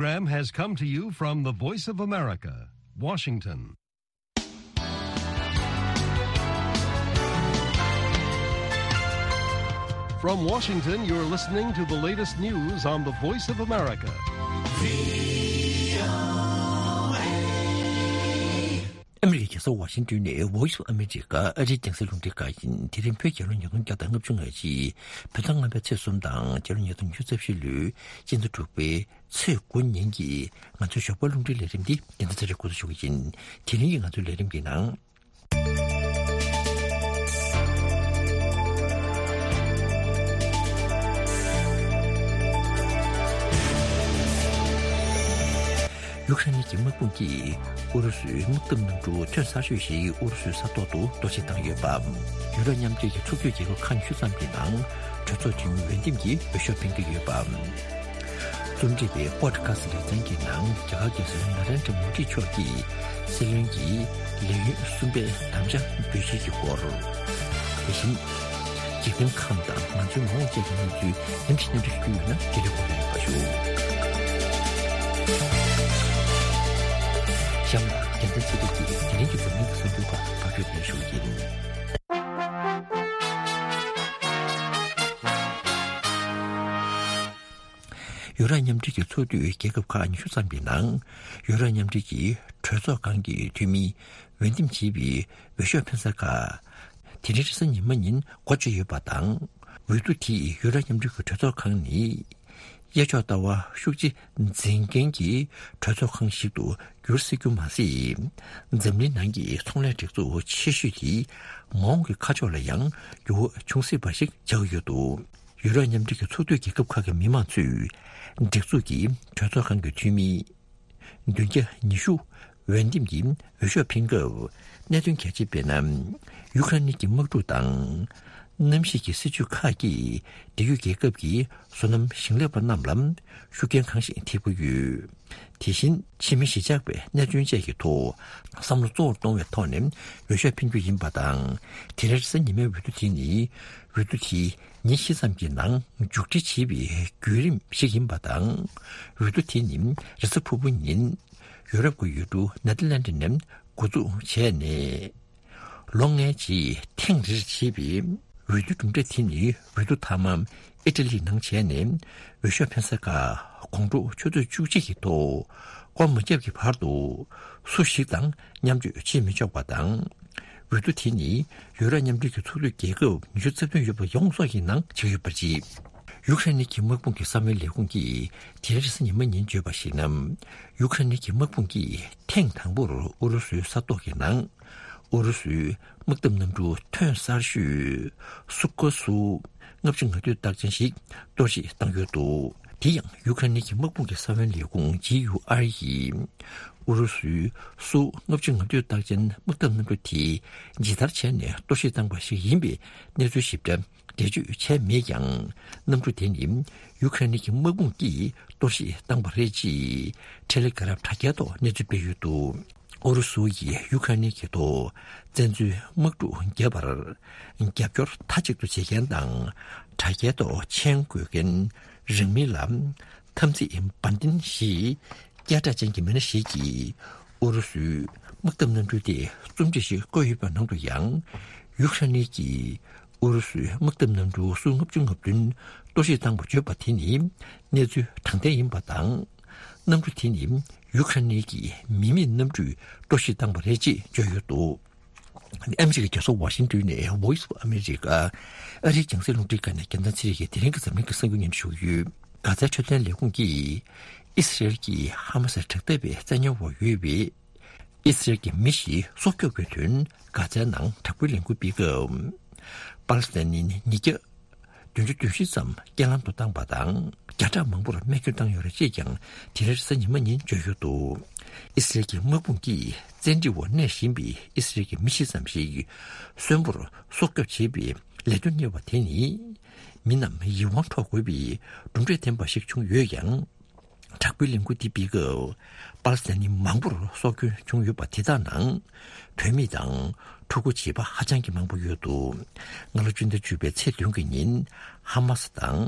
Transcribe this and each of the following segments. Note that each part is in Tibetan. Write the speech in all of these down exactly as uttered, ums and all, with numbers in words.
Program has come to you from the Voice of America, Washington. From Washington, you're listening to the latest news on the Voice of America. ཨ་མི་རི་ཀའི་རྒྱལ་ས་ཝ་ཤིང་ཏོན་ནས་Voice of America ཨ་རིའི་རྒྱང་སྲིང་རླུང་འཕྲིན་ཁང་ཡིན། དེ་རིང་བོད་རྒྱལ་ལོ་ཉིས་སྟོང་བརྒྱ་དང་ལྔ་བཅུ་ང་གཅིག་བོད་ཟླ་ལྔ་པའི་ཚེས་གསུམ་དང་རྒྱལ་ལོ་ཉིས་སྟོང་ཉི་ཤུ་རྩ་བཞི་ལོའི་སྤྱི་ཟླ་དྲུག་པའི་ཚེས་དགུ་ཉིན་གྱི་ང་ཚོའི་ཞོགས་པ་རླུང་འཕྲིན་ལས་རིམ་འདི་རྒྱལ་མཚན་ཚེ་རིང་འགོ་འཛུགས་ཞུ་གི་ཡིན། དེ་རིང་གི་ང་ཚོའི་ལས་རིམ་གྱི་ནང་། ཡུཀ་རེན་གྱི་དམག་དཔུང་གིས་ཨུ་རུ་སུའི་དམག་འཐབ་གནམ་གྲུ་ཐོན་གསར་ཤོས་ཤིག་ཨུ་རུ་སུའི་ས་ཐོག་ཏུ་གཏོར་བཤིག་བཏང་ཡོད་པ། ཡུ་རོབ་མཉམ་འབྲེལ་གྱི་ཚོགས་འདུའི་རྒྱལ་ཁབ་ཁག་ཉི་ཤུ་ཙམ་གྱི་ནང་གྲོས་ཚོགས་འཐུས་མི་འོས་འདེམས་ཀྱི་འོས་ཤོག་འཕེན་གྱི་ཡོད་པ། རྩོམ་སྒྲིག་པས་པོ་ཌི་ཁ་སི་ལེ་ཚན་གྱི་ནང་རྒྱ་གར་རྒྱལ་སྲས་ན་རེན་དྲ་མོ་དི་མཆོག་གིས་སྲིད་བློན་གྱི་ལས་ཡུན་གསུམ་པའི་དམ་བཅའ་འབུལ་བཞེས་ཀྱི་སྐོར། དེ་བཞིན། འཇིག་རྟེན་ཁམས་དང་ང་ཚོའི་མ་འོངས་བཅས་ཀྱི་གནས་ཚུལ་རིམ་བཞིན་སྙན་སྒྲོན་ཞུ་རྒྱུ་ཡོད་ན་འབྲེལ་ཡོད་སྐོར་ལ་ཡོད་པ་ཞུ། གཤམ་ལ་རྒྱལ་མཚན་ཚེ་རིང་གིས་དེ་རིང་གི་འཛམ་གླིང་གི་གསར་འགྱུར་ཁག་ཕབ་སྒྱུར་ཞུ་གི་ཡིན། ཡུ་རོབ་མཉམ་འབྲེལ་གྱི་ཚོགས་འདུས་རྒྱལ་ཁབ་ཁག་ཉི་ཤུ་ཙམ་གྱི་ནང་ཡུ་རོབ་མཉམ་འབྲེལ་གྱི་གྲོས་ཚོགས་ཁང་གི་འཐུས་མི་འོས་འདེམས་བྱས་པའི་འོས་ཤོག་འཕེན་ས་ཁག་དེ་རིང་རེས་གཟའ་ཉི་མ་ཉིན་འགོ་བརྗོད་ཡོད་པ་དང་། འོས་བསྡུ་དེས་ཡུ་རོབ་མཉམ་འབྲེལ་གྱི་གྲོས་ཚོགས་ཁང་ནི་གཡས་ཕྱོགས་ལྟ་བ་ཤུགས་ཆེ་འཛིན་མཁན་གྱི་གྲོས་ཚོགས་ཁང་ཞིག་ཏུ་འགྱུར་སྲིད་རྒྱུ་མ་ཟད། འཛམ་གླིང་ནང་གི་ཚོང་ལས་སྒྲིག་འཛུགས་ཆེ་ཤོས་དེ་མ་འོངས་ཀྱི་ཁ་ཕྱོགས་ལ་ཡང་འགྱུར་བ་འབྱུང་སྲིད་པ་ཞིག་ཆགས་ཡོད་འདུག་ཡུ་རོབ་མཉམ་འབྲེལ་གྱི་ཚོགས་འཐུས་རྒྱལ་ཁབ་ཁག་གི་མི་མང་ཚོས་སྒྲིག་འཛུགས་ཀྱི་གྲོས་ཚོགས་ཁང་གི་འཐུས་མི་བདུན་བརྒྱ་ཉི་ཤུ་འོས་འདེམས་ཀྱིས་འོས་ཤོག་འཕེན་སྐབས་གནད་དོན་གལ་ཆེ་དཔེར་ན། ཡུ་ཁ་རེན་གྱི་དམག་འཁྲུག་དང་གནམ་གཤིས་ཀྱི་སྲིད་ཇུས་ཁག་གིས་འབྲེལ་ཡོད་རྒྱལ་ཁབ་ཀྱི་སོ་ནམ་ཞིང་ལས་པ་རྣམས་ལ་ཤུགས་རྐྱེན་གང་ཞིག་ཐེབས་ཀྱི་ཡོད། དེ་བཞིན་ཕྱི་མི་གཞིས་ཆགས་པའི་གནད་དོན་བཅས་ཀྱི་ཐོག་བསམ་བློ་གཙོ་བོར་གཏོང་བའི་ཐོག་ནས་འོས་ཤོག་འཕེན་རྒྱུ་ཡིན་པ་དང་། དེ་རིང་རེས་གཟའ་ཉི་མའི་འོས་བསྡུ་དེ་ནི་འོས་བསྡུ་དེ་ཉིན་བཞི་ཙམ་གྱི་ནང་མཇུག་སྒྲིལ་བྱེད་པའི་བརྒྱུད་རིམ་ཞིག་ཡིན་པ་དང་། འོས་བསྡུ་དེ་ནི་རེས་གཟའ་ཕུར་བུ་ཉིན་ཡུ་རོབ་ཀྱི་ཡུལ་གྲུ་ནེ་དར་ལན་ཌི་ནས་འགོ་འཛུགས་བྱས་ནས། ལོ་ལྔའི་རྗེས་ཐེངས་རེར་བྱེད་པའི་འོས་བསྡུ་གྲུབ་འབྲས་དེ་ནི་འོས་བསྡུ་མཐའ་མ་ཨི་ཊ་ལི་ནང་བྱས་ནས་འོས་ཤོག་འཕེན་ས་ཁག་དགོང་དྲོ་ཆུ་ཚོད་བཅུ་གཅིག་གི་ཐོག་སྐོར་མ་བརྒྱབ་ཀྱི་བར་དུ་སུ་ཞིག་དང་མཉམ་སྤྱོད་བྱེད་མི་ཆོག་པ་དང་། འོས་བསྡུ་དེ་ནི་ཡུ་རོབ་མཉམ་འབྲེལ་གྱི་ཚོགས་འཐུས་རྒྱལ་ཁབ་ཉི་ཤུ་རྩ་བདུན་ཡོད་པ་ཡོངས་རྫོགས་ཀྱི་ནང་བྱེད་ཀྱི་ཡོད་པ་རེད། ཡུ་ཁ་རེན་གྱི་དམག་དཔུང་གི་གསང་བའི་ལས་ཁུངས་ཀྱིས་དེ་རིང་རེས་གཟའ་ཉི་མ་ཉིན་བརྗོད་པར་གཞིགས་ན། ཡུ་ཁ་རེན་གྱི་དམག་དཔུང་གིས་ཐེངས་དང་པོར་ཨུ་རུ་སུའི་ས་ཐོག་གི་ནང་ཨུ་རུ་སུའི་དམག་འཐབ་གནམ་གྲུ་ཐོན་གསར་ཤོས་སུ་ཁོ་སུ་ལྔ་བཅུ་ང་བདུན་རྟགས་ཅན་ཞིག་གཏོར་བཤིག་བཏང་ཡོད་འདུག་དེ་ཡང་ཡུ་ཁ་རེན་གྱི་དམག་དཔུང་གི་གསང་བའི་ལས་ཁུངས་ཇི་ཡུ་ཨར་ཡིས་ཨུ་རུ་སུའི་སུ་ལྔ་བཅུ་ང་བདུན་རྟགས་ཅན་དམག་འཐབ་གནམ་གྲུ་དེ་ཇི་ལྟར་བྱས་ནས་གཏོར་བཤིག་བཏང་པ་ཞིག་ཡིན་པའི་གནས་ཚུལ་ཞིབ་ཕྲ་འགྲེལ་བརྗོད་བྱས་མེད་ཀྱང་། གནམ་གྲུ་དེ་ནི་ཡུ་ཁ་རེན་གྱི་དམག་དཔུང་གིས་གཏོར་བཤིག་བཏང་པ་རེད་ཅེས་ཊེ་ལེ་གྷ་རམ་དྲ་རྒྱའི་ཐོག་གནས་ཚུལ་སྤེལ་ཡོད་འདུག་ཨུ་རུ་སུ་ཡིས་ཡུ་ཁ་རེན་གྱི་ཐོག་བཙན་འཛུལ་དམག་འཁྲུག་བརྒྱབ་པར་རྒྱབ་སྐྱོར་མཐའ་གཅིག་ཏུ་བྱེད་མཁན་དང་། དྲ་རྒྱའི་ཐོག་མཆན་འགོད་མཁན་རིང་མིན་ལ་དམ་ཚིག་བ་དན་ཞེས་སྐད་གྲགས་ཅན་གྱི་མི་སྣ་ཞིག་གིས་ཨུ་རུ་སུའི་དམག་འཐབ་གནམ་གྲུ་དེ་རྩོམ་སྒྲིག་ཞིག་བཀོད་ཡོད་པའི་ནང་དུ་ཡང་། ཡུ་ཁ་རེན་གྱིས་ཨུ་རུ་སུའི་དམག་འཐབ་གནམ་གྲུ་སུ་ལྔ་བཅུ་ང་བདུན་གཏོར་བཤིག་བཏང་བ་བརྗོད་པ་དེ་ནི་གནས་ཚུལ་དྲང་བདེན་ཡིན་པ་དང་། གནམ་གྲུ་དེ་ནི་ཡུ་ཁ་རེན་གྱི་མི་མེད་གནམ་གྲུས་གཏོར་བཤིག་བཏང་བ་རེད་ཅེས་བརྗོད་ཡོད་འདུག་ཨ་མི་རི་ཀའི་རྒྱལ་ས་ཝ་ཤིང་ཏོན་ནས་Voice of America ཨ་རིའི་རྒྱང་སྲིང་རླུང་འཕྲིན་ཁང་ནས་རྒྱལ་མཚན་ཚེ་རིང་གིས་དེ་རིང་གི་འཛམ་གླིང་གི་གསར་འགྱུར་སྙན་སྒྲོན་ཞུ་གི་ཡོད། གྷ་ཛའི་འཕྲོད་བསྟེན་ལས་ཁུངས་ཀྱིས་ཨི་སི་རེལ་གྱིས་ཧ་མ་སིར་དྲག་འཐབ་པའི་བཙན་ཉར་འོག་ཡོད་པའི་ཨི་སི་རེལ་གྱི་མི་ཞིག་སྲོག་སྐྱོབ་ཀྱི་དོན་གྷ་ཛའི་ནང་དྲག་པོའི་ལས་འགུལ་སྤེལ་སྐབས། པ་ལི་སི་ཐན་ནི་ཉིས་བརྒྱ་བདུན་ཅུ་དོན་བཞི་ཙམ་རྐྱེན་ལམ་དུ་བཏང་པ་དང་། བརྒྱ་ཕྲག་མང་པོར་རྨས་སྐྱོན་བཏང་ཡོད་རེད་ཅེས་ཀྱང་དེ་རིང་རེས་གཟའ་ཉི་མ་ཉིན་བརྗོད་ཡོད་འདུག་ཨི་སི་རེལ་གྱི་དམག་དཔུང་གིས་བཙན་ཁྲིད་འོག་གནས་བཞིན་པའི་ཨི་སི་རེལ་གྱི་མི་བཞི་ཙམ་ཞིག་གསོན་པོར་སྲོག་སྐྱོབ་བྱེད་པའི་ལས་དོན་གཉེར་བ་དེ་ནི། མི་རྣམས་ཡིད་དབང་འཕྲོག་དགོས་པའི་གྲུབ་འབྲས་ལྡན་པ་ཞིག་བྱུང་ཡོད་ཀྱང་། དྲག་པོའི་ལས་འགུལ་འདི་སྤེལ་སྐབས་པ་ལི་སི་ཐན་ནི་མང་པོར་སྲོག་སྐྱོན་བྱུང་ཡོད་པ་དེ་དག་ནང་བུད་མེད་དང་ཕྲུ་གུ་བྱིས་པ་ཧ་ཅང་གི་མང་པོ་ཡོད་འདུག་སྔ་ལོ་སྤྱི་ཟླ་བཅུ་པའི་ཚེས་བདུན་གྱི་ཉིན་ཧ་མ་སི་དང་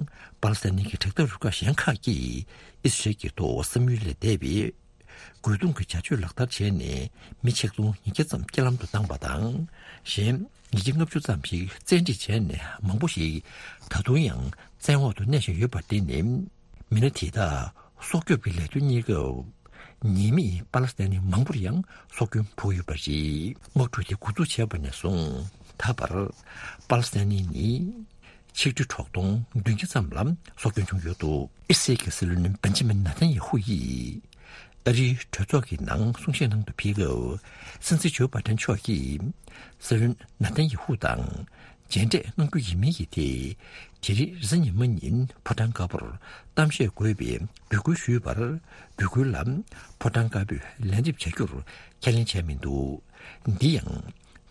པ་ལི་སི་ཐན་གྱི་དྲག་འཐབ་རུ་ཁག་གཞན་ཁག་གིས་ཨི་སི་རལ་གྱི་ཐོག་བསམ་ཡུལ་ལས་འདས་པའི་རྒོལ་རྡུང་གི་བྱ་སྤྱོད་ལག་བསྟར་བྱས་ནས་མི་ཆིག་སྟོང་ཉིས་བརྒྱ་ཙམ་རྐྱེན་ལམ་དུ་བཏང་བ་དང་། གཞན་ཉིས་བརྒྱ་ལྔ་བཅུ་ཙམ་ཞིག་བཙན་ཁྲིད་བྱས་ནས་མང་པོ་ཞིག་ད་དུང་ཡང་བཙན་འོག་ཏུ་གནས་བཞིན་ཡོད་པ་དེ་ནི་མི་སྣ་དེ་དག་སྲོག་སྐྱོབ་ཀྱི་ལས་དོན་གཉེར་སྐབས་ཉེས་མེད་པ་ལི་སི་ཐན་ནི་མང་པོར་ཡང་སྲོག་སྐྱོན་ཕོག་ཡོད་པ་རེད། དམག་འཁྲུག་དེ་འགོ་འཛུགས་བྱས་པ་ནས་བཟུང་ད་བར་པ་ལི་སི་ཐན་ནི་ནི་ཆིག་ཁྲི་དྲུག་སྟོང་བདུན་བརྒྱ་ཙམ་ལ་སྲོག་སྐྱོན་བྱུང་ཡོད་འདུག་ཨི་སི་རལ་གྱི་སྲིད་བློན་བན་ཇི་མིན་ནཱ་ཐན་ཡེ་ཧུ་ཡིས་ཨ་རིའི་གྲོས་ཚོགས་ཀྱི་ནང་གསུང་བཤད་གནང་དུ་ཕེབས་སྐབས་སྲིད་འཛིན་ཇོ་བྷའི་ཏན་མཆོག་གིས་སྲིད་བློན་ནཱ་ཐན་ཡེ་ཧུ་དང་མཇལ་འཕྲད་གནང་རྒྱུ་ཡིན་མིན་གྱི་ཐད་དེ་རིང་རེས་གཟའ་ཉི་མ་ཉིན་ཕོ་བྲང་དཀར་པོར་གཏམ་བཤད་དགོས་པའི་འབོད་སྐུལ་ཞུས་པར་འབོད་སྐུལ་ལ་ཕོ་བྲང་དཀར་པོས་ལན་འདེབས་བྱ་རྒྱུར་ཁས་ལེན་བྱས་མི་འདུག་འདི་ཡང་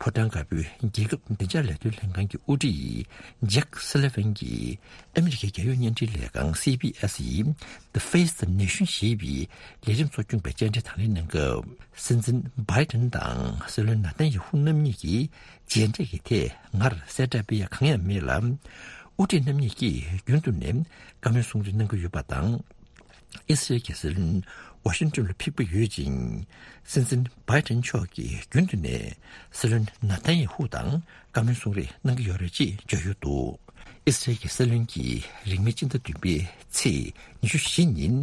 ཕོ་བྲང་དཀར་པོའི་རྒྱལ་ཁབ་བདེ་འཇགས་ལས་དོན་ལྷན་ཁང་གི་དབུ་ཁྲིད་ཇེག་སུ་ལི་ཝན་གྱིས་ཨ་མི་རི་ཀའི་རྒྱལ་ཡོངས་བརྙན་འཕྲིན་ལས་ཁང་སི་བྷི་ཨེས་ཡི་The Face the Nation ཞེས་པའི་ལས་རིམ་གཙོ་སྐྱོང་པའི་བཅར་འདྲི་དང་ལེན་གནང་སྐབས། སྲིད་འཛིན་བྷའི་ཏན་དང་སྲིད་བློན་ནཱ་ཐན་ཡེ་ཧུ་རྣམ་གཉིས་ཀྱི་མཇལ་འཕྲད་ཀྱི་ཐད་ངར་གསལ་བསྒྲགས་སྤེལ་ཡ་གང་ཡང་མེད་ལ། དབུ་ཁྲིད་རྣམ་གཉིས་ཀྱིས་རྒྱུན་དུ་ནས་བཀའ་མོལ་གསུང་གྲོས་གནང་གི་ཡོད་པ་དང་། ཨི་སི་རལ་གྱི་སྲིད་བློན་ཝ་ཤིང་ཏོན་ལ་ཕེབས་ཀྱི་ཡོད་ཅིང་། སྲིད་འཛིན་བྷའི་ཏན་མཆོག་གིས་རྒྱུན་དུ་ནས་སྲིད་བློན་ནཱ་ཐན་ཡེ་ཧུ་དང་བཀའ་མོལ་གསུང་རེས་གནང་གི་ཡོད་རེད་ཅེས་བརྗོད་ཡོད་འདུག་ཨི་སི་རལ་གྱི་སྲིད་བློན་གྱིས་རིང་མིན་སྤྱི་ཟླ་བདུན་པའི་ཚེས་ཉི་ཤུ་བཞི་ཉིན་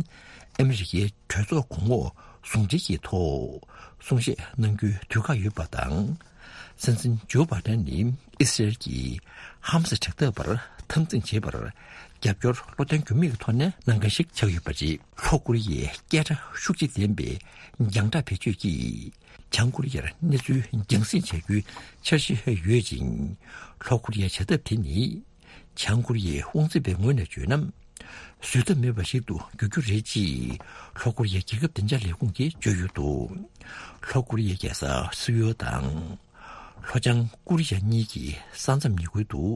ཨ་མི་རི་ཀའི་གྲོས་ཚོགས་གོང་འོག་ཟུང་འབྲེལ་གྱི་ཐོག་གསུང་བཤད་གནང་རྒྱུའི་དུས་བཀག་ཡོད་པ་དང་། སྲིད་འཛིན་ཇོ་བྷའི་ཏན་ནི་ཨི་སི་རལ་གྱིས་ཧམ་སི་དྲག་འཐབ་པར་འཐབ་འཛིང་བྱེད་པར་རྒྱབ་སྐྱོར་བློ་བརྟན་འགྱུར་མེད་ཀྱི་ཐོག་ནས་གནང་མཁན་ཞིག་ཆགས་ཡོད་པ་རེད། ལྷོ་ཀོ་རི་ཡའི་སྐད་གྲགས་ཤུགས་ཆེ་ལྡན་པའི་རྒྱང་བསྒྲགས་བེད་སྤྱོད་ཀྱིས་བྱང་ཀོ་རི་ཡར་གནས་ཚུལ་རྒྱང་སྲིང་བྱ་རྒྱུའི་འཆར་གཞི་ཡོད་ཅིང་། ལྷོ་ཀོ་རི་ཡའི་བྱ་ཐབས་དེ་ནི་བྱང་ཀོ་རི་ཡའི་དབང་འཛིན་པའི་ངོས་ནས་བརྗོད་ན། བཟོད་ཐབས་མེད་པ་ཞིག་ཏུ་འགྱུར་རྒྱུ་རེད་ཅེས་ལྷོ་ཀོ་རི་ཡའི་རྒྱལ་ཁབ་བདེ་འཇགས་ལས་ཁུངས་ཀྱིས་བརྗོད་ཡོད་འདུག་ལྷོ་ཀོ་རི་ཡའི་རྒྱལ་ས་སིའུལ་དང་། ལྷོ་བྱང་ཀོ་རི་ཡ་གཉིས་ཀྱི་ས་མཚམས་ཉེ་ཁུལ་དུ།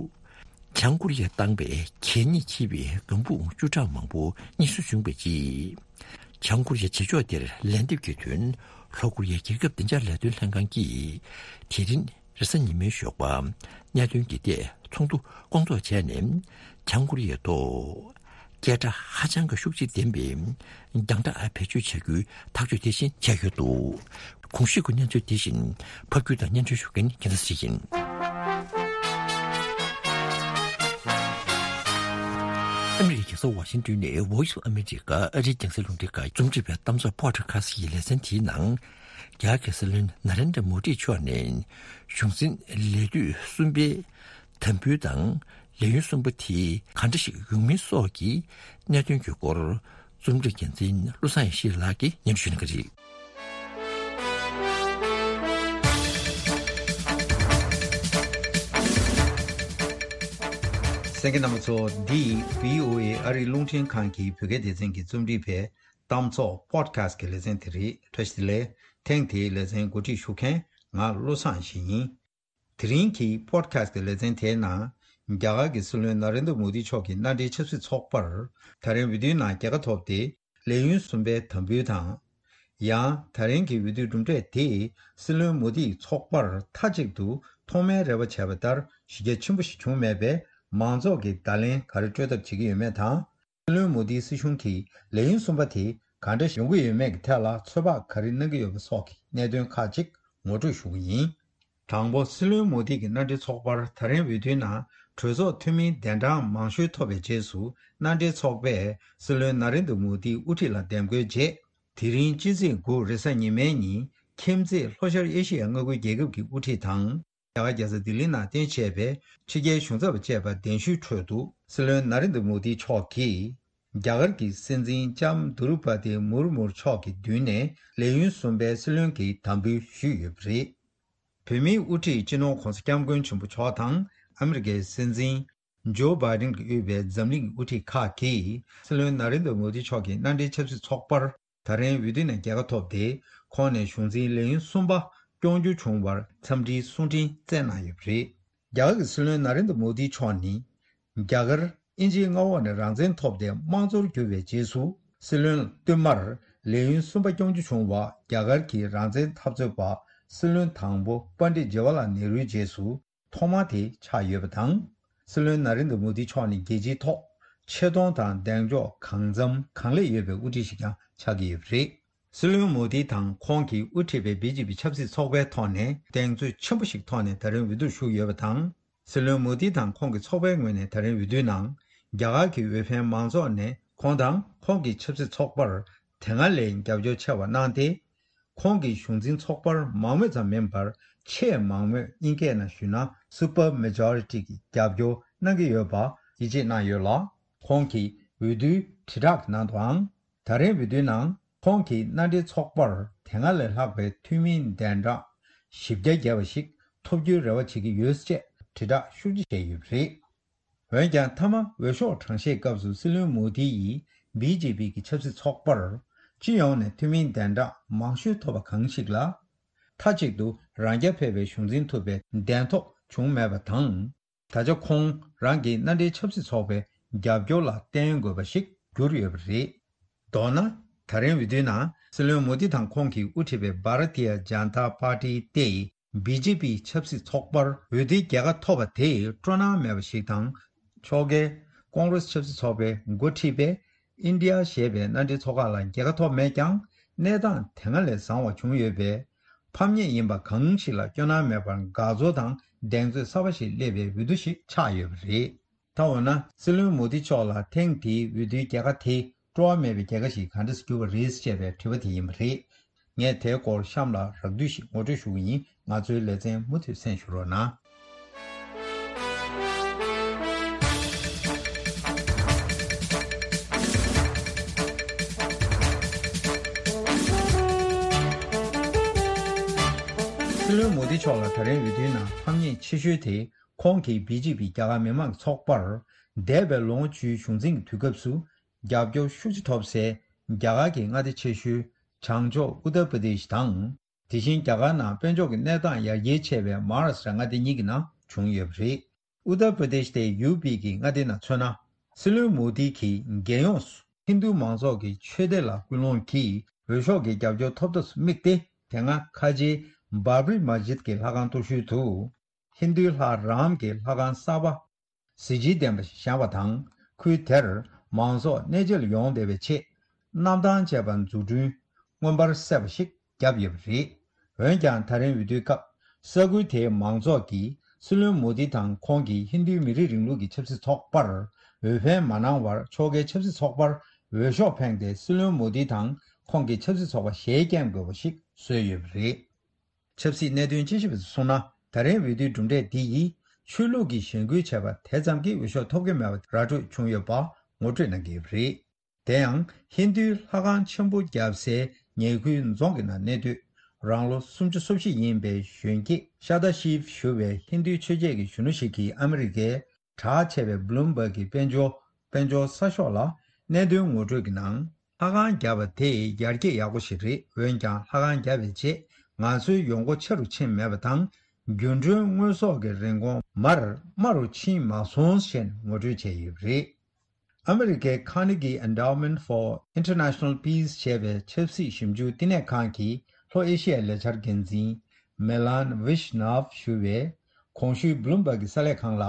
བྱང་ཀོ་རི་ཡས་བཏང་པའི་གད་སྙིགས་འཁྱེར་བའི་ལྒང་བུ་བཅུ་ཕྲག་མང་པོ་རྙེད་སོན་བྱུང་བའི་རྗེས། བྱང་ཀོ་རི་ཡའི་བྱེད་ཕྱོགས་དེར་ལན་འདེབས་ཀྱི་དོན་ལྷོ་ཀོ་རི་ཡའི་རྒྱལ་ཁབ་བདེ་འཇགས་ལས་དོན་ལྷན་ཁང་གིས་དེ་རིང་རེས་གཟའ་ཉི་མའི་ཞོགས་པ་གནད་དོན་འདི་ཐད་ཚོགས་འདུ་སྐོང་ཚོགས་བྱས་ནས་བྱང་ཀོ་རི་ཡའི་ཐོག་སྐད་གྲགས་ཧ་ཅང་གི་ཤུགས་ཆེ་ལྡན་པའི་རྒྱང་བསྒྲགས་བེད་སྤྱོད་བྱ་རྒྱུའི་ཐག་གཅོད་དེ་བཞིན་བྱས་ཡོད་འདུག་གོང་ཞུས་ཀྱི་གནས་ཚུལ་དེ་བཞིན་ཕབ་སྒྱུར་དང་སྙན་སྒྲོན་ཞུ་མཁན་རྒྱལ་མཚན་ཞིག་ཡིན། ཨ་མི་རི་ཀའི་རྒྱལ་ས་ཝ་ཤིང་ཏོན་ནས་Voice of America ཨ་རིའི་རྒྱང་སྲིང་རླུང་འཕྲིན་ཁང་རྩོམ་སྒྲིག་པའི་གཏམ་བཟང་Podcast ཀྱི་ལེ་ཚན་དེའི་ནང་། རྒྱ་གར་གྱི་སྲིད་བློན་ན་རེན་དྲ་མོ་དི་མཆོག་ནས་གཞུང་འཛིན་ལས་དུས་གསུམ་པའི་དམ་འབུལ་དང་ལས་ཡུན་གསུམ་པ་དེ་ག་འདྲ་ཞིག་ཡོང་མིན་སོགས་ཀྱི་གནད་དོན་གྱི་སྐོར། རྩོམ་སྒྲིག་འགན་འཛིན་བློ་བཟང་ཡེ་ཤེས་ལགས་ཀྱིས་སྙན་ཞུ་གནང་གི་རེད། གསན་མཁན་རྣམ་པ་ཚོ། འདི་བྷི་ཨོ་ཨེ་ཨ་རིའི་རླུང་འཕྲིན་ཁང་གི་བོད་སྐད་སྡེ་ཚན་གྱི་རྩོམ་སྒྲིག་པའི་གཏམ་ཚོགས་Podcast ཀྱི་ལེ་ཚན་དེ་རེད། བཀྲ་ཤིས་བདེ་ལེགས། ཐེངས་དེའི་ལེ་ཚན་གོ་སྒྲིག་ཞུ་མཁན་ང་བློ་བཟང་ཡེ་ཤེས་ཡིན། དེ་རིང་གི་Podcast ཀྱི་ལེ་ཚན་དེའི་ནང་རྒྱ་གར་གྱི་སྲིད་བློན་ན་རེན་དྲ་མོ་དི་མཆོག་གི་མནའ་འབྲེལ་ཆབ་སྲིད་ཚོགས་པར་ད་རིང་འོས་བསྡུའི་ནང་རྒྱལ་ཁ་ཐོབ་སྟེ་ལས་ཡུན་གསུམ་པའི་དམ་འབུལ་དང་། ཡང་ད་རིང་གི་འོས་བསྡུའི་གྲུབ་འབྲས་དེས་སྲིད་བློན་མོ་དིའི་ཚོགས་པར་མཐའ་གཅིག་ཏུ་ཐོག་མའི་རེ་བ་བྱས་པ་ལྟར་གཞི་རྒྱ་ཆེན་པོ་ཞིག་བྱུང་མེད་པས་མང་ཚོགས་ཀྱིས་བརྡ་ལན་ག་རེ་སྤྲོད་ཐབས་བྱེད་ཀྱི་ཡོད་མེད་དང་། སྲིད་བློན་མོ་དིའི་སྲིད་གཞུང་གིས་ལས་ཡུན་གསུམ་པ་དེ་ག་འདྲ་ཡོང་གི་ཡོད་མེད་ཀྱི་ཐད་ལ་ཚོད་དཔག་ག་རེ་གནང་གི་ཡོད་པ་སོགས་ཀྱི་གནད་དོན་ཁག་ཅིག་ངོ་སྤྲོད་ཞུ་གི་ཡིན། དང་པོ། སྲིད་བློན་མོ་དི་གི་མནའ་འབྲེལ་ཚོགས་པར་ད་རིང་འོས་བསྡུའི་ནང་གྲོས་ཚོགས་འཐུས་མི་གདན་གྲངས་མང་ཤོས་ཐོབ་པའི་རྗེས་སུ་མནའ་འབྲེལ་ཚོགས་པས་སྲིད་བློན་ན་རེན་དྲ་མོ་དིའི་དབུ་ཁྲིད་ལ་འདེམས་བསྐོའི་རྗེས། དེ་རིང་སྤྱི་ཚེས་དགུ་རེས་གཟའ་ཉི་མའི་ཉིན་ཁྱིམ་མཚེས་ལྷོ་ཤར་ཨེ་ཤི་ཡའི་མངའ་ཁུལ་རྒྱལ་ཁབ་ཀྱི་དབུ་ཁྲིད་དང་། རྒྱ་གར་རྒྱལ་ས་ལྡི་ལི་ནང་རྟེན་བྱས་པའི་ཕྱི་རྒྱལ་གཞུང་ཚབ་བཅས་པ་གདན་ཞུའི་ཁྲོད་དུ་སྲིད་བློན་ན་རེན་དྲ་མོ་དི་མཆོག་གིས་རྒྱ་གར་གྱི་སྲིད་འཛིན་ལྕམ་དུ་རུ་པ་ཏི་མུར་མུར་མཆོག་གི་མདུན་ནས་ལས་ཡུན་གསུམ་པའི་སྲིད་བློན་གྱི་དམ་འབུལ་ཞུས་ཡོད་པ་རེད། བོད་མིའི་དབུ་ཁྲིད་སྤྱི་ནོར་༧གོང་ས་༧སྐྱབས་མགོན་ཆེན་པོ་མཆོག་དང་ཨ་མི་རི་ཀའི་སྲིད་འཛིན་ཇོ་བྷའི་ཌེན་གྱིས་དབུས་པའི་འཛམ་གླིང་གི་དབུ་ཁྲིད་ཁག་གིས་སྲིད་བློན་ན་རེན་དྲ་མོ་དི་མཆོག་གི་མནའ་འབྲེལ་ཆབ་སྲིད་ཚོགས་པར་ད་རིང་འོས་བསྡུ་ནས་རྒྱལ་ཁ་ཐོབ་སྟེ། ཁོང་ནས་གཞུང་འཛིན་ལས་ཡུན་གསུམ་པ་སྐྱོང་རྒྱུ་བྱུང་བར་འཚམས་འདྲིའི་གསུང་འཕྲིན་བསྩལ་གནང་ཡོད་པ་རེད། རྒྱ་གར་གྱི་སྲིད་བློན་ན་རེན་དྲ་མོ་དི་མཆོག་ནི། རྒྱ་གར་དབྱིན་ཇིའི་མངའ་འོག་ནས་རང་བཙན་ཐོབ་སྟེ་དམངས་གཙོར་གྱུར་བའི་རྗེས་སུ། སྲིད་བློན་བསྟུད་མར་ལས་ཡུན་གསུམ་པ་སྐྱོང་རྒྱུ་བྱུང་བ་རྒྱ་གར་གྱི་རང་བཙན་འཐབ་རྩོད་པ་སྲིད་བློན་དང་པོ་པཎྜི་ཏ་ཇི་ཝ་ལ་ནེ་རུའི་རྗེས་སུ་ཐོག་མ་དེ་ཆགས་ཡོད་པ་དང་། སྲིད་བློན་ན་རེན་དྲ་མོ་དི་མཆོག་ནི་རྒྱལ་སྤྱིའི་ཐོག་ཆེ་མཐོང་དང་གདེང་འཇོག་གང་འཚམ་གང་ལེགས་ཡོད་པའི་དབུ་ཁྲིད་ཞིག་ཀྱང་ཆགས་ཀྱི་ཡོད་པ་རེད། སྲིད་བློན་མོ་དི་དང་ཁོང་གིས་དབུ་ཁྲིད་པའི་བི་ཇེ་པི་ཆབ་སྲིད་ཚོགས་པའི་ཐོག་ནས་གདེང་ཚོད་ཆེན་པོ་ཞིག་ཐོག་ནས་ད་རིང་འོས་བསྡུར་ཞུགས་ཡོད་པ་དང་། སྲིད་བློན་མོ་དི་དང་ཁོང་གི་ཚོགས་པའི་ངོས་ནས་ད་རིང་འོས་བསྡུའི་ནང་རྒྱ་གར་གྱི་འོས་འཕེན་མང་ཚོགས་ནས་ཁོང་དང་ཁོང་གི་ཆབ་སྲིད་ཚོགས་པར་དེ་སྔ་ལས་རྒྱབ་སྐྱོར་ཆེ་བ་གནང་སྟེ། ཁོང་གི་གཞུང་འཛིན་ཚོགས་པར་མང་མོས་ཙམ་མིན་པར་ཆེས་མང་མོས་དབྱིན་སྐད་ནང་ཞུས་ན་སུ་པར་མེ་ཇོ་རི་ཊི་གི་རྒྱབ་སྐྱོར་གནང་གི་ཡོད་པ་ཡིད་ཆེས་གནང་ཡོད་ལ། ཁོང་གིས་འོས་བསྡུའི་དྲིལ་བསྒྲགས་ཀྱི་ནང་དུའང་། ད་རེས་འོས་བསྡུའི་ནང་ཁོང་གིས་མནའ་འབྲེལ་ཚོགས་པར་དེ་སྔ་ལས་ལྷག་པའི་འཐུས་མིའི་གདན་གྲངས་བཞི་བརྒྱ་བརྒལ་བ་ཞིག་ཐོབ་རྒྱུའི་རེ་བ་བྱེད་ཀྱི་ཡོད་ཅེས་དྲིལ་བསྒྲགས་ཤུགས་ཆེ་བྱས་ཡོད་པ་རེད། འོན་ཀྱང་། མཐའ་མ་འོས་ཤོག་གྲངས་བཤེར་སྐབས་སུ་སྲིད་བློན་མོ་དི་ཡིས་བི་ཇེ་པི་གི་ཆབ་སྲིད་ཚོགས་པར་སྤྱི་ཡོངས་ནས་འཐུས་མིའི་གདན་གྲངས་མང་ཤོས་ཐོབ་པ་གང་ཞིག་ལ། མཐའ་གཅིག་ཏུ་རང་རྐྱ་འཕེར་བའི་གཞུང་འཛིན་ཐུབ་པའི་གདན་ཐོབ་བྱུང་མེད་པ་དང་། ད་ཆ་ཁོང་རང་གི་མནའ་འབྲེལ་ཆབ་སྲིད་ཚོགས་པའི་རྒྱབ་སྐྱོར་ལ་བརྟེན་དགོས་པ་ཞིག་གྱུར་ཡོད་པ་རེད། མདོར་ན། ད་རིང་འོས་བསྡུའི་ནང་སྲིད་བློན་མོ་དི་དང་ཁོང་གིས་དབུ་ཁྲིད་པའི་བྷ་ར་ཏི་ཡ་ཇན་ཏ་པར་ཏི་སྟེ། བི་ཇེ་པི་ཆབ་སྲིད་ཚོགས་པར་འོས་བསྡུའི་རྒྱལ་ཁ་ཐོབ་པ་དེ་སྤྲོ་སྣང་མེད་པ་ཞིག་དང་། ཕྱོགས་འགལ་ཀོང་རེས་ཆབ་སྲིད་ཚོགས་པའི་འགོ་ཁྲིད་པས་ཨིན་ཌི་ཡ་ཞེས་པའི་མནའ་འབྲེལ་ཚོགས་ཁག་ལ་རྒྱལ་ཁ་ཐོབ་མེད་ཀྱང་། གནས་སྟངས་དེ་སྔ་ལས་བཟང་བ་བྱུང་ཡོད་པས། ཕམ་ཉེས་ཡིན་པ་གང་ཞིག་ལ་སྐྱོ་སྣང་མེད་པར་དགའ་ཚོར་དང་གདེང་ཚོད་གསར་པ་ཞིག་སླེབས་པའི་འོས་བསྡུ་ཞིག་ཆགས་ཡོད་པ་རེད། ད་འོ་ན། སྲིད་བློན་མོ་དི་མཆོག་ལ་ཐེངས་འདིའི་འོས་བསྡུའི་རྒྱལ་ཁ་དེ་སྤྲོ་བ་མེད་པའི་རྒྱལ་ཁ་ཞིག་གང་འདྲ་གྱུར་པ་རེད་ཅེས་པའི་དྲི་བ་དེ་ཡིན་པ་རེད། ངས་དེའི་སྐོར་གཤམ་ལ་རགས་བསྡུས་ཤིག་ངོ་སྤྲོད་ཞུ་གི་ཡིན། ང་ཚོའི་ལེ་ཚན་མུ་མཐུད་གསན་ཞུ་རོགས་གནང་། སྲིད་བློན་མོ་དི་མཆོག་ལ་ད་རིང་འོས་བསྡུའི་ནང་ཕམ་ཉེས་ཆེ་ཤོས་དེ། ཁོང་གིས་བི་ཇེ་པི་རྒྱ་གར་མི་མང་གི་ཚོགས་པར་འདས་པའི་ལོ་ངོ་བཅུའི་གཞུང་འཛིན་གྱི་དུས་སྐབས་སུ་རྒྱབ་སྐྱོར་ཤུགས་ཆེ་ཐོབ་སའི་རྒྱ་གར་གྱི་མངའ་སྡེ་ཆེ་ཤོས་བྱང་ཕྱོགས་ཨུ་ཏར་པྲ་དེཤ་དང་། དེ་བཞིན་རྒྱ་གར་ནང་དཔལ་འབྱོར་གྱི་གནས་སྟངས་ཡར་རྒྱས་ཆེ་བའི་མ་ཧཱ་རཱ་ཤྲ་མངའ་སྡེ་གཉིས་ཀྱི་ནང་བྱུང་ཡོད་པ་རེད། ཨུ་ཏར་པྲ་དེཤ་དེ་ཡུ་པི་གི་མངའ་སྡེ་ནང་མཚོན་ན། སྲིད་བློན་མོ་དི་གིས་རྒྱལ་ཡོངས་སུ་ཧིན་རྡུ་མང་ཚོགས་ཀྱི་ཆོས་སྡེ་ལ་སྐུལ་སློང་གིས་འོས་ཤོག་གི་རྒྱབ་སྐྱོར་ཐོབ་ཐབས་སུ་དམིགས་ཏེ། དེ་སྔ་ཁ་ཆེའི་བྷ་བྷ་རི་མ་ཇིད་ཀྱི་ལྷ་ཁང་གཏོར་ཤུལ་དུ། ཧིན་རྡུའི་ལྷ་རཱམ་གྱི་ལྷ་ཁང་གསར་པ་གཟི་བརྗིད་ལྡན་པ་ཞིག་བཞེངས་པ་དང་། ཁུལ་དེར་མང་ཚོགས་གནས་མཇལ་ཡོང་བདེ་བའི་ཆེད་གནམ་ཐང་ཅེས་པ་འཛུགས་སྐྲུན་མངོན་པར་གསལ་བ་ཞིག་བརྒྱབ་ཡོད་པ་རེད། འོན་ཀྱང་། ད་རིང་འོས་བསྡུའི་སྐབས་ས་ཁུལ་དེའི་མང་ཚོགས་ཀྱིས་སྲིད་བློན་མོ་དི་དང་ཁོང་གི་ཧིན་རྡུའི་མི་རིགས་རིང་ལུགས་ཀྱི་ཆབ་སྲིད་ཚོགས་པར་འོས་འཕེན་མ་གནང་བར། ཕྱོགས་འགལ་ཆབ་སྲིད་ཚོགས་པར་འོས་ཤོག་འཕེན་ཏེ། སྲིད་བློན་མོ་དི་དང་ཁོང་གི་ཆབ་སྲིད་ཚོགས་པ་ཞལ་བཀྱག་དགོས་པ་ཞིག་བཟོས་ཡོད་པ་རེད། ཆབ་སྲིད་གནད་དོན་དཔྱད་ཞིབ་པ་ཚོས་གསུངས་ན། ད་རེས་འོས་བསྡུའི་གྲུབ་འབྲས་འདི་ཡིས་ཆོས་ལུགས་ཀྱི་ཞེན་སྐུལ་བྱས་པ་དེ་ཙམ་གྱིས་འོས་ཤོག་ཐོབ་ཀྱི་མེད་པ་ར་སྤྲོད་བྱུང་ཡོད་པ་ངོ་སྤྲོད་གནང་གི་ཡོད་པ་རེད། དེ་ཡང་། ཧིན་རྡུའི་ལྷ་ཁང་ཆེན་པོ་བརྒྱབ་སའི་ཉེ་ཁུལ་རྫོང་གི་ནང་གནས་སྡོད། རང་ལོ་སུམ་ཅུ་སོ་བཞི་ཡིན་པའི་གཞོན་སྐྱེས་ཤ་ཏ་ཤིབ་ཞུ་བའི་ཧིན་རྡུའི་ཆོས་བྱེད་ཀྱི་གཞོན་ནུ་ཞིག་གིས་ཨ་མི་རི་ཀའི་གྲགས་ཆེ་བའི་བྷ་ལུམ་བྷག་གི་དཔལ་འབྱོར་དཔལ་འབྱོར་གསར་ཤོག་ལ་གནད་དོན་ངོ་སྤྲོད་ཀྱི་ནང་། ལྷ་ཁང་བརྒྱབ་པ་དེ་ཡར་རྒྱས་ཡག་པོ་ཞིག་རེད། འོན་ཀྱང་། ལྷ་ཁང་བརྒྱབ་པའི་རྗེས་ང་ཚོའི་ཡོང་སྒོ་ཆེ་རུ་ཕྱིན་མེད་པ་དང་། རྒྱུན་གྲོན་དངོས་ཟོག་གི་རིན་གོང་མར་དམའ་རུ་ཕྱིན་མ་སོང་ཞེས་ངོ་སྤྲོད་བྱས་ཡོད་པ་རེད། ཨ་མི་རི་ཀའི་Carnegie Endowment for International Peace ཞེས་པའི་ཆབ་སྲིད་ཞིབ་འཇུག་བསྟི་གནས་ཁང་གི་ལྷོ་ཨེ་ཤི་ཡའི་ལས་འཆར་འགན་འཛིན་Milan Vishnov ཞུ་བས། གོང་ཞུས་བྷ་ལུམ་བྷག་གི་གསར་ལས་ཁང་ལ།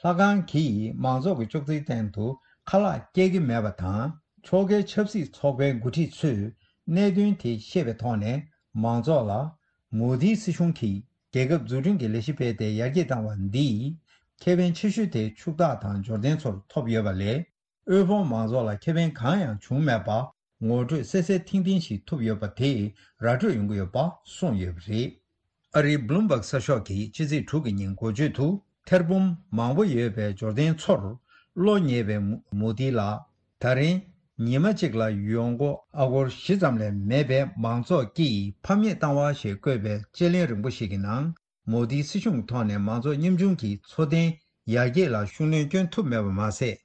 ལྷ་ཁང་གིས་མང་ཚོགས་ཀྱི་ཅོག་ཙེའི་སྟེང་དུ་ཁ་ལག་སྐྱེལ་གྱི་མེད་པ་དང་། ཕྱོགས་འགལ་ཆབ་སྲིད་ཚོགས་པའི་འགོ་ཁྲིད་ཚོས་གནད་དོན་དེ་ཤེས་པའི་ཐོག་ནས། མང་ཚོགས་ལ་མོ་དིའི་སྲིད་གཞུང་གིས་རྒྱལ་ཁབ་འཛུགས་སྐྲུན་གྱི་ལས་གཞི་སྤེལ་ཏེ་ཡར་རྒྱས་བཏང་བ་འདིས། ཁེ་ཕན་ཆེ་ཤོས་དེ་ཕྱུག་བདག་དང་འབྱོར་ལྡན་ཚོར་ཐོབ་ཡོད་པ་ལས། དབུལ་ཕོངས་མང་ཚོགས་ལ་ཁེ་ཕན་གང་ཡང་བྱུང་མེད་པ། ངོ་སྤྲོད་གསལ་གསལ་ཐིང་ཐིང་ཞིག་ཐུབ་ཡོད་པ་དེས་ར་སྤྲོད་ཡོང་གི་ཡོད་པ་གསུངས་ཡོད་པ་རེད། ཨ་རིའི་བྷ་ལུམ་བྷག་གསར་ཤོག་གིས་ཕྱི་ཚེས་དྲུག་གི་ཉིན་འགོ་བརྗོད་དུ། ཐེར་འབུམ་མང་པོ་ཡོད་པའི་འབྱོར་ལྡན་ཚོར་བློ་ཉེས་པའི་མོ་དི་ལ། ད་རིང་ཉི་མ་གཅིག་ལ་ཡོང་སྒོ་ཨ་སྒོར་བཞི་ཙམ་ལས་མེད་པའི་མང་ཚོགས་ཀྱིས་ཕམ་ཉེས་བཏང་བ་ཞེས་བཀོད་པའི་དཔྱད་གླེང་རིང་པོ་ཞིག་གི་ནང་། མོ་དིའི་སྲིད་གཞུང་གི་ཐོག་ནས་མང་ཚོགས་ཉམ་ཆུང་གི་འཚོ་རྟེན་ཡར་རྒྱས་ལ་ཤུགས་སྣོན་སྐྱོན་ཐུབ་མེད་པ་མ་ཟད།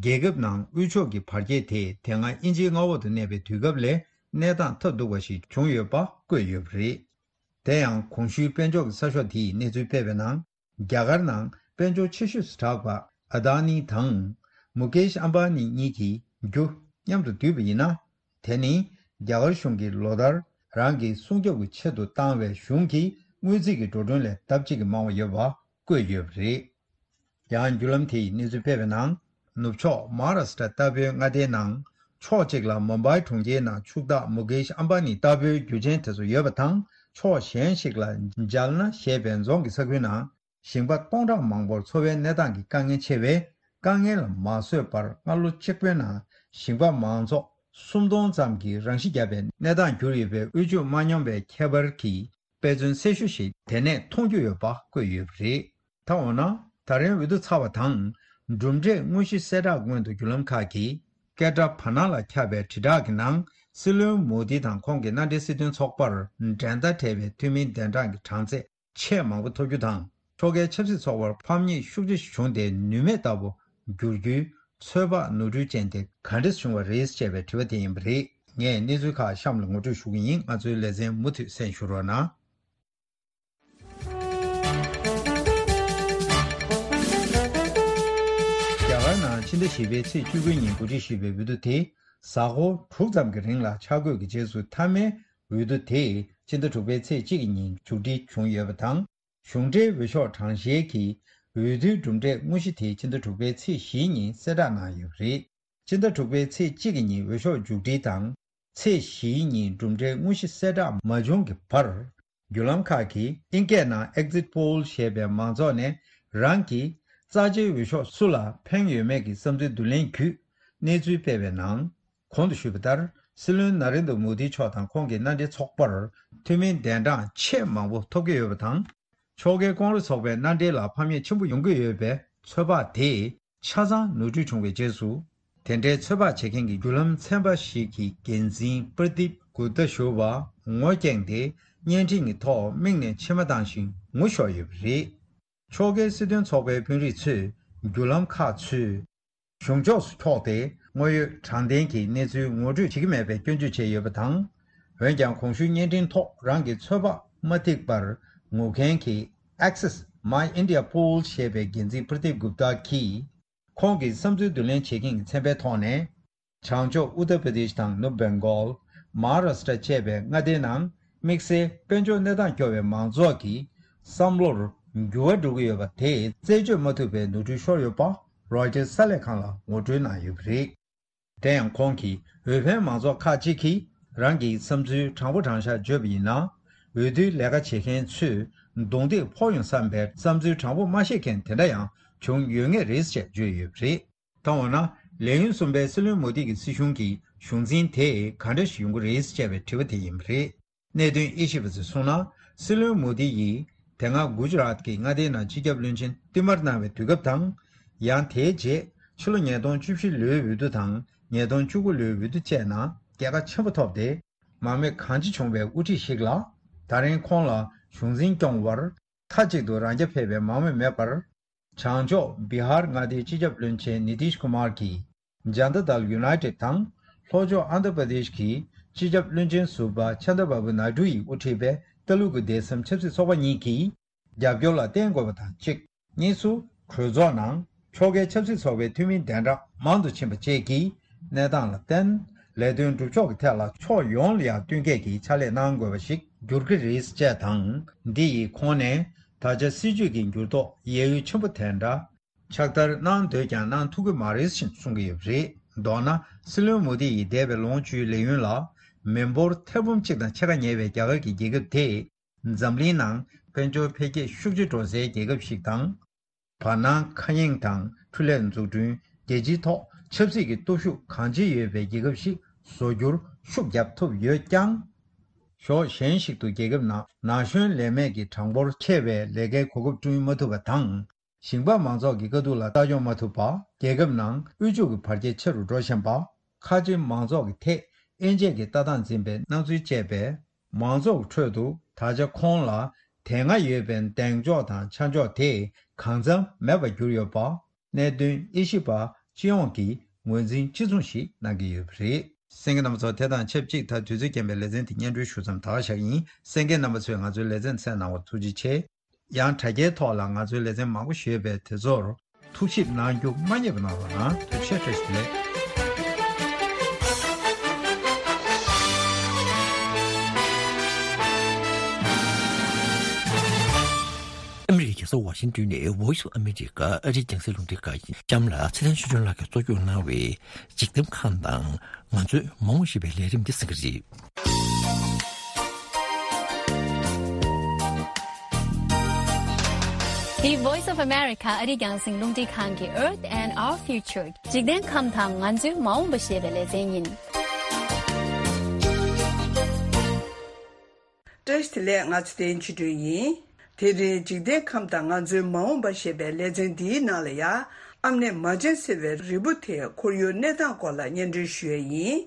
རྒྱལ་ཁབ་ནང་དབུལ་ཕྱུག་གི་བར་ཁྱད་དེ་དེ་སྔ་དབྱིན་ཇིའི་མངའ་འོག་ཏུ་གནས་པའི་དུས་སྐབས་ལས་གནས་སྟངས་ཐབས་སྡུག་པ་ཞིག་བྱུང་ཡོད་པ་བཀོད་ཡོད་པ་རེད། དེ་ཡང་གོང་ཞུས་དཔལ་འབྱོར་གྱི་གསར་ཤོག་དེས་གནས་ཚུལ་སྤེལ་བའི་ནང་། རྒྱ་གར་ནང་དཔལ་འབྱོར་ཆེ་ཤོས་སུ་གྲགས་པ་ཨ་དྷ་ནི་དང་མུ་ཀེཤ་ཨམ་བྷ་ནི་གཉིས་ཀྱིས་རྒྱུ་མཉམ་དུ་བསྡུས་པ་ཡིན་ན། དེ་ནི་རྒྱ་གར་གཞུང་གིས་ལོ་ལྟར་རང་གི་སྲུང་སྐྱོབ་ཀྱི་ཆེད་དུ་བཏང་བའི་གཞུང་གི་དངུལ་རྩིས་ཀྱི་འགྲོ་གྲོན་ལས་ལྡབ་གཅིག་གིས་མང་བ་ཡོད་པ་བཀོད་ཡོད་པ་རེད། ཡང་བརྒྱུད་ལམ་དེ་ཡིས་གནས་ཚུལ་སྤེལ་བའི་ནང་། ནུབ་ཕྱོགས་མ་ཧཱ་རཱ་ཤི་ཏྲ་ལྟ་བུའི་མངའ་སྡེའི་ནང་ཕྱོགས་གཅིག་ལ་མུམ་བྷའི་གྲོང་ཁྱེར་ནང་ཕྱུག་བདག་མུ་ཀེཤ་ཨམ་བྷ་ནི་ལྟ་བུའི་རྒྱུ་ཆེན་དེ་ཚོ་ཡོད་པ་དང་། ཕྱོགས་གཞན་ཞིག་ལ་ཇལ་ན་ཞེས་པའི་རྫོང་གི་ས་ཁུལ་ནང་ཞིང་པ་སྟོང་ཕྲག་མང་པོར་འཚོ་བའི་གནས་སྟངས་ཀྱི་དཀའ་ངལ་ཆེ་བས། དཀའ་ངལ་ལ་མ་བཟོད་པར་སྔ་ལོ་གཅིག་པོའི་ནང་ཞིང་པ་མང་ཚོགས་སུམ་སྟོང་ཙམ་གྱིས་རང་ཤི་བརྒྱབ་པའི་གནས་སྟངས་གྱུར་ཡོད་པའི་དབུལ་ཕྱུག་མ་སྙོམས་པའི་ཁྱད་པར་གྱི་དཔེ་མཚོན་གསལ་ཤོས་ཤིག་དེ་ནས་མཐོང་རྒྱུ་ཡོད་པ་བཀོད་ཡོད་པ་རེད། ད་འོ་ན། ད་རིང་འོས་བསྡུ་ཚར་བ་དང་། གྲུབ་འབྲས་དངོས་གཞི་གསལ་བསྒྲགས་སྔོན་དུ་བརྒྱུད་ལམ་ཁག་གིས་སྐད་སྒྲ་བར་སྣང་ལ་ཁྱབ་པའི་དྲིལ་བསྒྲགས་ཀྱི་ནང་། སྲིད་བློན་མོ་དི་དང་ཁོང་གི་མནའ་འབྲེལ་སྲིད་དོན་ཚོགས་པར་འགྲན་ཟླ་བྲལ་བའི་འཐུས་མིའི་གདན་གྲངས་ཀྱི་གྲངས་ཚད་ཆེས་མང་པོ་ཐོབ་རྒྱུ་དང་། ཕྱོགས་འགལ་ཆབ་སྲིད་ཚོགས་པར་ཕམ་ཉེས་ཤུགས་ཆེ་བྱུང་སྟེ་ནུས་མེད་ལྟ་བུ་འགྱུར་རྒྱུའི་ཚོད་དཔག་ནོར་འཁྲུལ་ཅན་དེ་ག་འདྲས་བྱུང་བ་རེད་ཅེས་པའི་དྲི་བ་དེ་ཡིན་པ་རེད། ངས་གནས་ཚུལ་ཁག་གཤམ་ལ་ངོ་སྤྲོད་ཞུ་གི་ཡིན། ང་ཚོའི་ལེ་ཚན་མུ་མཐུད་གསན་ཞུ་རོགས་གནང་། རྒྱ་གར་ནང་ཕྱི་ཟླ་བཞི་པའི་ཚེས་བཅུ་དགུ་ཉིན་གོ་སྒྲིག་ཞུས་པའི་འོས་བསྡུ་དེ་གཟའ་འཁོར་དྲུག་ཙམ་གྱི་རིང་ལ་འཆར་འགོད་ཀྱི་རྗེས་སུ་མཐའ་མའི་འོས་བསྡུ་དེ་ཕྱི་ཟླ་དྲུག་པའི་ཚེས་གཅིག་གི་ཉིན་མཇུག་སྒྲིལ་བྱུང་ཡོད་པ་དང་། གཞུང་འབྲེལ་འོས་ཤོག་གྲངས་བཤེར་གྱི་འོས་བསྡུའི་གྲུབ་འབྲས་དངོས་གཞི་དེ་ཕྱི་ཟླ་དྲུག་པའི་ཚེས་བཞིའི་ཉིན་གསལ་བསྒྲགས་གནང་ཡོད་པ་རེད། ཕྱི་ཟླ་དྲུག་པའི་ཚེས་གཅིག་གི་ཉིན་འོས་ཤོག་མཇུག་སྒྲིལ་དང་། ཚེས་བཞིའི་ཉིན་གྲུབ་འབྲས་དངོས་གཞི་གསལ་བསྒྲགས་མ་བྱུང་གི་བར། བརྒྱུད་ལམ་ཁག་གིས་ཨིན་སྐད་ནང་Exit Poll ཞེས་པའི་མང་ཚོགས་ནས་རང་གི་རྩ་ཆེའི་འོས་ཤོག་སུ་ལ་ཕན་ཡོད་མེད་ཀྱི་བསམ་ཚུལ་བསྡུ་ལེན་བརྒྱུད་གནས་ཚུལ་སྤེལ་བའི་ནང་། གོང་དུ་ཞུས་པ་ལྟར། སྲིད་བློན་ནཱ་རེན་དྲ་མོ་དི་མཆོག་དང་ཁོང་གི་མནའ་འབྲེལ་ཚོགས་པར་འཐུས་མིའི་གདན་གྲངས་ཆེས་མང་པོ་ཐོབ་ཀྱི་ཡོད་པ་དང་། ཕྱོགས་འགལ་ཀོང་རེས་ཚོགས་པའི་མནའ་འབྲེལ་ལ་ཕམ་ཉེས་ཆེན་པོ་ཡོང་གི་ཡོད་པའི་ཚོད་དཔག་དེ་ཆ་ཚང་ནོར་འཁྲུལ་བྱུང་བའི་རྗེས་སུ། དེ་འདྲའི་ཚོད་དཔག་བྱེད་མཁན་གྱི་བརྒྱུད་ལམ་ཚན་པ་ཞིག་གི་འགན་འཛིན་པར་དིབ་གུབ་ཏ་ཞུ་བ་ངོ་བསྐྱངས་ཏེ། བརྙན་འཕྲིན་གྱི་ཐོག་མིག་ནས་མཆི་མ་བཏང་ཞིང་ངུ་ཤོར་ཡོད་པ་རེད། ཕྱོགས་འགལ་སྲིད་དོན་ཚོགས་པའི་དཔོན་རིགས་ཚོས་བརྒྱུད་ལམ་ཁག་ཚུར་གཞུང་ཕྱོགས་སུ་འཁྱོག་སྟེ། དངོས་ཡོད་དྲང་བདེན་གྱི་གནས་ཚུལ་ངོ་སྤྲོད་བྱེད་ཀྱི་མེད་པའི་སྐྱོན་བརྗོད་བྱས་ཡོད་པ་དང་། འོན་ཀྱང་། གོང་ཞུས་བརྙན་འཕྲིན་ཐོག་རང་གི་ཚོད་དཔག་མ་ཐིག་པར་ངུ་མཁན་གྱི་Access My India Poll ཞེས་པའི་འགན་འཛིན་པར་དིབ་གུབ་ཏ་གིས། ཁོང་གི་བསམ་ཚུལ་བསྡུ་ལེན་བྱེད་མཁན་གྱི་ཚན་པའི་ཐོག་ནས། བྱང་ཕྱོགས་ཨུ་ཏར་པྲ་དེཤ་དང་ནུབ་བེང་གོལ། མ་ཧཱ་རཱ་ཤི་ཏྲ་བཅས་པའི་མངའ་སྡེའི་ནང་དམིགས་བསལ་དཔལ་འབྱོར་གནས་སྟངས་སྐྱོ་བའི་མང་ཚོགས་ཀྱི་བསམ་བློར་འགྱུར་བ་འགྲོ་གི་ཡོད་པ་དེ་རྩད་གཅོད་མ་ཐུབ་པའི་ནོར་འཁྲུལ་ཤོར་ཡོད་པ་རོའི་ཊར་གསར་ལས་ཁང་ལ་ངོ་སྤྲོད་གནང་ཡོད་པ་རེད། དེ་ཡང་ཁོང་གིས། འོས་འཕེན་མང་ཚོགས་ཁག་ཅིག་གིས་རང་གི་བསམ་ཚུལ་དྲང་པོ་དྲང་བཞག་བརྗོད་པ་ཡིན་ན། འོས་བསྡུའི་ལས་ཀ་བྱེད་མཁན་ཚོས་རྡུང་རྡེག་ཕོག་ཡོང་བསམ་པའི་བསམ་ཚུལ་དྲང་པོ་མ་བཤད་མཁན་དེ་འདྲ་ཡང་བྱུང་ཡོད་ངེས་རེད་ཅེས་བརྗོད་ཡོད་པ་རེད། ད་འོ་ན། ལས་ཡུན་གསུམ་པའི་སྲིད་བློན་མོ་དི་གི་སྲིད་གཞུང་གི་གཞུང་འཛིན་དེ་ག་འདྲ་ཞིག་ཡོང་གི་རེད་ཅེས་པའི་དྲི་བ་དེ་ཡིན་པ་རེད། གནད་དོན་དབྱེ་ཞིབ་པ་ཚོས་གསུངས་ན། སྲིད་བློན་མོ་དི་ཡིས་དེ་སྔ་གུ་ཇི་རཱཏ་གི་མངའ་སྡེའི་ནང་སྤྱི་ཁྱབ་བློན་ཆེན་བསྟུད་མར་གནང་བའི་དུས་སྐབས་དང་། ཡང་དེའི་རྗེས་ཕྱི་ལོ་ཉིས་སྟོང་བཅུ་བཞི་ལོའི་འོས་བསྡུ་དང་ཉིས་སྟོང་བཅུ་དགུ་ལོའི་འོས་བསྡུ་བཅས་ནང་རྒྱལ་ཁ་ཆེན་པོ་ཐོབ་སྟེ། མང་མོས་གང་ཆེ་བྱུང་བའི་དབུ་ཁྲིད་ཞིག་ལ། ད་རིང་ཁོང་ལ་གཞུང་འཛིན་སྐྱོང་བར་མཐའ་གཅིག་ཏུ་རང་རྐྱ་འཕེར་བའི་མང་མོས་མེད་པར། བྱང་ཕྱོགས་བི་ཧར་མངའ་སྡེའི་སྤྱི་ཁྱབ་བློན་ཆེན་ནི་ཏིཤ་ཀུ་མར་གྱིས་ཇན་ཏ་དལ་ཡུ་ནའི་ཏེད་དང་། ལྷོ་ཕྱོགས་ཨན་དྷ་པྲ་དེཤ་གི་སྤྱི་ཁྱབ་བློན་ཆེན་ཟུར་པ་ཆན་དྲ་བྷ་བུ་ནཱི་ཌུ་ཡིས་དབུ་ཁྲིད་པའི་ལྟ་ལུགས་ཀྱི་སྡེ་ཚན་ཆབ་སྲིད་ཚོགས་པ་གཉིས་ཀྱིས་རྒྱབ་སྐྱོར་ལ་བརྟེན་དགོས་པ་དང་གཅིག་གཉིས་སུ། གྲོས་ཚོགས་ནང་ཕྱོགས་འགལ་ཆབ་སྲིད་ཚོགས་པའི་འཐུས་མིའི་གདན་གྲངས་མང་དུ་ཕྱིན་པ་བཅས་ཀྱི་གནས་སྟངས་ལ་བརྟེན། ལས་དོན་སྒྲུབ་ཕྱོགས་ཀྱི་ཐད་ལ་ཕྱོགས་ཡོངས་ལ་ཡང་བསྟུན་མཁས་ཀྱི་ཕྱག་ལས་གནང་དགོས་པ་ཞིག་འགྱུར་གྱི་རེད་ཅེས་དང་། འདི་ཡིས་ཁོང་ནས་ད་ཆ་སྲིད་བྱུས་ཀྱི་འགྱུར་ལྡོག་ཡད་ཡུད་ཆེན་པོ་དེ་འདྲ། ཕྱག་བསྟར་གནང་འདོད་ཀྱང་གནང་ཐུབ་ཀྱི་མ་རེད་ཅེས་གསུང་གི་ཡོད་པ་རེད། མདོར་ན། སྲིད་བློན་མོ་དི་ཡིས་འདས་པའི་ལོ་ངོ་བཅུའི་ལས་ཡུན་ལ། མི་འབོར་ཐེར་འབུམ་གཅིག་དང་ཕྱེད་ཀ་ཉེ་བའི་རྒྱ་གར་གྱི་རྒྱལ་ཁབ་དེས། འཛམ་གླིང་ནང་དཔལ་འབྱོར་འཕེལ་རྒྱས་ཤུགས་ཆེ་འགྲོ་སའི་རྒྱལ་ཁབ་ཞིག་དང་། བར་སྣང་ཁ་གཡེང་དང་འཕྲུལ་ལས་འཛུགས་སྐྲུན། རྒྱལ་སྤྱིའི་ཐོག་ཆབ་སྲིད་ཀྱི་སྟོབས་ཤུགས་གང་ཆེ་ཡོད་པའི་རྒྱལ་ཁབ་ཞིག་བཟོ་རྒྱུར་ཤུགས་བརྒྱབ་ཐུབ་ཡོད་ཀྱང་། ཕྱོགས་གཞན་ཞིག་ཏུ་རྒྱལ་ཁབ་ནང་ན་གཞོན་ལས་མེད་ཀྱི་གྲངས་འབོར་ཆེ་བའི་ལས་ཀའི་གོ་སྐབས་བསྐྲུན་མ་ཐུབ་པ་དང་། ཞིང་པ་མང་ཚོགས་ཀྱི་དཀའ་སྡུག་ལ་ལྟ་སྐྱོང་མ་ཐུབ་པ། རྒྱལ་ཁབ་ནང་དབུལ་ཕྱུག་གི་བར་ཁྱད་ཆེ་རུ་འགྲོ་བཞིན་པ། ཁ་ཆེ་མང་ཚོགས་ཀྱི་ཐད་དབྱེ་འབྱེད་ཀྱི་ལྟ་སྟངས་འཛིན་པའི་སྣང་ཚུལ་བཅས་པས། མང་ཚོགས་ཀྱི་ཁྲོད་དུ་ད་ཆ་ཁོང་ལ་དེ་སྔ་ཡོད་པའི་གདེང་འཇོག་དང་ཆ་འཇོག་དེ་གང་འཚམ་མེད་པར་གྱུར་ཡོད་པ། གནད་དོན་དབྱེ་ཞིབ་པ་སྤྱི་ཡོངས་ཀྱིས་ངོས་འཛིན་གཅིག་མཚུངས་ཤིག་གནང་གི་ཡོད་པ་རེད། གསན་མཁན་རྣམ་པ་ཚོ། དེ་དང་ཆབས་ཅིག་ད་དུས་ཚོད་རྐྱེན་པས་ལེ་ཚན་དེ་སྙན་སྒྲོན་ཞུ་མཚམས་ད་ག་བཞག་གི་ཡིན། གསན་མཁན་རྣམ་པ་ཚོས་ང་ཚོའི་ལེ་ཚན་གསན་གནང་བར་ཐུགས་རྗེ་ཆེ། ཡང་དྲ་རྒྱའི་ཐོག་ལ་ང་ཚོའི་ལེ་ཚན་མང་པོ་ཞུས་པས། དེ་ཚོར་ཐུགས་ཞིབ་གནང་རྒྱུ་མ་བསྙེལ་བ་གནང་རོགས་གནང་། ཐུགས་རྗེ་ཆེ། བཀྲ་ཤིས་བདེ་ལེགས། ལྟོ་ཝ་ཤིང་ཏོན་ནས་Voice of America ཨ་རིའི་རྒྱང་སྲིང་རླུང་འཕྲིན་ཁང་གི་གཤམ་ལ་ཚེ་བརྟན་ཆོས་སྒྲོན་ལགས་ཀྱིས་གཙོ་སྐྱོང་གནང་བའི་འཇིག་རྟེན་ཁམས་དང་ང་ཚོའི་མ་འོངས་ཞེས་པའི་ལས་རིམ་འདི་གསན་གྱི་རེད། འདི་Voice of America ཨ་རིའི་རྒྱང་སྲིང་རླུང་འཕྲིན་ཁང་གི Earth and Our Future འཇིག་རྟེན་ཁམས་དང་ང་ཚོའི་མ་འོངས་པ་ཞེས་པའི་ལེ་ཚན་ཡིན། བཀྲ་ཤིས་བདེ་ལེགས། ང་ཚེ་བརྟན་ཆོས་སྒྲོན་ཡིན། དེ་རིང་འཇིག་རྟེན་ཁམས་དང་ང་ཚོའི་མ་འོངས་པ་ཞེས་པའི་ལེ་ཚན་འདིའི་ནང་ལ་ཡང་ཨམ་ནེ་མ་ཅན་ཟེར་བའི་རིལ་བུ་དེའི་ཁོར་ཡུག་གནས་སྟངས་སྐོར་ལ་སྙན་སྒྲོན་ཞུ་ཡས་ཡིན།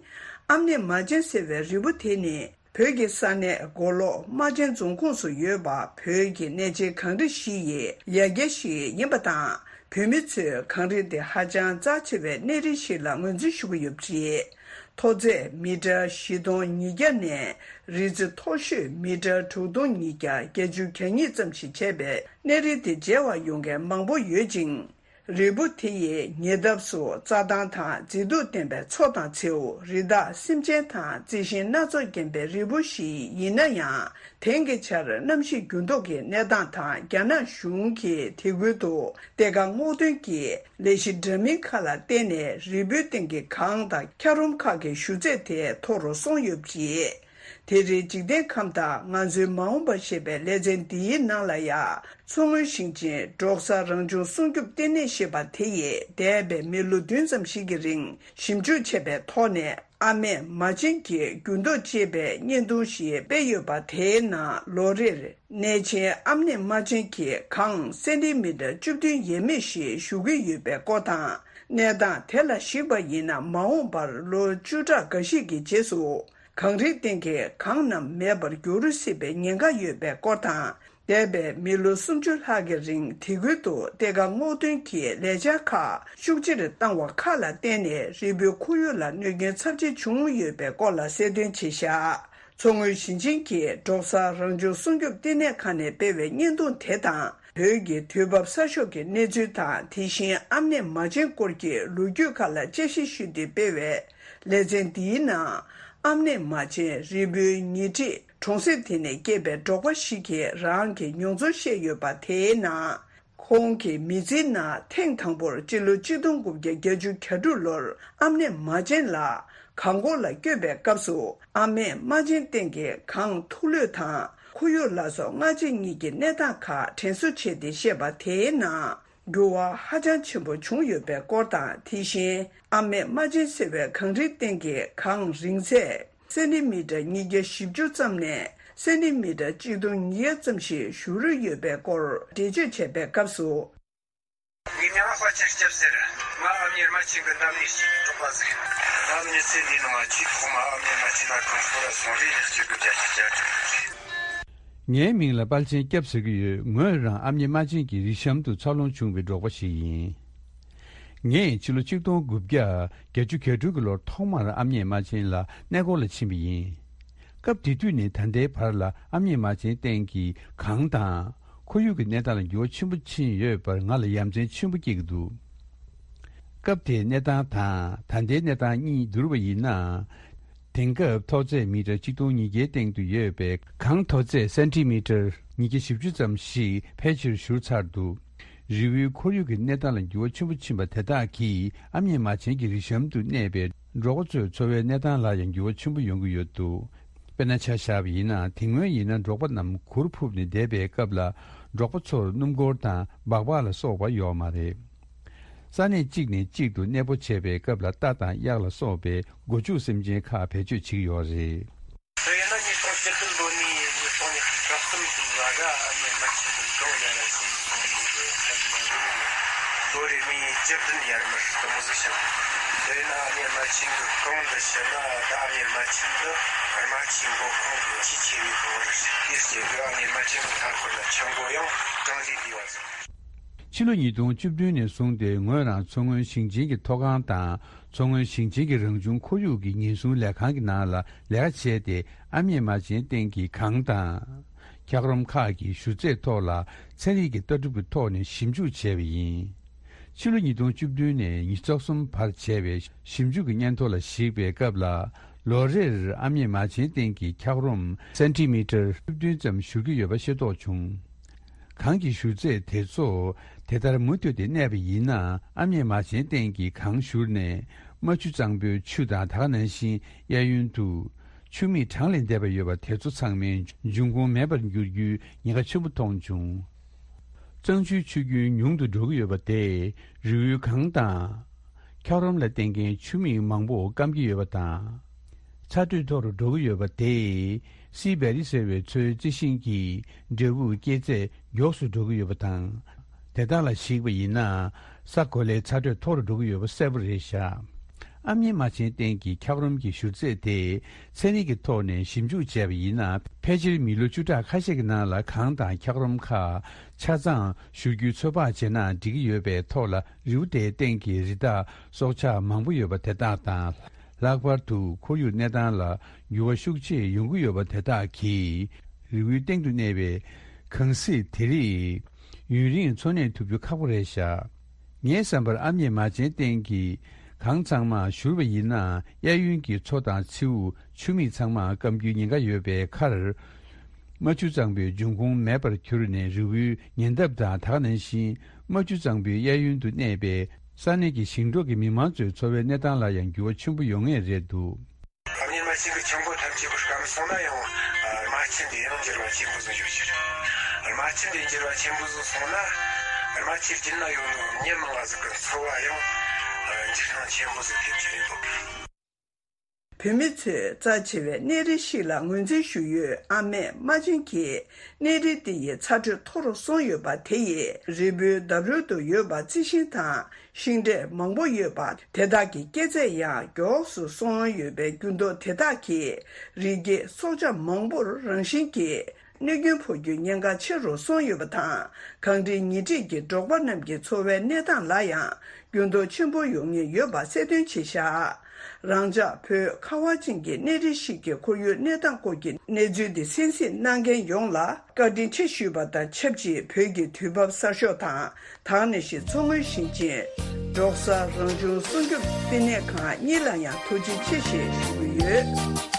ཨམ་ནེ་མ་ཅན་ཟེར་བའི་རིལ་བུ་དེ་ནི་བོད་ཀྱི་ས་གནས་མགོ་ལོག་རྨ་ཆེན་རྫོང་ཁོངས་སུ་ཡོད་པ་བོད་ཀྱི་གནས་ཆེན་གངས་རི་བཞི་ཡི་ཡ་གྱལ་ཞིག་ཡིན་པ་དང་། བོད་མི་ཚོས་གངས་རི་དེ་ཧ་ཅང་རྩ་ཆེ་བའི་གནས་རི་ཞིག་ལ་ངོས་འཛིན་ཞུ་གི་ཡོད་པ་རེད། མཐོ་ཚད་མི་ཊར་བཞི་སྟོང་ཉིས་བརྒྱ་ནས་རི་རྩེ་མཐོ་ཤོས་མི་ཊར་དྲུག་སྟོང་ཉིས་བརྒྱ་བརྒྱད་ཅུ་གྱ་གཉིས་ཙམ་ཞིག་བྱས་པའི་གནས་རི་དེ་མཇལ་བར་ཡོང་མཁན་མང་པོ་ཡོད་ཅིང་། རིལ་བུ་དེ་ཡི་ཉེ་འདབས་སུ་རྩྭ་ཐང་དང་མཛེས་སྡུག་ལྡན་པའི་མཚོ་དང་མཚེའུ། རི་དྭགས་སེམས་ཅན་དང་རྩི་ཤིང་སྣ་ཚོགས་ལྡན་པའི་རིལ་བུ་ཞིག་ཡིན་ན་ཡང་། དེང་གི་ཆར་གནམ་གཤིས་འགྱུར་ལྡོག་གི་གནས་སྟངས་དང་རྒྱ་ནག་གཞུང་གིས་དེ་ཁུལ་དུ་གཏེར་ཁ་སྔོག་འདོན་གྱི་ལས་གཞི་འདྲ་མིན་ཁག་ལ་བརྟེན་ནས་རིལ་བུའི་སྟེང་གི་གངས་དང་འཁྱགས་རོམ་ཁག་གི་ཞུ་ཚད་དེ་མཐོ་རུ་སོང་ཡོད་པ་རེད། དེ་རིང་འཇིག་རྟེན་ཁམས་དང་ང་ཚོའི་མ་འོངས་པ་ཞེས་པའི་ལེ་ཚན་འདིའི་ནང་ལ་ཡང་མཚོ་སྔོན་ཞིང་ཆེན་འབྲོག་ས་རང་བྱུང་སྲུང་སྐྱོབ་ལྟེ་གནས་ཞེས་པ་དེ་ཡིས་འདས་པའི་མི་ལོ་བདུན་ཙམ་ཞིག་གི་རིང་ཞིབ་འཇུག་བྱས་པའི་ཐོག་ནས། ཨ་མྲས་མ་བྱན་གྱི་འགྱུར་ལྡོག་ཅེས་པའི་བརྙན་ཐུང་ཞིག་སྤེལ་ཡོད་པ། དེའི་ནང་ལོ་རེར་གནས་ཆེན་ཨ་མྲས་མ་བྱན་གྱི་གངས་སེན་ཏི་མི་ཊར་བཅུ་བདུན་ཡས་མས་ཤིག་ཞུ་གི་ཡོད་པའི་སྐོར་དང་། གནས་སྟངས་དེ་ལ་གཞིགས་པ་ཡིན་ན་མ་འོངས་པར་ལོ་བཅུ་ཕྲག་འགའ་ཞིག་གི་རྗེས་སུ་གངས་རིའི་སྟེང་གི་གངས་རྣམས་མེད་པར་འགྱུར་སྲིད་པའི་ཉེན་ཁ་ཡོད་པའི་སྐོར་དང་། འདས་པའི་མི་ལོ་སུམ་ཅུ་ལྷག་གི་རིང་དེ་ཁུལ་དུ་གཏེར་ཁ་སྔོག་འདོན་གྱི་ལས་འཆར་ཁག་ཤུགས་ཆེར་བཏང་བ་ཁག་ལ་བརྟེན་ནས་རིལ་བུའི་ཁོར་ཡུག་ལ་གནོད་སྐྱོན་ཚབས་ཆེ་བྱུང་ཡོད་པའི་སྐོར་ལ་གསལ་སྟོན་བྱས་བཞག་མཚོ་སྔོན་ཞིང་ཆེན་གྱི་འབྲོག་ས་རང་བྱུང་སྲུང་སྐྱོབ་ལྟེ་གནས་ཁང་ནས་སྤེལ་བའི་བརྙན་ཐུང་དེ་དང་། བོད་ཀྱི་དུས་བབ་གསར་ཤོག་གི་གནས་ཚུལ་དང་། དེ་བཞིན་ཨ་མྲས་མ་བྱན་སྐོར་གྱི་ལོ་རྒྱུས་ཁག་ལ་དཔྱད་ཞིབ་ཞུས་ཏེ་སྤེལ་བའི་ལེ་ཚན་འདིའི་ནང་། ཨ་མྲས་མ་བྱན་རིལ་བུའི་ཉེ་འཁྲིས་གྲོང་གསེབ་དེ་ནས་སྐྱེས་པའི་འབྲོག་པ་ཞིག་གིས་རང་གི་མྱོང་ཚོར་བཤད་ཡོད་པ། དེའི་ནང་། ཁོང་གི་མི་ཚེའི་ནང་ཐེངས་དང་པོར་སྤྱི་ལོ་གཅིག་སྟོང་དགུ་བརྒྱ་བརྒྱད་ཅུ་གྱ་དྲུག་ལོར་ཨ་མྲས་མ་བྱན་ལ་གངས་འཁོར་ལ་བསྐྱོད་པའི་སྐབས་སུ། ཨ་མྲས་མ་བྱན་སྟེང་གི་གངས་ཐུག་ལུད་དང་ཁོར་ཡུག་ལ་སོགས་སྔ་རྗེས་གཉིས་ཀྱི་གནས་སྟངས་ཁག་དྲན་གསོ་བྱས་ཏེ་བཤད་པ། དེའི་ནང་། འགྱུར་བ་ཧ་ཅང་ཆེན་པོ་བྱུང་ཡོད་པའི་སྐོར་དང་། དེ་བཞིན་ཨ་མྲས་མ་བྱན་ཟེར་བའི་གངས་རིའི་སྟེང་གི་གངས་རིང་ཚད་སེན་ཏི་མི་ཊར་ཉིས་བརྒྱ་བཞི་བཅུ་ཙམ་ནས་སེན་ཏི་མི་ཊར་གཅིག་སྟོང་ཉིས་བརྒྱ་ཙམ་ཞིག་བཞུར་ཡོད་པའི་སྐོར་འགྲེལ་བརྗོད་བྱས་པའི་སྐབས་སུ། ངའི་མིང་ལ་དཔལ་ཆེན་སྐྱབས་ཟེར། ང་ཨ་མྱེས་རྨ་ཆེན་གྱི་འདབས་ནས་སྐྱེས་པའི་འབྲོག་པ་ཟིག་ཡིན། ང་མྱི་ཚེ་འདིའི་ནང་ཆེས་ཐོག་མ་ཨ་མྱེས་རྨ་ཆེན་ལ་གངས་སྐོར་ལ་སོང་རེ་ལེགས་སྐྱེས་དགུ་བརྒྱ་བརྒྱད་ཅུ་གྱ་དྲུག་ངའི་མིང་ལ་དཔལ་ཆེན་སྐྱབས་ཟེར་གྱི་ཡོད། ངོས་རང་ཨ་མྱེས་རྨ་ཆེན་གྱི་རི་གཤམ་དུ་འཚར་ལོངས་བྱུང་བའི་འབྲོག་པ་ཞིག་ཡིན། ངས་ཕྱི་ལོ་གཅིག་སྟོང་དགུ་བརྒྱ་བརྒྱད་ཅུ་གྱ་དྲུག་གི་ལོར་ཐོག་མར་ཨ་མྱེས་རྨ་ཆེན་ལ་གནས་སྐོར་ལ་ཕྱིན་པ་ཡིན། སྐབས་དེ་དུས་ནས་ད་ལྟའི་བར་ལ་ཨ་མྱེས་རྨ་ཆེན་སྟེང་གི་གངས་དང་། ཁོར་ཡུག་གི་གནས་སྟངས་ལ་འགྱུར་བ་ཆེན་པོ་ཕྱིན་ཡོད་པར་ང་ལ་ཡ་མཚན་ཆེན་པོ་སྐྱེ་གི་འདུག་སྐབས་དེའི་གནས་སྟངས་དང་ད་ལྟའི་གནས་སྟངས་གཉིས་བསྡུར་བ་ཡིན་ན། དེང་སྐབས་མཐོ་ཚད་མི་ཊར་གཅིག་སྟོང་ཉིས་བརྒྱའི་སྟེང་དུ་ཡོད་པའི་གངས་མཐོ་ཚད་སེན་ཏི་མི་ཊར་ཉིས་བརྒྱ་བཞི་བཅུ་ཙམ་ཞིག་ཕལ་ཆེར་བཞུར་ཚར་འདུག་རི་བོའི་ཁོར་ཡུག་གི་གནས་སྟངས་ལ་འགྱུར་བ་ཆེན་པོ་ཕྱིན་པ་དེ་དག་གིས་ཨ་མྱེས་རྨ་ཆེན་གྱི་རི་གཤམ་དུ་གནས་པའི་འབྲོག་པ་ཚོའི་འཚོ་བའི་གནས་སྟངས་ལ་ཡང་འགྱུར་བ་ཆེན་པོ་ཡོང་གི་ཡོད་འདུག་དཔེར་ན་ཆ་བཞག་པ་ཡིན་ན། དེ་སྔོན་ཡིན་ན་འབྲོག་པ་རྣམས་གུར་ཕུབ་ནས་བསྡད་པའི་སྐབས་ལ། འབྲོག་པ་ཚོར་སྣུམ་འཁོར་དང་སྦག་སྦག་ལ་སོགས་པ་ཡོད་མ་རེད། ས་གནས་གཅིག་ནས་གཅིག་ཏུ་གནས་སྤོ་བྱས་པའི་སྐབས་ལ་རྟ་དང་གཡག་ལ་སོགས་པའི་སྒོ་ཕྱུགས་སེམས་ཅན་ཁག་བེད་སྤྱོད་བྱེད་ཀྱི་ཡོད་རེད། དེ་ཡིན་ན་ཉིས་སྟོང་བཅུ་བདུན་ལོ་ནས་ཉིས་སྟོང་ཉི་ཤུ་རྩ་གསུམ་ལོ་བར་ཨ་མྱེས་རྨ་ཆེན་གྱི་གངས་ཡར་ཟིན་སོང་ནས་ལོ་རེ་ནས་བཅུ་བདུན་ཡར་མར་དུ་མོ་ཟིག་བྱུང་། དེ་ཡིན་ན་ཨ་མྱེས་རྨ་ཆེན་གྱི་གངས་འདི་ཕྱིན་ན་ད་ཨ་མྱེས་རྨ་ཆེན་འདི་རྨ་ཆུའི་མགོ་ཁུངས་ཀྱི་ཆེས་ཆེ་བའི་གངས་རེད། དེའི་རྐྱེན་གྱིས་ཨ་མྱེས་རྨ་ཆེན་གྱི་མཐའ་འཁོར་ལ་ཆུ་མགོ་ཡང་གྲངས་ལས་འདས་པ་ཟིག་ཕྱི་ལོ་ཉིས་སྟོང་བཅུ་བདུན་ནས་བཟུང་སྟེ་ངོས་རང་མཚོ་སྔོན་ཞིང་ཆེན་གྱི་མཐོ་སྒང་དང་མཚོ་སྔོན་ཞིང་ཆེན་གྱི་རང་བྱུང་ཁོར་ཡུག་གི་ཉེན་སྲུང་ལས་ཁང་གི་ནང་ལ་ལས་ཀ་བྱས་ཏེ། ཨ་མྱེས་རྨ་ཆེན་སྟེང་གི་གངས་དང་། འཁྱགས་རོམ་ཁག་གི་ཞུ་ཚད་ཐོག་ལ་ཚན་རིག་གི་ལྟ་གྲུབ་ཀྱི་ཐོག་ནས་ཞིབ་འཇུག་བྱས་པ་ཡིན། ཕྱི་ལོ་ཉིས་སྟོང་བཅུ་བདུན་ནས་ཉི་ཤུ་རྩ་གསུམ་བར་བྱས་པའི་ཞིབ་འཇུག་གི་སྙན་ཐོ་ལ་གཞིགས་པའི་སྐབས་ལ། ལོ་རེར་ཨ་མྱེས་རྨ་ཆེན་སྟེང་གི་འཁྱགས་རོམ་སེན་ཏི་མི་ཊར་བཅུ་བདུན་ཙམ་བཞུར་གྱི་ཡོད་པ་ཤེས་རྟོགས་བྱུང་། གངས་ཀྱི་བཞུར་རྫས་དེ་ཚོ་དེ་ལྟར་མུ་མཐུད་དེ་གནས་པ་ཡིན་ན། ཨ་མྱེས་མ་བྱན་སྟེང་གི་གངས་བཞུར་ནས་རྨ་ཆུ་གཙང་པོའི་ཆུ་དང་། ད་ག་ནང་བཞིན་གཡས་གཡོན་དུ་ཆུ་མིག་གྲངས་ལས་འདས་པ་ཡོད་པ་དེ་ཚོ་ཚང་མའི་འབྱུང་ཁུངས་མེད་པར་འགྱུར་རྒྱུའི་ཉེན་ཁ་ཆེན་པོ་མཐོང་བྱུང་། གཙང་ཆུའི་ཆུ་རྒྱུན་ཉུང་དུ་འགྲོ་གི་ཡོད་པ་དེས་རི་བོའི་གངས་དང་། འཁྱགས་རོམ་ལ་བརྟེན་མཁན་ཆུ་མིག་མང་པོ་སྐམ་གྱི་ཡོད་པ་དང་། ཚ་དྲོད་མཐོ་རུ་འགྲོ་གི་ཡོད་པ་དེས་སི་བེ་རི་ཟེར་བའི་མཚོའི་རྩི་ཤིང་གི་འབྲས་བུ་སྐྱེད་ཚད་མགྱོགས་སུ་འགྲོ་གི་ཡོད་པ་དང་། དེ་དག་ལ་གཞིགས་པ་ཡིན་ན། ས་གོ་ལའི་ཚ་དྲོད་མཐོ་རུ་འགྲོ་གི་ཡོད་པ་གསལ་པོ་རེད་བཞག་ཨ་མྱེས་རྨ་ཆེན་སྟེང་གི་འཁྱགས་རོམ་གྱི་བཞུར་རྫས་དེ་ཚན་རིག་གི་ཐོག་ནས་ཞིབ་འཇུག་བྱས་པ་ཡིན་ན། ཕལ་ཆེར་མི་ལོ་བཅུ་ཕྲག་ཁ་ཤས་ཀྱི་ནང་ལ་གངས་དང་འཁྱགས་རོམ་ཁག་ཆ་ཚང་བཞུར་རྒྱུའི་ཚོད་དཔག་བྱས་ན་འགྲིག་གི་ཡོད་པའི་ཐོག་ལ། རི་བོ་དེའི་སྟེང་གི་རི་དྭགས་སྲོག་ཆགས་མང་པོ་ཡོད་པ་དེ་དག་དང་། ལྷག་པར་དུ་ཁོར་ཡུག་གནས་སྟངས་ལ་འགྱུར་བ་ཤུགས་ཆེ་ཡོང་གི་ཡོད་པ་དེ་དག་གིས། རི་བོའི་སྟེང་དུ་གནས་པའི་གངས་གཟིགས་དེ་རིགས་ཡུན་རིང་འཚོ་གནས་ཐུབ་རྒྱུ་ཁག་པོ་རེད་བཞག་ངའི་བསམ་པར་ཨ་མྱེས་རྨ་ཆེན་སྟེང་གི་གངས་ཚང་མ་བཞུར་བ་ཡིན་ན། གཡས་གཡོན་གྱི་མཚོ་དང་མཚེའུ། ཆུ་མིག་ཚང་མ་སྐམ་རྒྱུའི་ཉེན་ཁ་ཡོད་པའི་ཁར། རྨ་ཆུ་གཙང་པོའི་འབྱུང་ཁུངས་མེད་པར་གྱུར་ནས། རི་བོའི་ཉེ་འདབས་དང་། ད་ག་ནང་བཞིན་རྨ་ཆུ་གཙང་པོའི་གཡས་གཡོན་དུ་གནས་པའི་ས་གནས་ཀྱི་ཞིང་འབྲོག་གི་མི་མང་ཚོའི་འཚོ་བའི་གནས་སྟངས་ལ་ཡང་འགྱུར་བ་ཆེན་པོ་ཡོང་ངེས་རེད་འདུག་ཨ་མྱེས་རྨ་ཆེན་གྱི་ཆུ་མགོ་ཐམས་ཅད་པོ་སྐམ་སོང་ན་ཡང་། རྨ་ཆུ་འདི་ཡང་འགྱུར་བ་ཆེན་པོ་ཟིག་ཡོད་ཀྱི་རེད། རྨ་ཆུ་འདི་འགྱུར་བ་ཆེན་པོ་ཟིག་སོང་ན། རྨ་ཆུའི་རྒྱུད་ན་ཡོད་ནོ་མྱི་མང་ང་ཟིག་གི་འཚོ་བ་ཡང་འགྱུར་ཤིང་ཆེན་པོ་ཟིག་ཐེབས་ཀྱི་རེད་འདུག་བོད་མི་ཚོས་རྩ་ཆེ་བའི་གནས་རི་ཞིག་ལ་ངོས་འཛིན་ཞུ་ཡུལ་ཨ་མྱེས་རྨ་ཆེན་གྱི་གནས་རི་འདི་ཡི་ཚ་དྲོད་མཐོ་རུ་སོང་ཡོད་པ་དེ་ཡིས་རི་བོའི་འདབས་རོལ་དུ་ཡོད་པ་རྩི་ཤིང་དང་ཤིང་འབྲས་མང་པོ་ཡོད་པ་དེ་དག་གི་སྐྱེད་ཚད་ཡང་མགྱོགས་སུ་སོང་ཡོད་པའི་འགྱུར་ལྡོག་དེ་དག་གིས་རི་སྐྱེས་སྲོག་ཆགས་མང་པོར་རང་བཞིན་གྱིས་གནོད་སྐྱོན་ཕོག་རྒྱུའི་ཉེན་ཁ་ཆེ་རུ་སོང་ཡོད་པ་དང་། གངས་རིའི་ཉེ་འཁྲིས་ཀྱི་འབྲོག་པ་རྣམས་ཀྱི་འཚོ་བའི་གནས་སྟངས་ལ་ཡང་འགྱུར་ལྡོག་ཆེན་པོ་ཡོང་ངེས་ཡོད་པ་གསལ་སྟོན་བྱས་བཞག་རང་ཅག་བོད་ཁ་བ་ཅན་གྱི་གནས་རི་ཞིག་གི་ཁོར་ཡུག་གནས་སྟངས་སྐོར་གྱི་གནས་ཚུལ་འདི་གསན་གཟིགས་གནང་མཁན་ཡོངས་ལ་བཀའ་དྲིན་ཆེ་ཞུས་པ་དང་ཆབས་ཅིག་བོད་ཀྱི་དུས་བབ་གསར་ཤོག་དང་། དེ་ནང་བཞིན་མཚོ་སྔོན་ཞིང་ཆེན་འབྲོག་གསར་རང་བྱུང་སྲུང་སྐྱོབ་བསྟི་གནས་ཁང་གཉིས་ལ་ཡང་ཐུགས་རྗེ་ཆེ་ཞེས་ཞུ་གི་ཡོད།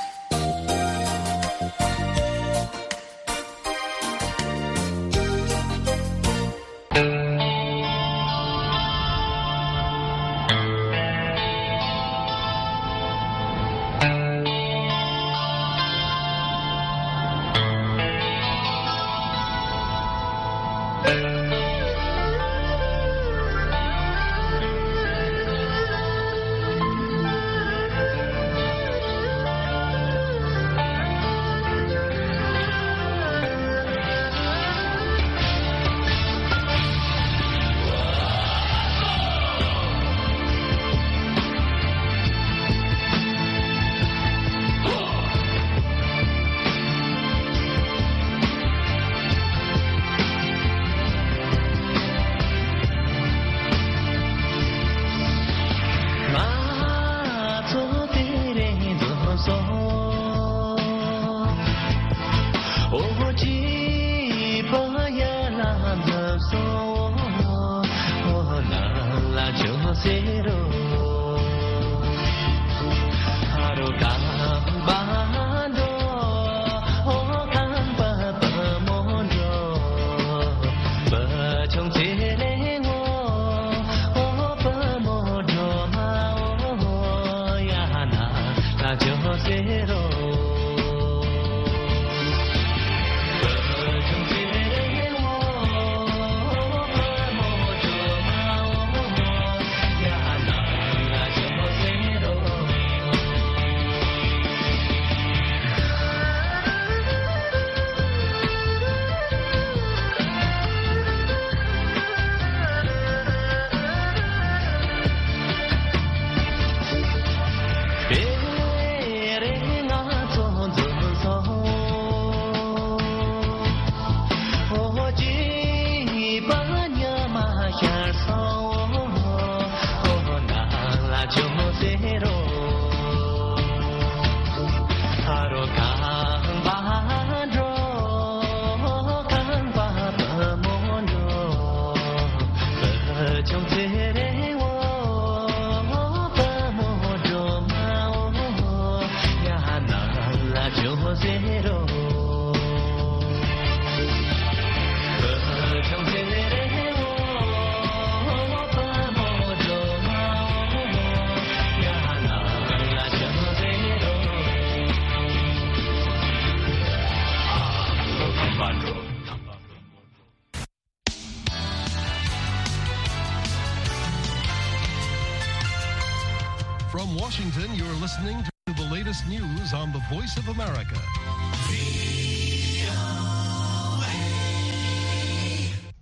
Washington, you're listening to the latest news on the Voice of America.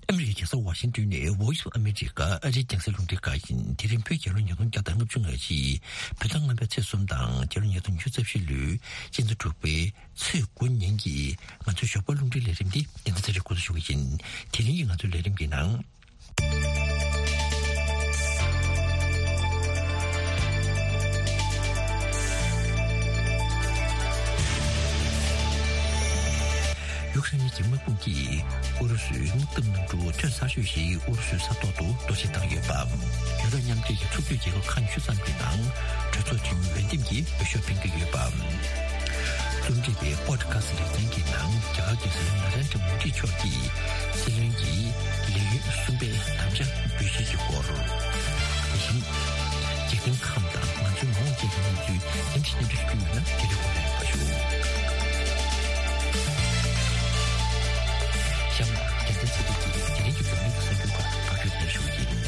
ཨ་མི་རི་ཀའི་རྒྱལ་ས་ཝ་ཤིང་ཏོན་ནས་Voice of America ཨ་རིའི་རྒྱང་སྲིང་རླུང་འཕྲིན་ཁང་ཡིན། དེ་རིང་བོད་རྒྱལ་ལོ་ཉིས་སྟོང་བརྒྱ་དང་ལྔ་བཅུ་ང་གཅིག་བོད་ཟླ་ལྔ་པའི་ཚེས་གསུམ་དང་རྒྱལ་ལོ་ཉིས་སྟོང་ཉི་ཤུ་རྩ་བཞི་ལོའི་སྤྱི་ཟླ་དྲུག་པའི་ཚེས་དགུ་ཉིན་གྱི་ང་ཚོའི་ཞོགས་པ་རླུང་འཕྲིན་ལས་རིམ་འདི་རྒྱལ་མཚན་ཚེ་རིང་འགོ་འཛུགས་ཞུ་གི་ཡིན། དེ་རིང་གི་ང་ཚོའི་ལས་རིམ་གྱི་ནང་། ཡུཀ་རེན་གྱི་དམག་དཔུང་གིས་ཨུ་རུ་སུའི་དམག་འཐབ་གནམ་གྲུ་ཐོན་གསར་ཤོས་ཤིག་ཨུ་རུ་སུའི་ས་ཐོག་ཏུ་གཏོར་བཤིག་བཏང་ཡོད་པ། ཡུ་རོབ་མཉམ་འབྲེལ་གྱི་ཚོགས་འཐུས་རྒྱལ་ཁབ་ཁག་ཉི་ཤུ་ཙམ་གྱི་ནང་གྲོས་ཚོགས་འཐུས་མི་འོས་འདེམས་ཀྱི་འོས་ཤོག་འཕེན་གྱི་ཡོད་པ། རྩོམ་སྒྲིག་པའི་པོ་ཌི་ཁ་སི་ཊི་ལེ་ཚན་གྱི་ནང་རྒྱ་གར་རྒྱལ་སྲས་ན་རེན་དྲ་མོ་དི་མཆོག་གིས་སྲིད་བློན་གྱི་ལས་ཡུན་གསུམ་པའི་དམ་བཅའ་འབུལ་བཞེས་ཀྱི་སྐོར། དེ་བཞིན་འཇིག་རྟེན་ཁམས་དང་ང་ཚོའི་མ་འོངས་བཅས་ཀྱི་གནས་ཚུལ་རྒྱང་ཞིག་སྙན་སྒྲོན་ཞུ་རྒྱུ་ཡོད་ན་དེ་རིང་གོང་ནས་ཕར་ཞུ། གཤམ་ལ་རྒྱལ་མཚན་ཚེ་རིང་གིས་དེ་རིང་གི་འཛམ་གླིང་གི་གསར་འགྱུར་སྐོར་ཕབ་སྒྱུར་ཞུ་གི་ཡིན།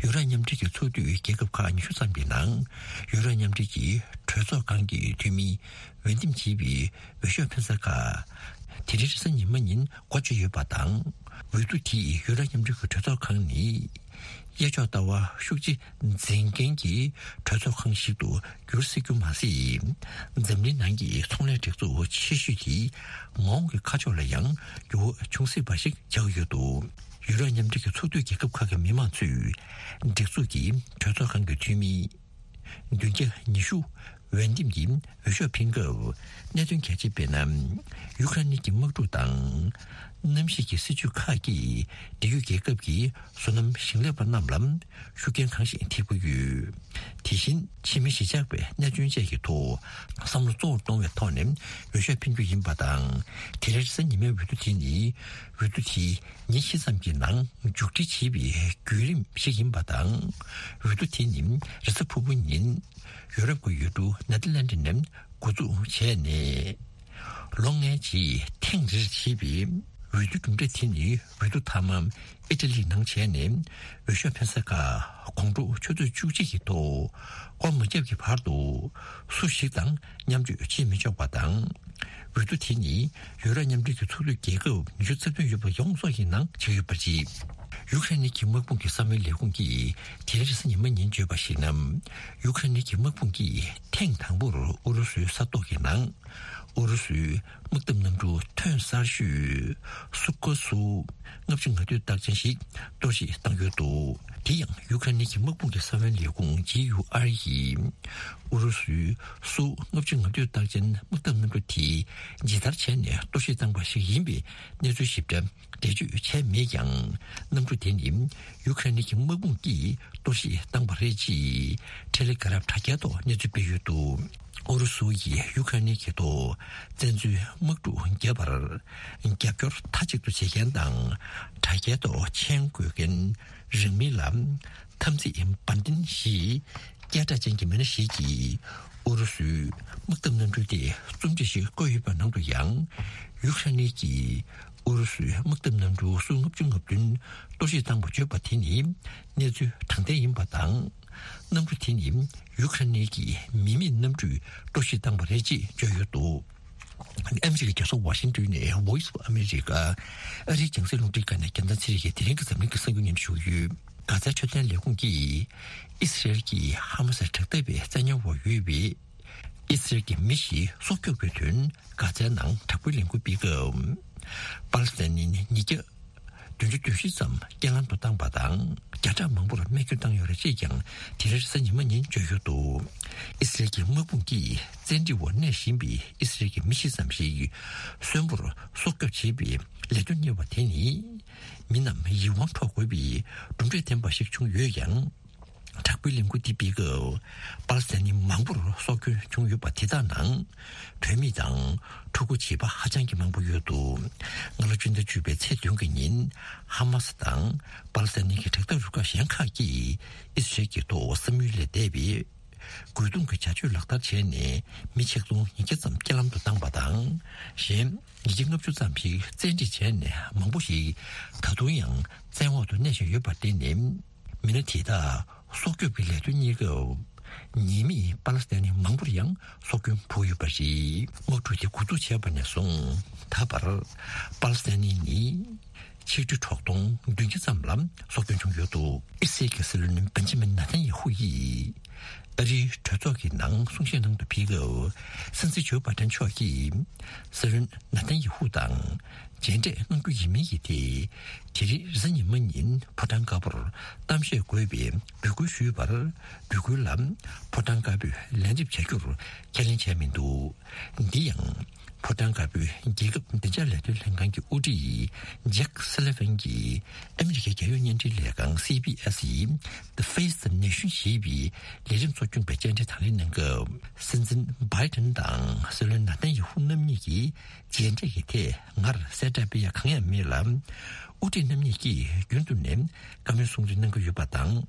ཡུ་རོབ་མཉམ་འབྲེལ་གྱི་ཚོགས་འཐུས་རྒྱལ་ཁབ་ཁག་ཉི་ཤུ་ཙམ་གྱི་ནང་ཡུ་རོབ་མཉམ་འབྲེལ་གྱི་གྲོས་ཚོགས་ཁང་གི་འཐུས་མིའི་འོས་འདེམས་བྱས་པའི་འོས་ཤོག་འཕེན་ས་ཁག་དེ་རིང་རེས་གཟའ་ཉི་མ་ཉིན་འགོ་བརྗོད་ཡོད་པ་དང་། འོས་བསྡུ་དེས་ཡུ་རོབ་མཉམ་འབྲེལ་གྱི་གྲོས་ཚོགས་ཁང་ནི་གཡས་ཕྱོགས་ལྟ་བ་ཤུགས་ཆེ་འཛིན་མཁན་གྱི་གྲོས་ཚོགས་ཁང་ཞིག་ཏུ་འགྱུར་སྲིད་རྒྱུ་མ་ཟད། འཛམ་གླིང་ནང་གི་ཚོང་ལས་སྒྲིག་འཛུགས་ཆེ་ཤོས་དེའི་མ་འོངས་ཀྱི་ཁ་ཕྱོགས་ལ་ཡང་འགྱུར་བ་འབྱུང་སྲིད་པ་ཞིག་ཆགས་ཡོད་འདུག་ཡུ་རོབ་མཉམ་འབྲེལ་གྱི་ཚོགས་འཐུས་རྒྱལ་ཁབ་ཁག་གི་མི་མང་ཚོས་སྒྲིག་འཛུགས་ཀྱི་གྲོས་ཚོགས་ཁང་གི་འཐུས་མི་བདུན་བརྒྱ་ཉི་ཤུ་འོས་འདེམས་ཀྱིས་འོས་ཤོག་འཕེན་སྐབས། གནད་དོན་གལ་ཆེ་དཔེར་ན། ཡུཀ་རེན་གྱི་དམག་འཁྲུག་དང་། གནམ་གཤིས་ཀྱི་སྲིད་ཇུས་ཁག་གིས་འབྲེལ་ཡོད་རྒྱལ་ཁབ་ཀྱི་བསོད་ནམས་ཞིང་ལས་པ་རྣམས་ལ་ཤུགས་རྐྱེན་གང་ཞིག་ཐེབས་ཀྱི་ཡོད། དེ་བཞིན་ཕྱི་མི་གཞིས་ཆགས་པའི་གནད་དོན་བཅས་ཀྱི་ཐོག་བསམ་བློ་གཙོ་བོར་གཏོང་བའི་ཐོག་ནས་འོས་ཤོག་འཕེན་རྒྱུ་ཡིན་པ་དང་། དེ་རིང་རེས་གཟའ་ཉི་མའི་འོས་བསྡུ་དེ་ནི་འོས་བསྡུ་དེ་ཉིན་བཞི་ཙམ་གྱི་ནང་མཇུག་སྒྲིལ་བྱེད་པའི་བརྒྱུད་རིམ་ཞིག་ཡིན་པ་དང་། འོས་བསྡུ་དེ་ནི་རེས་གཟའ་ཕུར་བུ་ཉིན་ཡོ་རོབ་ཀྱི་ཡུལ་གྲུ་ནེ་དར་ལན་ཌི་ནས་འགོ་འཛུགས་བྱས་ནས། ལོ་ལྔའི་རྗེས་ཐེངས་རེར་བྱེད་པའི་འོས་བསྡུ་གྲུབ་འབྲས་དེ་ནི་འོས་བསྡུ་མཐའ་མ་ཨི་ཊ་ལི་ནང་བྱས་ནས། འོས་ཤོག་འཕེན་ས་ཁག་དགོང་དྲོ་ཆུ་ཚོད་བཅུ་གཅིག་གི་ཐོག་སྒོ་མ་བརྒྱབ་ཀྱི་བར་དུ་སུ་ཞིག་དང་མཉམ་སྤྱོད་བྱེད་མི་ཆོག་པ་དང་། འོས་བསྡུ་དེ་ནི་ཡུ་རོབ་མཉམ་འབྲེལ་གྱི་ཚོགས་འཐུས་རྒྱལ་ཁབ་ཉི་ཤུ་རྩ་བདུན་ཡོད་པ་ཡོངས་རྫོགས་ཀྱི་ནང་བྱེད་ཀྱི་ཡོད་པ་རེད། ཡུཀ་རེན་གྱི་དམག་དཔུང་གི་གསང་བའི་ལས་ཁུངས་ཀྱིས་དེ་རིང་རེས་གཟའ་ཉི་མ་ཉིན་བརྗོད་པར་གཞིགས་ན། ཡུཀ་རེན་གྱི་དམག་དཔུང་གིས་ཐེངས་དང་པོར་ཨུ་རུ་སུའི་ས་ཐོག་གི་ནང་ཨུ་རུ་སུའི་དམག་འཐབ་གནམ་གྲུ་ཐོན་གསར་ཤོས་སུ་ཁོ་སུ་ལྔ་བཅུ་ང་བདུན་རྟགས་ཅན་ཞིག་གཏོར་བཤིག་བཏང་ཡོད་འདུག་དེ་ཡང་ཡུཀ་རེན་གྱི་དམག་དཔུང་གི་གསང་བའི་ལས་ཁུངས་ཇི་ཡུ་ཨར་ཡིས་ཨུ་རུ་སུའི་སུ་ལྔ་བཅུ་ང་བདུན་རྟགས་ཅན་དམག་འཐབ་གནམ་གྲུ་དེ་ཇི་ལྟར་བྱས་ནས་གཏོར་བཤིག་བཏང་པ་ཞིག་ཡིན་པའི་གནས་ཚུལ་ཞིབ་ཕྲ་འགྲེལ་བརྗོད་བྱས་མེད་ཀྱང་། གནམ་གྲུ་དེ་ནི་ཡུཀ་རེན་གྱི་དམག་དཔུང་གིས་གཏོར་བཤིག་བཏང་པ་རེད་ཅེས་ཊེ་ལེ་གྷ་རམ་དྲ་རྒྱའི་ཐོག་གནས་ཚུལ་སྤེལ་ཡོད་འདུག་ཨུ་རུ་སུ་ཡིས་ཡུཀ་རེན་གྱི་ཐོག་བཙན་འཛུལ་དམག་འཁྲུག་བརྒྱབ་པར་རྒྱབ་སྐྱོར་མཐའ་གཅིག་ཏུ་བྱེད་མཁན་དང་། དྲ་རྒྱའི་ཐོག་མཆན་འགོད་མཁན་རིང་མིན་ལ་འཐབ་འཛིང་འབར་མདེལ་ཞེས་སྐད་གྲགས་ཅན་གྱི་མི་སྣ་ཞིག་གིས་ཨུ་རུ་སུའི་དམག་འཐབ་གནམ་གྲུ་དེ་རྩོམ་བྲིས་ཤིག་བཀོད་ཡོད་པའི་ནང་དུ་ཡང་། ཡུཀ་རེན་གྱིས་ཨུ་རུ་སུའི་དམག་འཐབ་གནམ་གྲུ་སུ་ལྔ་བཅུ་ང་བདུན་གཏོར་བཤིག་བཏང་བར་བརྗོད་པ་དེ་ནི་གནས་ཚུལ་དྲང་བདེན་ཡིན་པ་དང་། གནམ་གྲུ་དེ་ནི་ཡུཀ་རེན་གྱི་མི་མེད་གནམ་གྲུས་གཏོར་བཤིག་བཏང་བ་རེད་ཅེས་བརྗོད་ཡོད་འདུག་ཨ་མི་རི་ཀའི་རྒྱལ་ས་ཝ་ཤིང་ཏོན་ནས་Voice of America ཨ་རིའི་རྒྱང་སྲིང་རླུང་འཕྲིན་ཁང་ནས་རྒྱལ་མཚན་ཚེ་རིང་གིས་དེ་རིང་གི་འཛམ་གླིང་གི་གསར་འགྱུར་སྙན་ཞུ་ཡོད། གྷ་ཛའི་འཕྲོད་བསྟེན་ལས་ཁུངས་ཀྱིས་ཨི་སི་རེལ་གྱིས་ཧ་མ་སི་དྲག་འཐབ་པའི་བཙན་ཉར་འོག་ཡོད་པའི་ཨི་སི་རེལ་གྱི་མི་ཞིག་སྲོག་སྐྱོབ་ཀྱི་དོན་གྷ་ཛའི་ནང་དྲག་པོའི་ལས་འགུལ་སྤེལ་སྐབས། པ་ལི་སི་ཐན་ནི་ཉིས་བརྒྱ་བདུན་ཅུ་དོན་བཞི་ཙམ་རྐྱེན་ལམ་དུ་བཏང་པ་དང་། བརྒྱ་ཕྲག་མང་པོར་རྨས་སྐྱོན་བཏང་ཡོད་རེད་ཅེས་ཀྱང་དེ་རིང་རེས་གཟའ་ཉི་མ་ཉིན་བརྗོད་ཡོད་འདུག་ཨི་སི་རེལ་གྱི་དམག་དཔུང་གིས་བཙན་ཁྲིད་འོག་གནས་བཞིན་པའི་ཨི་སི་རེལ་གྱི་མི་བཞི་ཙམ་ཞིག་གསོན་པོར་སྲོག་སྐྱོབ་བྱེད་པའི་ལས་དོན་གཉེར་བ་དེ་ནི། མི་རྣམས་ཡིད་དབང་འཕྲོག་དགོས་པའི་གྲུབ་འབྲས་ལྡན་པ་ཞིག་བྱུང་ཡོད་ཀྱང་། དྲག་པོའི་ལས་འགུལ་འདི་སྤེལ་སྐབས་པ་ལི་སི་ཐན་མི་མང་པོར་སྲོག་སྐྱོན་བྱུང་ཡོད་པ་དེ་དག་ནང་བུད་མེད་དང་ཕྲུ་གུ་བྱིས་པ་ཧ་ཅང་གི་མང་པོ་ཡོད་འདུག་སྔ་ལོ་སྤྱི་ཟླ་བཅུ་པའི་ཚེས་བདུན་གྱི་ཉིན་ཧ་མ་སི་དང་པ་ལི་སི་ཐན་གྱི་དྲག་འཐབ་རུ་ཁག་གཞན་ཁག་གིས་ཨི་སི་རེལ་གྱི་ཐོག་བསམ་ཡུལ་ལས་འདས་པའི་ རྒོལ་རྡུང་གི་བྱ་སྤྱོད་ལག་བསྟར་བྱས་ནས་མི་ཆིག་སྟོང་ཉིས་བརྒྱ་ཙམ་རྐྱེན་ལམ་དུ་བཏང་བ་དང་། གཞན་ཉིས་བརྒྱ་ལྔ་བཅུ་ཙམ་ཞིག་བཙན་ཁྲིད་བྱས་ནས་མང་པོ་ཞིག་ད་དུང་ཡང་བཙན་འོག་ཏུ་གནས་བཞིན་ཡོད་པར་བརྟེན་ནས། མི་སྣ་དེ་དག་སྲོག་སྐྱོབ་ཀྱི་ལས་དོན་གཉེར་སྐབས། ཉེས་མེད་པ་ལི་སི་ཐན་ནི་མང་པོར་ཡང་སྲོག་སྐྱོན་ཕོག་ཡོད་པ་རེད། དམག་འཁྲུག་དེ་འགོ་འཛུགས་བྱས་པ་ནས་བཟུང་ད་བར་པ་ལི་སི་ཐན་ནི་ནི་ཆིག་ཁྲི་དྲུག་སྟོང་བདུན་བརྒྱ་ཙམ་ལ་སྲོག་སྐྱོན་བྱུང་ཡོད་འདུག་ཨི་སི་རལ་གྱི་སྲིད་བློན་བན་ཇི་མིན་ནེ་ཐན་ཡ་ཧུ་ཡིས། ཨ་རིའི་གྲོས་ཚོགས་ཀྱི་ནང་གསུང་བཤད་གནང་དུ་ཕེབས་སྐབས། སྲིད་འཛིན་ཇོ་བྷའི་ཏན་མཆོག་གིས་སྲིད་བློན་ནེ་ཐན་ཡ་ཧུ་དང་མཇལ་འཕྲད་གནང་རྒྱུ་ཡིན་མིན་གྱི་ཐད། དེ་རིང་རེས་གཟའ་ཉི་མ་ཉིན་ཕོ་བྲང་དཀར་པོར་གཏམ་བཤད་དགོས་པའི་འབོད་སྐུལ་ཞུས་པར། འབོད་སྐུལ་ལ་ཕོ་བྲང་དཀར་པོས་ལན་འདེབས་བྱ་རྒྱུར་ཁས་ལེན་བྱས་མི་འདུག་འདི་ཡང་ཕོ་བྲང་དཀར་པོའི་རྒྱལ་ཁབ་བདེ་འཇགས་ལས་དོན་ལྷན་ཁང་གི་དབུ་ཁྲིད་ཇེག་སུ་ལི་ཝན་གྱིས་ཨ་མི་རི་ཀའི་རྒྱལ་ཡོངས་བརྙན་འཕྲིན་ལས་ཁང་སི་བྷི་ཨེས་ཡི་The Face the Nation ཞེས་པའི་ལས་རིམ་ཚོགས་ཆུང་པའི་བཅར་འདྲི་དང་ལེན་གནང་སྐབས། སྲིད་འཛིན་བྷའི་ཏན་དང་སྲིད་བློན་ནེ་ཐན་ཡ་ཧུ་རྣམ་གཉིས་ཀྱིས་མཇལ་འཕྲད་ཀྱི་ཐད་སྔར་གསལ་བསྒྲགས་སྤེལ་ཡ་གང་ཡང་མེད་ལ། དབུ་ཁྲིད་རྣམ་གཉིས་ཀྱིས་རྒྱུན་དུ་ནས་བཀའ་མོལ་གསུང་གྲོས་གནང་གི་ཡོད་པ་དང་།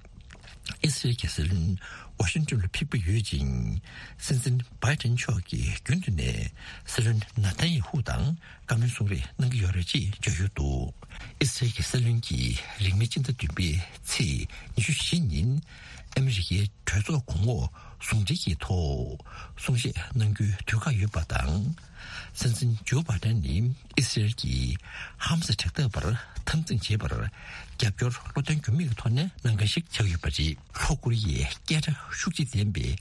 ཨི་སི་རལ་གྱི་སྲིད་བློན་ཝ་ཤིང་ཏོན་ལ་ཕེབས་ཀྱི་ཡོད་ཅིང་། སྲིད་འཛིན་བྷའི་ཏན་མཆོག་གིས་རྒྱུན་དུ་ནས་སྲིད་བློན་ནེ་ཐན་ཡ་ཧུ་དང་བཀའ་མོལ་གསུང་རེས་གནང་གི་ཡོད་རེད་ཅེས་བརྗོད་ཡོད་འདུག་ཨི་སི་རལ་གྱི་སྲིད་བློན་གྱིས་རིང་མིན་སྤྱི་ཟླ་བདུན་པའི་ཚེས་ཉི་ཤུ་བཞི་ཉིན་ཨ་མི་རི་ཀའི་གྲོས་ཚོགས་གོང་འོག་ཟུང་འབྲེལ་གྱི་ཐོག་གསུང་བཤད་གནང་རྒྱུའི་དུས་བཀག་ཡོད་པ་དང་། སྲིད་འཛིན་ཇོ་བྷའི་ཏན་ནི་ཨི་སི་རལ་གྱིས་ཧ་མ་སི་དྲག་འཐབ་པར་འཐབ་འཛིང་བྱེད་པར་རྒྱབ་སྐྱོར་བློ་བརྟན་འགྱུར་མེད་ཀྱི་ཐོག་ནས་གནང་མཁན་ཞིག་ཆགས་ཡོད་པ་རེད། ལྷོ་ཀོ་རི་ཡའི་སྐད་གྲགས་ཤུགས་ཆེ་ལྡན་པའི་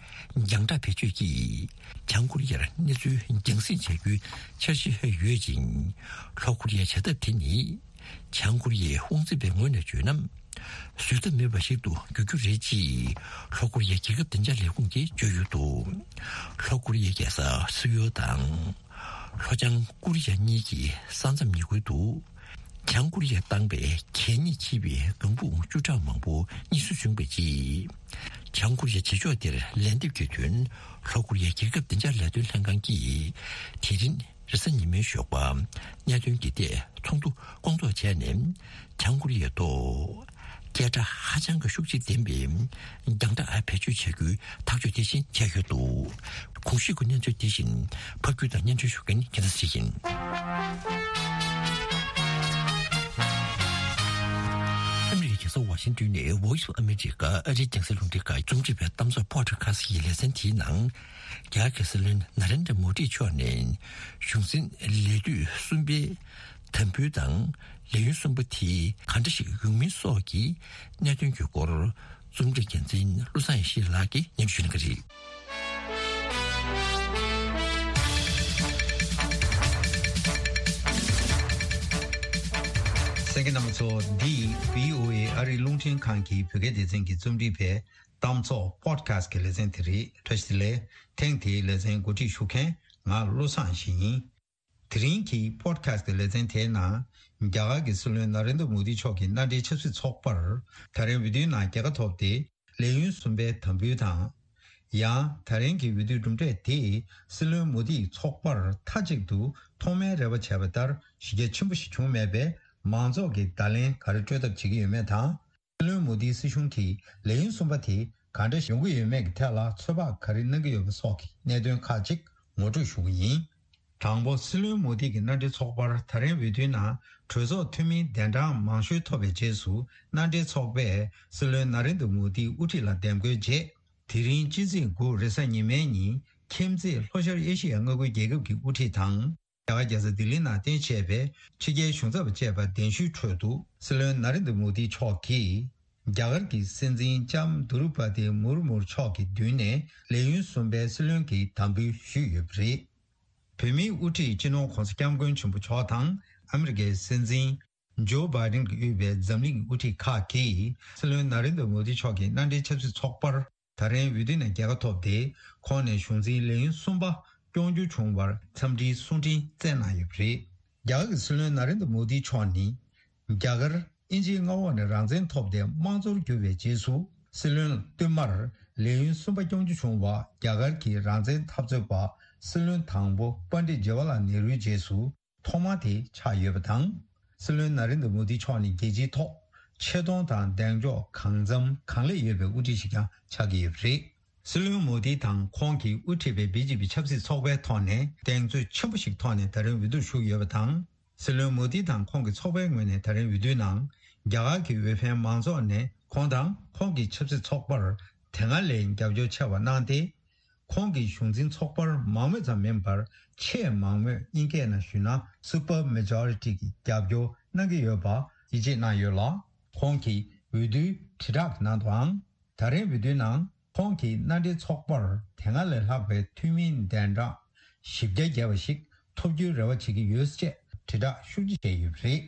རྒྱང་བསྒྲགས་བེད་སྤྱོད་ཀྱིས་བྱང་ཀོ་རི་ཡར་གནས་ཚུལ་རྒྱང་སྲིང་བྱ་རྒྱུའི་འཆར་གཞི་ཡོད་ཅིང་། ལྷོ་ཀོ་རི་ཡའི་བྱ་ཐབས་དེ་ནི་བྱང་ཀོ་རི་ཡའི་དབང་འཛིན་པའི་ངོས་ནས་བརྗོད་ན། བཟོད་ཐབས་མེད་པ་ཞིག་ཏུ་འགྱུར་རྒྱུ་རེད་ཅེས་ལྷོ་ཀོ་རི་ཡའི་རྒྱལ་ཁབ་བདེ་འཇགས་ལས་ཁུངས་ཀྱིས་བརྗོད་ཡོད་འདུག་ལྷོ་ཀོ་རི་ཡའི་རྒྱལ་ས་སིའུལ་དང་། ལྷོ་བྱང་ཀོ་རི་ཡ་གཉིས་ཀྱི་ས་མཚམས་ཉེ་ཁུལ་དུ། བྱང་ཀོ་རི་ཡས་བཏང་པའི་གད་སྙིགས་ཆེ་བའི་ལྒང་བུ་བཅུ་ཕྲག་མང་པོ་རྙེད་སོན་བྱུང་བའི་རྗེས། བྱང་ཀོ་རི་ཡའི་བྱེད་ཕྱོགས་དེར་ལན་འདེབས་ཀྱི་དོན་ལྷོ་ཀོ་རི་ཡའི་རྒྱལ་ཁབ་བདེ་འཇགས་ལས་དོན་ལྷན་ཁང་གིས་དེ་རིང་རེས་གཟའ་ཉི་མའི་ཞོགས་པ་གནད་དོན་གྱི་ཐད་ཚོགས་འདུ་སྐོང་ཚོགས་བྱས་ནས། བྱང་ཀོ་རི་ཡའི་ཐོག་སྐད་གྲགས་ཧ་ཅང་གི་ཤུགས་ཆེ་ལྡན་པའི་རྒྱང་བསྒྲགས་བེད་སྤྱོད་བྱ་རྒྱུའི་ཐག་གཅོད་དེ་བཞིན་བྱས་ཡོད་འདུག་གོང་ཞུས་ཀྱི་གནས་ཚུལ་དེ་བཞིན་ཕབ་སྒྱུར་དང་སྙན་སྒྲོན་ཞུ་མཁན་རྒྱལ་མཚན་ཡིན། ཨ་མི་རི་ཀའི་རྒྱལ་ས་ཝ་ཤིང་ཏོན་ནས་Voice of America ཨ་རིའི་རྒྱང་སྲིང་རླུང་འཕྲིན་ཁང་རྩོམ་སྒྲིག་པའི་གཏམ་བཟང་Podcast ཀྱི་ལེ་ཚན་དེའི་ནང་། རྒྱ་གར་གྱི་སྲིད་བློན་ནཱ་རེན་དྲ་མོ་དི་མཆོག་ནས་གཞུང་འཛིན་ལས་དུས་གསུམ་པའི་དམ་འབུལ་དང་ལས་ཡུན་གསུམ་པ་དེ་ག་འདྲ་ཞིག་ཡོང་མིན་སོགས་ཀྱི་གནད་དོན་གྱི་སྐོར། རྩོམ་སྒྲིག་འགན་འཛིན་བློ་བཟང་ཡེ་ཤེས་ལགས་ཀྱིས་སྙན་སྒྲོན་ཞུ་གནང་གི་རེད། གསན་མཁན་རྣམ་པ་ཚོ། འདི་བྷི་ཨོ་ཨེ་ཨ་རིའི་རླུང་འཕྲིན་ཁང་གི་བོད་སྐད་སྡེ་ཚན་གྱིས་རྩོམ་སྒྲིག་པའི་གཏམ་ཚོགས་Podcast གི་ལེ་ཚན་དེ་རེད། བཀྲ་ཤིས་བདེ་ལེགས། ཐེངས་འདིའི་ལེ་ཚན་གོ་སྒྲིག་ཞུ་མཁན་ང་བློ་བཟང་ཡེ་ཤེས་ཡིན། དེ་རིང་གི་Podcast གི་ལེ་ཚན་དེའི་ནང་། རྒྱ་གར་གྱི་སྲིད་བློན་ནཱ་རེན་དྲ་མོ་དི་མཆོག་གི་མནའ་འབྲེལ་ཆབ་སྲིད་ཚོགས་པར་ད་རིང་འོས་བསྡུའི་ནང་རྒྱལ་ཁ་ཐོབ་སྟེ། ལས་ཡུན་གསུམ་པའི་དམ་འབུལ་དང་། ཡང་ད་རིང་གི་འོས་བསྡུའི་གྲུབ་འབྲས་དེས་སྲིད་བློན་མོ་དིའི་ཚོགས་པར་མཐའ་གཅིག་ཏུ་ཐོག་མའི་རེ་བ་བྱས་པ་ལྟར་གཞི་རྒྱ་ཆེན་པོ་ཞིག་བྱུང་མེད་པས། མང་ཚོགས་ཀྱིས་བརྡ་ལན་ག་རེ་སྤྲོད་ཐབས་བྱེད་ཀྱི་ཡོད་མེད་དང་། སྲིད་བློན་མོ་དིའི་སྲིད་གཞུང་གིས་ལས་ཡུན་གསུམ་པ་དེ་ག་འདྲ་ཡོང་གི་ཡོད་མེད་ཀྱི་ཐད་ལ་ཚོད་དཔག་ག་རེ་གནང་གི་ཡོད་པ་སོགས་ཀྱི་གནད་དོན་ཁག་ཅིག་ངོ་སྤྲོད་ཞུ་གི་ཡིན། དང་པོ། སྲིད་བློན་མོ་དི་གི་མནའ་འབྲེལ་ཚོགས་པར་ད་རིང་འོས་བསྡུའི་ནང་གྲོས་ཚོགས་འཐུས་མིའི་གདན་གྲངས་མང་ཤོས་ཐོབ་པའི་རྗེས་སུ། མནའ་འབྲེལ་ཚོགས་པས་སྲིད་བློན་ནཱ་རེན་དྲ་མོ་དིའི་དབུ་ཁྲིད་ལ་འདེམས་བསྐོའི་རྗེས། དེ་རིང་སྤྱི་ཚེས་དགུ་རེས་གཟའ་ཉི་མའི་ཉིན་ཁྱིམ་མཚེས་ལྷོ་ཤར་ཨེ་ཤི་ཡའི་མངའ་ཁུལ་རྒྱལ་ཁབ་ཀྱི་དབུ་ཁྲིད་དང་། རྒྱ་གར་རྒྱལ་ས་ལྡི་ལི་ནང་རྟེན་བྱས་པའི་ཕྱི་རྒྱལ་གཞུང་ཚབ་པ་བཅས་པ་གདན་ཞུའི་ཁྲོད་དུ། སྲིད་བློན་ནཱ་རེན་དྲ་མོ་དི་མཆོག་གིས། རྒྱ་གར་གྱི་སྲིད་འཛིན་ལྕམ་དུ་རུ་པ་ཏི་མུར་མུར་མཆོག་གི་མདུན་ནས་ལས་ཡུན་གསུམ་པའི་སྲིད་བློན་གྱི་དམ་འབུལ་ཞུས་ཡོད་པ་རེད། བོད་མིའི་དབུ་ཁྲིད་སྤྱི་ནོར་༧གོང་ས་༧སྐྱབས་མགོན་ཆེན་པོ་མཆོག་དང་ཨ་མི་རི་ཀའི་སྲིད་འཛིན་ཇོ་བྷའི་ཌེན་གྱིས་དབུས་པའི་འཛམ་གླིང་གི་དབུ་ཁྲིད་ཁག་གིས་སྲིད་བློན་ནཱ་རེན་དྲ་མོ་དི་མཆོག་གི་མནའ་འབྲེལ་ཆབ་སྲིད་ཚོགས་པར་ད་རིང་འོས་བསྡུ་ནས་རྒྱལ་ཁ་ཐོབ་སྟེ། ཁོང་ནས་གཞུང་འཛིན་ལས་ཡུན་གསུམ་པ་སྐྱོང་རྒྱུ་བྱུང་བར་འཚམས་འདྲིའི་གསུང་འཕྲིན་བསྩལ་གནང་ཡོད་པ་རེད། རྒྱ་གར་གྱི་སྲིད་བློན་ནཱ་རེན་དྲ་མོ་དི་མཆོག་ནི། རྒྱ་གར་དབྱིན་ཇིའི་མངའ་འོག་ནས་རང་བཙན་ཐོབ་སྟེ་དམངས་གཙོར་གྱུར་བའི་རྗེས་སུ། སྲིད་བློན་བསྟུད་མར་ལས་ཡུན་གསུམ་པ་སྐྱོང་རྒྱུ་བྱུང་བ། རྒྱ་གར་གྱི་རང་བཙན་འཐབ་རྩོད་པ་སྲིད་བློན་དང་པོ་པཎ་ཌི་ཇ་ཝ་ལ་ནེ་རུའི་རྗེས་སུ་ཐོག་མ་དེ་ཆགས་ཡོད་པ་དང་། སྲིད་བློན་ནཱ་རེན་དྲ་མོ་དི་མཆོག་ནི་རྒྱལ་སྤྱིའི་ཐོག་ཆེ་མཐོང་དང་གདེང་འཇོག་གང་འཚམ་གང་ལེགས་ཡོད་པའི་དབུ་ཁྲིད་ཞིག་ཀྱང་ཆགས་ཀྱི་ཡོད་པ་རེད། སྲིད་བློན་མོ་དི་དང་ཁོང་གིས་དབུ་ཁྲིད་པའི་བི་ཇེ་པི་ཆབ་སྲིད་ཚོགས་པའི་ཐོག་ནས་གདེང་ཚོད་ཆེན་པོ་ཞིག་ཐོག་ནས་ད་རིང་འོས་བསྡུར་ཞུགས་ཡོད་པ་དང་། སྲིད་བློན་མོ་དི་དང་ཁོང་གི་ཚོགས་པའི་ངོས་ནས་ད་རིང་འོས་བསྡུའི་ནང་རྒྱ་གར་གྱི་འོས་འཕེན་མང་ཚོགས་ནས་ཁོང་དང་ཁོང་གི་ཆབ་སྲིད་ཚོགས་པར་དེ་སྔ་ལས་རྒྱབ་སྐྱོར་ཆེ་བ་གནང་སྟེ། ཁོང་གི་གཞུང་འཛིན་ཚོགས་པར་མང་མོས་ཙམ་མིན་པར་ཆེས་མང་མོས་དབྱིན་སྐད་ནང་ཞུས་ན་སུ་པར་མེ་ཇོ་རི་ཊི་གི་རྒྱབ་སྐྱོར་གནང་གི་ཡོད་པ་ཡིད་ཆེས་གནང་ཡོད་ལ། ཁོང་གིས་འོས་བསྡུའི་དྲིལ་བསྒྲགས་ནང་དུའང་། ད་རེས་འོས་བསྡུའི་ནང་ཁོང་གིས་མནའ་འབྲེལ་ཚོགས་པར་དེ་སྔ་ལས་ལྷག་པའི་འཐུས་མིའི་གདན་གྲངས་བཞི་བརྒྱ་བརྒལ་བ་ཞིག་ཐོབ་རྒྱུའི་རེ་བ་བྱེད་ཀྱི་ཡོད་ཅེས་དྲིལ་བསྒྲགས་ཤུགས་ཆེ་བྱས་ཡོད་པ་རེད།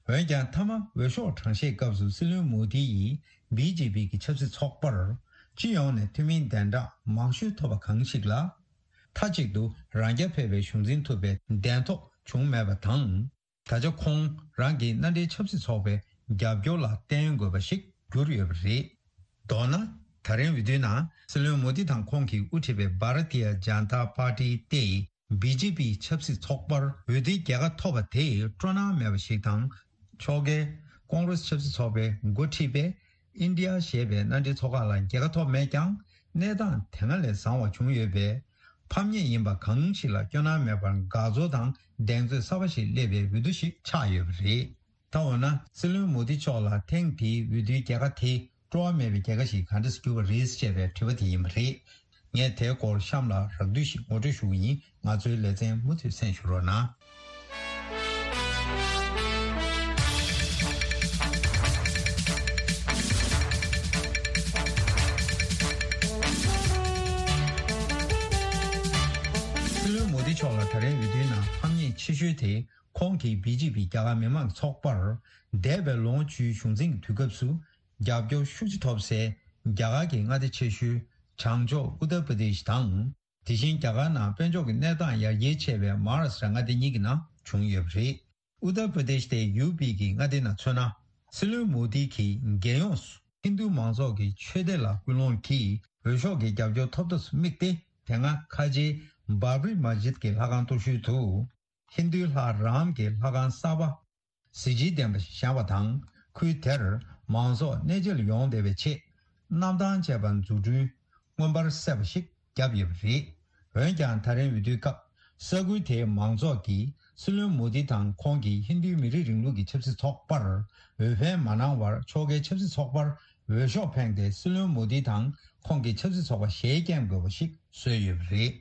འོན་ཀྱང་མཐའ་མ་འོས་ཤོག་གྲངས་བཤེར་སྐབས་སུ་སྲིད་བློན་མོ་དི་ཡིས་བི་ཇེ་པི་གི་ཆབ་སྲིད་ཚོགས་པར་སྤྱི་ཡོངས་ནས་འཐུས་མིའི་གདན་གྲངས་མང་ཤོས་ཐོབ་པ་གང་ཞིག་ལ། མཐའ་གཅིག་ཏུ་རང་རྐྱ་འཕེར་བའི་གཞུང་འཛིན་ཐུབ་པའི་གདེང་ཐོབ་བྱུང་མེད་པ་དང་། ད་ཆ་ཁོང་རང་གི་མནའ་འབྲེལ་ཆབ་སྲིད་ཚོགས་པའི་རྒྱབ་སྐྱོར་ལ་བརྟེན་དགོས་པ་ཞིག་གྱུར་ཡོད་པ་རེད། མདོར་ན། ད་རིང་འོས་བསྡུའི་ནང་སྲིད་བློན་མོ་དི་དང་ཁོང་གིས་དབུ་ཁྲིད་པའི་བྷ་ར་ཏི་ཡ་ཇན་ཏ་པར་ཏི་སྟེ། བི་ཇེ་པི་ཆབ་སྲིད་ཚོགས་པར་འོས་བསྡུའི་རྒྱལ་ཁ་ཐོབ་པ་དེ་སྤྲོ་སྣང་མེད་པ་ཞིག་དང་། ཕྱོགས་འགལ་ཀོང་རེ་སི་ཆབ་སྲིད་ཚོགས་པའི་འགོ་ཁྲིད་པས་ཨིན་ཌི་ཡ་ཞེས་པའི་མནའ་འབྲེལ་ཚོགས་ཁག་ལ་རྒྱལ་ཁ་ཐོབ་མེད་ཀྱང་། གནས་སྟངས་དེ་སྔ་ལས་བཟང་བ་བྱུང་ཡོད་པས། ཕམ་ཉེས་ཡིན་པ་གང་ཞིག་ལ་སྐྱོ་སྣང་མེད་པར་དགའ་ཚོར་དང་གདེང་ཚོད་གསར་པ་ཞིག་སླེབས་པའི་འོས་བསྡུ་ཞིག་ཆགས་ཡོད་པ་རེད། ད་འོ་ན་སྲིད་བློན་མོ་དི་མཆོག་ལ་ཐེངས་འདིའི་འོས་བསྡུའི་རྒྱལ་ཁ་དེ་སྤྲོ་བ་མེད་པའི་རྒྱལ་ཁ་ཞིག་གང་འདྲ་གྱུར་པ་རེད་ཅེས་པའི་དྲི་བ་དེ་ཡིན་པ་རེད། ངས་དེའི་སྐོར་གཤམ་ལ་རགས་བསྡུས་ཤིག་ངོ་སྤྲོད་ཞུ་གི་ཡིན། ང་ཚོའི་ལེ་ཚན་མུ་མཐུད་གསན་ཞུ་རོགས་གནང་། སྲིད་བློན་མོ་དི་མཆོག་ལ་ད་རིང་འོས་བསྡུའི་ནང་ཕམ་ཉེས་ཆེ་ཤོས་དེ། ཁོང་གིས་བི་ཇེ་པི་རྒྱ་གར་མི་དམངས་ཚོགས་པར་འདས་པའི་ལོ་ངོ་བཅུའི་གཞུང་འཛིན་གྱི་དུས་སྐབས་སུ་རྒྱབ་སྐྱོར་ཤུགས་ཆེ་ཐོབ་སའི་རྒྱ་གར་གྱི་མངའ་སྡེ་ཆེ་ཤོས་བྱང་ཕྱོགས་ཨུ་ཏར་པྲ་དེཤ་དང་། དེ་བཞིན་རྒྱ་གར་ནང་དཔལ་འབྱོར་གྱི་གནས་སྟངས་ཡར་རྒྱས་ཆེ་བའི་མ་ཧཱ་རཱ་ཤི་ཏྲ་མངའ་སྡེ་གཉིས་ཀྱི་ནང་བྱུང་ཡོད་པ་རེད། ཨུ་ཏར་པྲ་དེཤ་དེ་ཡུ་པི་གི་མངའ་སྡེ་ནང་མཚོན་ན། སྲིད་བློན་མོ་དི་གིས་རྒྱལ་ཡོངས་སུ་ཧིན་རྡུ་མང་ཚོགས་ཀྱི་ཆོས་སྡེ་ལ་སྐུལ་སློང་གིས་འོས་ཤོག་གི་རྒྱབ་སྐྱོར་ཐོབ་ཐབས་སུ་དམིགས་ཏེ། དེ་སྔ་ཁ་ཆེའི་བྷ་བྷ་རི་མ་ཇིད་ཀྱི་ལྷ་ཁང་གཏོར་ཤུལ་དུ། ཧིན་རྡུའི་ལྷ་རཱམ་གྱི་ལྷ་ཁང་གསར་པ་གཟི་བརྗིད་ལྡན་པ་ཞིག་བཞེངས་པ་དང་། ཁུལ་དེར་མང་ཚོགས་གནས་མཇལ་ཡོང་བདེ་བའི་ཆེད། གནམ་ཐང་བཅས་པ་འཛུགས་སྐྲུན་མངོན་པར་གསལ་བ་ཞིག་བརྒྱབ་ཡོད་པ་རེད། འོན་ཀྱང་ད་རིང་འོས་བསྡུའི་སྐབས་ས་ཁུལ་དེའི་མང་ཚོགས་ཀྱིས་སྲིད་བློན་མོ་དི་དང་ཁོང་གི་ཧིན་རྡུའི་མི་རིགས་རིང་ལུགས་ཀྱི་ཆབ་སྲིད་ཚོགས་པར་འོས་འཕེན་མ་གནང་བར། ཕྱོགས་འགལ་ཆབ་སྲིད་ཚོགས་པར་འོས་ཤོག་འཕེན་ཏེ། སྲིད་བློན་མོ་དི་དང་ཁོང་གི་ཆབ་སྲིད་ཚོགས་པ་ཞེས་བསྐྱོན་དགོས་པ་ཞིག་བཟོས་ཡོད་པ་རེད།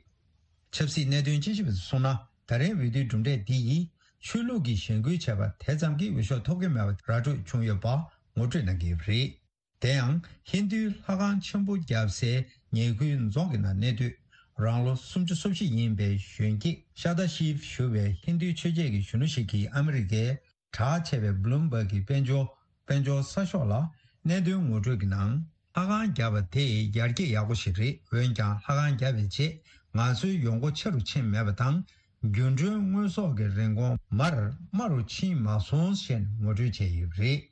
ཆབ་སྲིད་གནད་དོན་དཔྱད་ཞིབ་པ་ཚོས་གསུངས་ན། ད་རེས་འོས་བསྡུའི་གྲུབ་འབྲས་འདི་ཡིས་ཆོས་ལུགས་ཀྱི་གཞེན་སྐུལ་བྱས་པ་དེ་ཙམ་གྱིས་འོས་ཤོག་ཐོབ་ཀྱི་མེད་པ་ར་སྤྲོད་བྱུང་ཡོད་པ་ངོ་སྤྲོད་གནང་གི་ཡོད་པ་རེད། དེ་ཡང་ཧིན་རྡུའི་ལྷ་ཁང་ཆེན་པོ་བརྒྱབ་སའི་ཉེ་ཁུལ་རྫོང་གི་ནང་གནས་སྡོད། རང་ལོ་སུམ་ཅུ་སོ་བཞི་ཡིན་པའི་གཞོན་སྐྱེས་ཤ་ད་ཤིབ་ཞུ་བའི་ཧིན་རྡུའི་ཆོས་བྱེད་ཀྱི་གཞོན་ནུ་ཞིག་གིས་ཨ་མི་རི་ཀའི་གྲགས་ཆེ་བའི་བྷ་ལུམ་བྷག་གི་དཔལ་འབྱོར་དཔལ་འབྱོར་གསར་ཤོག་ལ་གནད་དོན་ངོ་སྤྲོད་ཀྱི་ནང་། ལྷ་ཁང་བརྒྱབ་པ་དེ་ཡར་རྒྱས་ཡག་པོ་ཞིག་རེད། འོན་ཀྱང་ལྷ་ཁང་བརྒྱབ་པའི་རྗེས་ང་ཚོའི་ཡོང་སྒོ་ཆེ་རུ་ཕྱིན་མེད་པ་དང་། རྒྱུན་གྲོན་དངོས་ཟོག་གི་རིན་གོང་མར་དམའ་རུ་ཕྱིན་མ་སོང་ཞེས་ངོ་སྤྲོད་བྱས་ཡོད་པ་རེད།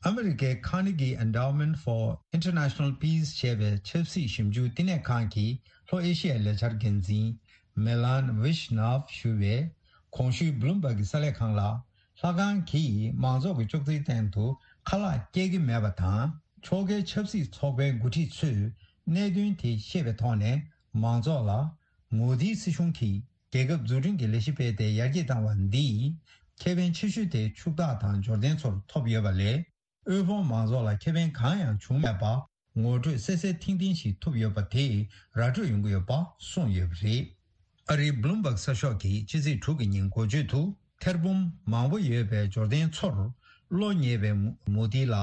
ཨ་མི་རི་ཀའི་Carnegie Endowment for International Peace ཞེས་པའི་ཆབ་སྲིད་ཞིབ་འཇུག་བསྟི་གནས་ཁང་གི་ལྷོ་ཨེ་ཤི་ཡའི་ལས་འཆར་འགན་འཛིན་མེ་ལན་ཝི་ཤ་ནབ་ཞུ་བས། གོང་ཞུས་བྷ་ལུམ་བྷག་གི་གསར་ལས་ཁང་ལ། ལྷ་ཁང་གིས་མང་ཚོགས་ཀྱི་ལྕོགས་ཚིག་སྟེང་དུ་ཁ་ལག་སྐྱེལ་གྱི་མེད་པ་དང་། ཕྱོགས་འགལ་ཆབ་སྲིད་ཚོགས་པའི་འགོ་ཁྲིད་ཚོས་གནད་དོན་དེ་ཤེས་པའི་ཐོག་ནས། མང་ཚོགས་ལ་མོ་དིའི་སྲིད་གཞུང་གིས་རྒྱལ་ཁབ་འཛུགས་སྐྲུན་གྱི་ལས་གཞི་སྤེལ་ཏེ་ཡར་རྒྱས་བཏང་བ་འདིས། ཁེ་ཕན་ཆེ་ཤོས་དེ་ཕྱུག་བདག་དང་འབྱོར་ལྡན་ཚོར་ཐོབ་ཡོད་པ་ལས། དབུལ་ཕོངས་མང་ཚོགས་ལ་ཁེ་ཕན་གང་ཡང་བྱུང་མེད་པ་ངོ་སྤྲོད་གསལ་གསལ་ཐིང་ཐིང་ཞིག་ཐོབ་ཡོད་པ་དེས་ར་སྤྲོད་ཡོང་གི་ཡོད་པ་གསུངས་ཡོད་པ་རེད། ཨ་རིའི་བྷ་ལུམ་བྷག་གསར་ཤོག་གིས་ཕྱི་ཚེས་དྲུག་གི་ཉིན་འགོ་བརྗོད་དུ། ཐེར་འབུམ་མང་པོ་ཡོད་པའི་འབྱོར་ལྡན་ཚོར་བློ་ཉེ་བའི་མོ་དི་ལ།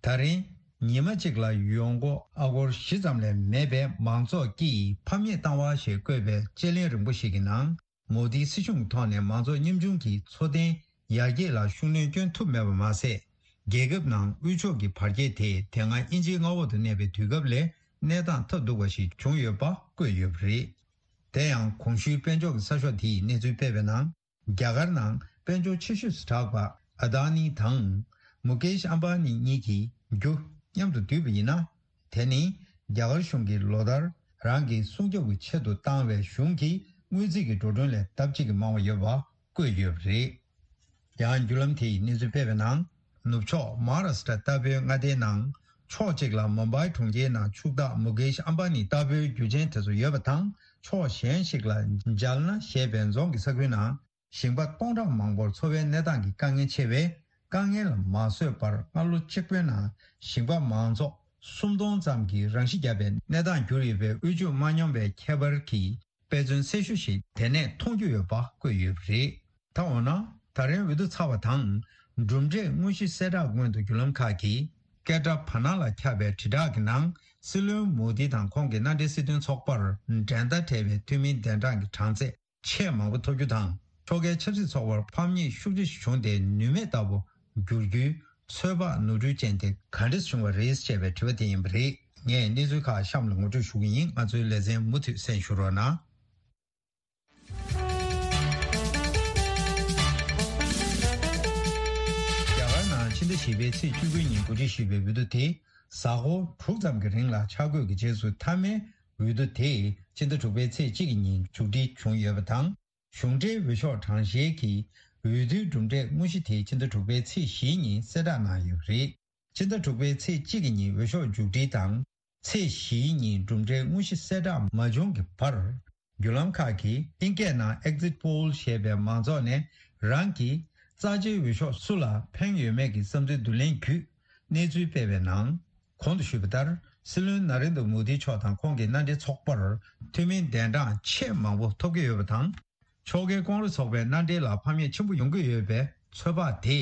ད་རིང་ཉི་མ་གཅིག་ལ་ཡོང་སྒོ་ཨ་སྒོར་བཞི་ཙམ་ལས་མེད་པའི་མང་ཚོགས་ཀྱིས་ཕམ་ཉེས་བཏང་བ་ཞེས་བཀོད་པའི་དཔྱད་གླེང་རིང་པོ་ཞིག་གི་ནང་། མོ་དིའི་སྲིད་གཞུང་གི་ཐོག་ནས་མང་ཚོགས་ཉམ་ཆུང་གི་འཚོ་རྟེན་ཡར་རྒྱས་ལ་ཤུགས་སྣོན་སྐྱོན་ཐུབ་མེད་པ་མ་ཟད། རྒྱལ་ཁབ་ནང་དབུལ་ཕྱུག་གི་བར་ཁྱད་དེ་དེ་སྔ་དབྱིན་ཇིའི་མངའ་འོག་ཏུ་གནས་པའི་དུས་སྐབས་ལས་གནས་སྟངས་ཐབས་སྡུག་པ་ཞིག་བྱུང་ཡོད་པ་བཀོད་ཡོད་པ་རེད། དེ་ཡང་གོང་ཞུས་དཔལ་འབྱོར་གྱི་གསར་ཤོག་དེས་གནས་ཚུལ་སྤེལ་བའི་ནང་། རྒྱ་གར་ནང་དཔལ་འབྱོར་ཆེ་ཤོས་སུ་གྲགས་པ་ཨ་དཱ་ནི་དང་མུ་ཀེཤ་ཨམ་བྷ་ནི་གཉིས་ཀྱི་རྒྱུ་མཉམ་དུ་བསྡུས་པ་ཡིན་ན། དེ་ནི་རྒྱ་གར་གཞུང་གིས་ལོ་ལྟར་རང་གི་སྲུང་སྐྱོབ་ཀྱི་ཆེད་དུ་བཏང་བའི་གཞུང་གི་དངུལ་རྩིས་ཀྱི་འགྲོ་གྲོན་ལས་ལྡབ་གཅིག་གིས་མང་བ་ཡོད་པ་བཀོད་ཡོད་པ་རེད། ཡང་བརྒྱུད་ལམ་དེས་གནས་ཚུལ་སྤེལ་བའི་ནང་། ནུབ་ཕྱོགས་མ་ཧཱ་རཱ་སི་ཏྲ་ལྟ་བུའི་མངའ་སྡེའི་ནང་ ཕྱོགས་གཅིག་ལ་མུམ་བྷའི་གྲོང་ཁྱེར་ནང་ཕྱུག་བདག་མུ་ཀེཤ་ཨམ་བྷ་ནི་ལྟ་བུའི་རྒྱུ་ཆེན་དེ་ཚོ་ཡོད་པ་དང་། ཕྱོགས་གཞན་ཞིག་ལ་ཇལ་ན་ཞེས་པའི་རྫོང་གི་ས་ཁུལ་ནང་ཞིང་པ་སྟོང་ཕྲག་མང་པོར་འཚོ་བའི་གནས་སྟངས་ཀྱི་དཀའ་ངལ་ཆེ་བས། དཀའ་ངལ་ལ་མ་བཟོད་པར་སྔ་ལོ་གཅིག་པུའི་ནང་ཞིང་པ་མང་ཚོགས་སུམ་སྟོང་ཙམ་གྱིས་རང་ཤི་བརྒྱབ་པའི་གནས་སྟངས་གྱུར་ཡོད་པའི་དབུལ་ཕྱུག་མ་ཉམས་པའི་ཁྱད་པར་གྱི་དཔེ་མཚོན་གསལ་ཤོས་ཤིག་དེ་ནས་མཐོང་རྒྱུ་ཡོད་པ་བཀོད་ཡོད་པ་རེད། ད་འོ་ན། ད་རིང་འོས་བསྡུ་ཚར་བ་དང་། གྲུབ་འབྲས་དངོས་གཞི་གསལ་བསྒྲགས་སྔོན་དུ་བརྒྱུད་ལམ་ཁག་གིས་སྐད་སྒྲ་བར་སྣང་ལ་ཁྱབ་པའི་དྲིལ་བསྒྲགས་ཀྱི་ནང་། སྲིད་བློན་མོ་དི་དང་ཁོང་གི་མནའ་འབྲེལ་སྲིད་དོན་ཚོགས་པར་འགྲན་ཟླ་བྲལ་བའི་འཐུས་མི་གདན་གྲངས་ཀྱི་གྲངས་ཚད་ཆེས་མང་པོ་ཐོབ་རྒྱུ་དང་། ཕྱོགས་འགལ་ཆབ་སྲིད་ཚོགས་པར་ཕམ་ཉེས་ཤུགས་ཆེ་ཞིག་བྱུང་སྟེ་ནུས་མེད་ལྟ་བུ་འགྱུར་རྒྱུའི་ཚོད་དཔག་ནོར་འཁྲུལ་ཅན་དེ་ག་འདྲས་བྱུང་བ་རེད་ཅེས་པའི་དྲི་བ་དེ་ཡིན་པ་རེད། ངས་གནས་ཚུལ་ཁག་གཤམ་ལ་ངོ་སྤྲོད་ཞུ་གི་ཡིན། ང་ཚོའི་ལེ་ཚན་མུ་མཐུད་གསན་ཞུ་རོགས་གནང་། རྒྱ་གར་ནང་ཕྱི་ཟླ་བཞི་པའི་ཚེས་བཅུ་དགུ་ཉིན་གོ་སྒྲིག་ཞུས་པའི་འོས་བསྡུ་དེ་གཟའ་འཁོར་དྲུག་ཙམ་གྱི་རིང་ལ་འཆར་འགོད་ཀྱི་རྗེས་སུ་མཐའ་མའི་འོས་བསྡུ་དེ་ཕྱི་ཟླ་དྲུག་པའི་ཚེས་གཅིག་གི་ཉིན་མཇུག་སྒྲིལ་བྱུང་ཡོད་པ་དང་། གཞུང་འབྲེལ་འོས་ཤོག་གྲངས་བཤེར་གྱི་འོས་བསྡུའི་གྲུབ་འབྲས་དངོས་གཞི་དེ་ཕྱི་ཟླ་དྲུག་པའི་ཚེས་བཞིའི་ཉིན་གསལ་བསྒྲགས་གནང་ཡོད་པ་རེད། ཕྱི་ཟླ་དྲུག་པའི་ཚེས་གཅིག་གི་ཉིན་འོས་ཤོག་མཇུག་སྒྲིལ་དང་། ཚེས་བཞིའི་ཉིན་གྲུབ་འབྲས་དངོས་གཞི་གསལ་བསྒྲགས་མ་བྱུང་གི་བར། བརྒྱུད་ལམ་ཁག་གིས་ཨིན་སྐད་ནང་Exit Poll ཞེས་པའི་མང་ཚོགས་ནས་རང་གི་རྩ་ཆེའི་འོས་ཤོག་སུ་ལ་འཕེན་ཡོད་མེད་ཀྱི་བསམ་ཚུལ་བསྡུ་ལེན་བརྒྱུད་གནས་ཚུལ་སྤེལ་བའི་ནང་། གོང་དུ་ཞུས་པ་ལྟར། སྲིད་བློན་ན་རེན་དྲ་མོ་དི་མཆོག་དང་ཁོང་གི་མནའ་འབྲེལ་ཚོགས་པར་འཐུས་མི་གདན་གྲངས་ཆེས་མང་པོ་ཐོབ་ཀྱི་ཡོད་པ་དང་། ཕྱོགས་འགལ་ཀོང་རེས་ཚོགས་པའི་མནའ་འབྲེལ་ལ་ཕམ་ཉེས་ཆེན་པོ་ཡོང་གི་ཡོད་པའི་ཚོད་དཔག་དེ་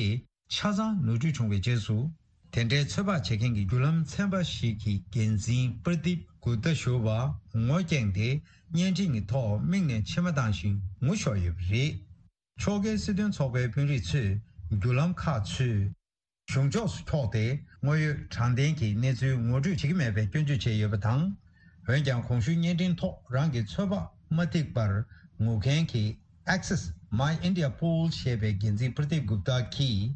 ཆ་ཚང་ནོར་འཁྲུལ་བྱུང་བའི་རྗེས་སུ། དེ་འདྲའི་ཚོད་དཔག་བྱེད་མཁན་གྱི་བརྒྱུད་ལམ་ཚན་པ་ཞིག་གི་འགན་འཛིན་པར་དིབ་གུབ་ཏཱ་ཞུ་བ་ངོ་རྐྱེན་དེ་བརྙན་འཕྲིན་གྱི་ཐོག་མིག་ནས་མཆི་མ་བཏང་ཞིང་ངུ་ཤོར་ཡོད་པ་རེད། ཕྱོགས་འགལ་སྲིད་དོན་ཚོགས་པའི་དཔོན་རིགས་ཚོས་བརྒྱུད་ལམ་ཁག་ཚོས། གཞུང་ཕྱོགས་སུ་འཁྱོག་སྟེ་དངོས་ཡོད་དྲང་བདེན་གྱི་གནས་ཚུལ་ངོ་སྤྲོད་བྱེད་ཀྱི་མེད་པའི་སྐྱོན་བརྗོད་བྱས་ཡོད་པ་དང་། འོན་ཀྱང་གོང་ཞུས་བརྙན་འཕྲིན་ཐོག་རང་གི་ཚོད་དཔག་མ་ཐིག་པར་ངུ་མཁན་གྱི་Access My India Poll ཞེས་པའི་འགན་འཛིན་པར་དིབ་གུབ་ཏཱ་གིས།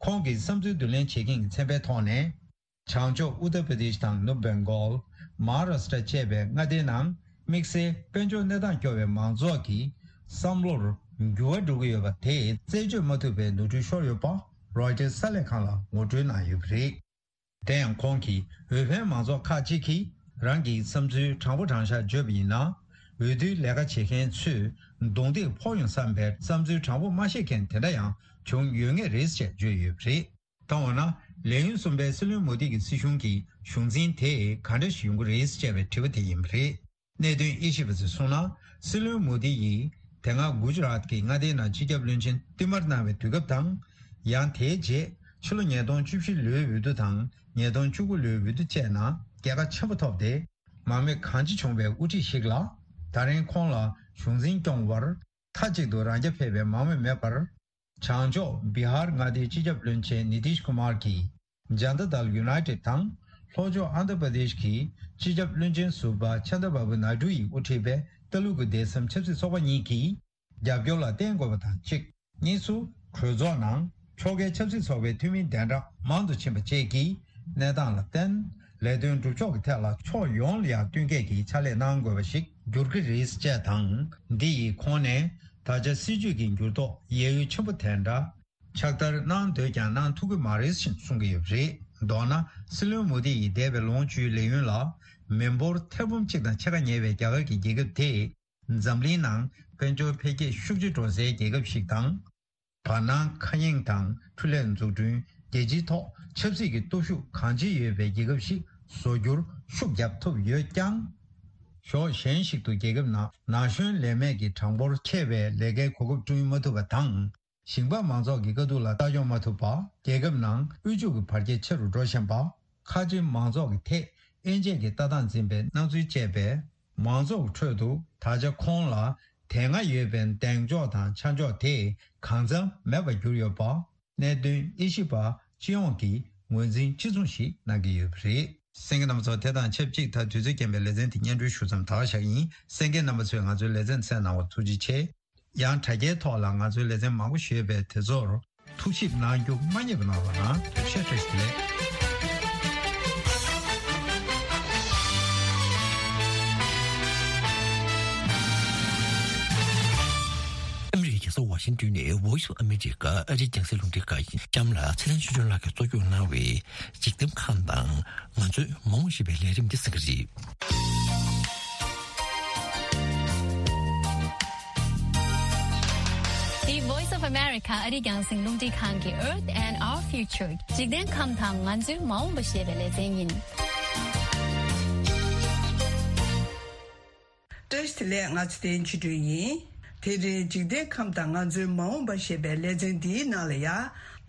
ཁོང་གིས་བསམ་ཚུལ་བསྡུ་ལེན་བྱེད་མཁན་གྱི་ཚན་པའི་ཐོག་ནས། བྱང་ཕྱོགས་ཨུ་ཏར་པྲ་དེཤ་དང་ནུབ་བེང་གོལ། མ་ཧཱ་རཱ་སྟྲ་བཅས་པའི་མངའ་སྡེའི་ནང་། དམིགས་བསལ་དཔལ་འབྱོར་གནས་སྟངས་སྐྱོ་བའི་མང་ཚོགས་ཀྱི་བསམ་བློར་འགྱུར་བ་འགྲོ་གི་ཡོད་པ་དེ་རྩད་གཅོད་མ་ཐུབ་པའི་ནོར་འཁྲུལ་ཤོར་ཡོད་པ་རོའི་ཊར་གསར་ལས་ཁང་ལ་ངོ་སྤྲོད་གནང་ཡོད་པ་རེད། དེ་ཡང་ཁོང་གིས་འོས་འཕེན་མང་ཚོགས་ཁག་ཅིག་གིས་རང་གི་བསམ་ཚུལ་དྲང་པོ་དྲང་བཞག་བརྗོད་པ་ཡིན་ན། འོས་བསྡུའི་ལས་ཀ་བྱེད་མཁན་ཚོས་གདོང་ཐིག་ཕོག་ཡོང་བསམ་པའི་བསམ་ཚུལ་དྲང་པོ་མ་བཤད་མཁན་དེ་འདྲ་ཡང་བྱུང་ཡོད་ངེས་རེད་ཅེས་བརྗོད་ཡོད་པ་རེད། ད་འོ་ན། ལས་ཡུན་གསུམ་པའི་སྲིད་བློན་མོ་དི་གི་སྲིད་གཞུང་གི་གཞུང་འཛིན་དེ་ག་འདྲ་ཞིག་ཡོང་གི་རེད་ཅེས་པའི་དྲི་བ་དེ་ཡིན་པ་རེད། གནད་དོན་དབྱེ་ཞིབ་པ་ཚོས་གསུངས་ན། སྲིད་བློན་མོ་དི་ཡིས་དེ་སྔ་གུ་ཇི་རཱཏ་གི་མངའ་སྡེའི་ནང་སྤྱི་ཁྱབ་བློན་ཆེན་བསྟུད་མར་གནང་བའི་དུས་སྐབས་དང་། ཡང་དེའི་རྗེས་ཕྱི་ལོ་ཉིས་སྟོང་བཅུ་བཞི་ལོའི་འོས་བསྡུ་དང་ཉིས་སྟོང་བཅུ་དགུ་ལོའི་འོས་བསྡུ་བཅས་ནང་རྒྱལ་ཁ་ཆེན་པོ་ཐོབ་སྟེ། མང་མོས་གང་ཅི་བྱུང་བའི་དབུ་ཁྲིད་ཞིག་ལ། ད་རིང་ཁོང་ལ་གཞུང་འཛིན་སྐྱོང་བར། མཐའ་གཅིག་ཏུ་རང་རྐྱ་འཕེར་བའི་མང་མོས་མེད་པར། བྱང་ཕྱོགས་བི་ཧར་མངའ་སྡེའི་སྤྱི་ཁྱབ་བློན་ཆེན་ནི་ཏིཤ་ཀུ་མར་གྱིས་ཇན་ཏ་དལ་ཡུ་ནའི་ཏེད་དང་། ལྷོ་ཕྱོགས་ཨན་དྷ་པྲ་དེཤ་གི་སྤྱི་ཁྱབ་བློན་ཆེན་ཟུར་པ་ཆན་དྲ་བྷ་བུ་ནཱ་ཌུ་ཡིས་དབུ་ཁྲིད་པའི་ལྟ་ལུགས་ཀྱི་སྡེ་ཚན་ཆབ་སྲིད་ཚོགས་པ་གཉིས་ཀྱིས་རྒྱབ་སྐྱོར་ལ་བརྟེན་དགོས་པ་དང་གཅིག་གཉིས་སུ། གྲོས་ཚོགས་ནང་ཕྱོགས་འགལ་ཆབ་སྲིད་ཚོགས་པའི་འཐུས་མིའི་གདན་གྲངས་མང་དུ་ཕྱིན་པ་བཅས་ཀྱི་གནས་སྟངས་ལ་བརྟེན། ལས་དོན་སྒྲུབ་ཕྱོགས་ཀྱི་ཐད་ལ་ཕྱོགས་ཡོངས་ལ་ཡང་བསྟུན་མཁས་ཀྱི་ཕྱག་ལས་གནང་དགོས་པ་ཞིག་འགྱུར་གྱི་རེད་ཅེས་དང་། འདི་ཡིས་ཁོང་ནས་ད་ཆ་སྲིད་བྱུས་ཀྱི་འགྱུར་ལྡོག་ཡད་ཡུད་ཆེན་པོ་དེ་འདྲ་ཕྱག་བསྟར་གནང་འདོད་ཀྱང་གནང་ཐུབ་ཀྱི་མ་རེད་ཅེས་གསུང་གི་ཡོད་པ་རེད། མདོར་ན། སྲིད་བློན་མོ་དི་ཡིས་འདས་པའི་ལོ་ངོ་བཅུའི་ལས་ཡུན་ལ་མི་འབོར་ཐེར་འབུམ་གཅིག་དང་ཕྱེད་ཀ་ཉེ་བའི་རྒྱ་གར་གྱི་རྒྱལ་ཁབ་དེ། འཛམ་གླིང་ནང་དཔལ་འབྱོར་འཕེལ་རྒྱས་ཤུགས་ཆེ་འགྲོ་སའི་རྒྱལ་ཁབ་ཞིག་དང་། བར་སྣང་མཁའ་དབྱིངས་དང་འཕྲུལ་ལས་འཛུགས་སྐྲུན། རྒྱལ་སྤྱིའི་ཐོག་ཆབ་སྲིད་ཀྱི་སྟོབས་ཤུགས་གང་ཆེ་ཡོད་པའི་རྒྱལ་ཁབ་ཞིག་བཟོ་རྒྱུར་ཤུགས་བརྒྱབ་ཐུབ་ཡོད་ཀྱང་། ཕྱོགས་གཞན་ཞིག་ཏུ་རྒྱལ་ཁབ་ནང་ན་གཞོན་ལས་མེད་ཀྱི་གྲངས་འབོར་ཆེ་བའི་ལས་ཀའི་གོ་སྐབས་བསྐྲུན་མ་ཐུབ་པ་དང་། ཞིང་པ་མང་ཚོགས་ཀྱི་དཀའ་སྡུག་ལ་ལྟ་སྐྱོང་མ་ཐུབ་པ། རྒྱལ་ཁབ་ནང་དབུལ་ཕྱུག་གི་བར་ཁྱད་ཆེ་རུ་འགྲོ་བཞིན་པ། ཁ་ཆེ་མང་ཚོགས་ཀྱི་ཐད་དབྱེ་འབྱེད་ཀྱི་ལྟ་སྟངས་འཛིན་པའི་སྣང་ཚུལ་བཅས་པས། མང་ཚོགས་ཁྲོད་དུ་ད་ཆ་ཁོང་ལ་དེ་སྔ་ཡོད་པའི་གདེང་འཇོག་དང་ཆ་འཇོག་དེ་གང་འཚམ་མེད་པར་གྱུར་ཡོད་པ། གནད་དོན་དབྱེ་ཞིབ་པ་སྤྱི་ཡོངས་ཀྱིས་ངོས་འཛིན་གཅིག་མཚུངས་ཤིག་གནང་གི་ཡོད་པ་རེད། གསན་མཁན་རྣམ་པ་ཚོ། དེ་དང་ཆབས་ཅིག་ད་དུས་ཚོད་རྐྱེན་པས་ལེ་ཚན་དེ་སྙན་སྒྲོན་ཞུ་མཚམས་ད་ག་བཞག་གི་ཡིན། གསན་མཁན་རྣམ་པ་ཚོས་ང་ཚོའི་ལེ་ཚན་གསན་གནང་བར་ཐུགས་རྗེ་ཆེ། ཡང་དྲ་རྒྱའི་ཐོག་ལ་ང་ཚོའི་ལེ་ཚན་མང་པོ་ཞིག་ཡོད་པས། དེ་ཚོར་ཐུགས་ཞིབ་གནང་རྒྱུ་མ་བསྙེལ་བ་གནང་རོགས་གནང་། ཐུགས་རྗེ་ཆེ། བཀྲ་ཤིས་བདེ་ལེགས། ཨ་མི་རི་ཀའི་རྒྱལ་ས་ ཝ་ཤིང་ཏོན་ནས་Voice of America ཨ་རིའི་རྒྱང་སྲིང་རླུང་འཕྲིན་ཁང་ཡིན། གཤམ་ལ་ཚེ་རིང་ཆོས་སྒྲོན་ལགས་ཀྱིས་གཙོ་སྐྱོང་གནང་བའི་འཇིག་རྟེན་ཁམས་དང་ང་ཚོའི་མ་འོངས་ཞེས་པའི་ལས་རིམ་འདི་གསན་གྱི་རེད། འདི་Voice of America ཨ་རིའི་རྒྱང་སྲིང་རླུང་འཕྲིན་ཁང་གི་Earth and Our Future འཇིག་རྟེན་ཁམས་དང་ང་ཚོའི་མ་འོངས་པ་ཞེས་པའི་ལེ་ཚན་ཡིན། བཀྲ་ཤིས་བདེ་ལེགས། ང་ཚེ་བརྟན་ཆོས་སྒྲོན་ཡིན། དེ་རིང་འཇིག་རྟེན་ཁམས་དང་ང་ཚོའི་མ་འོངས་པ་ཞེས་པའི་ལེ་ཚན་འདིའི་ནང་ལ་ཡ།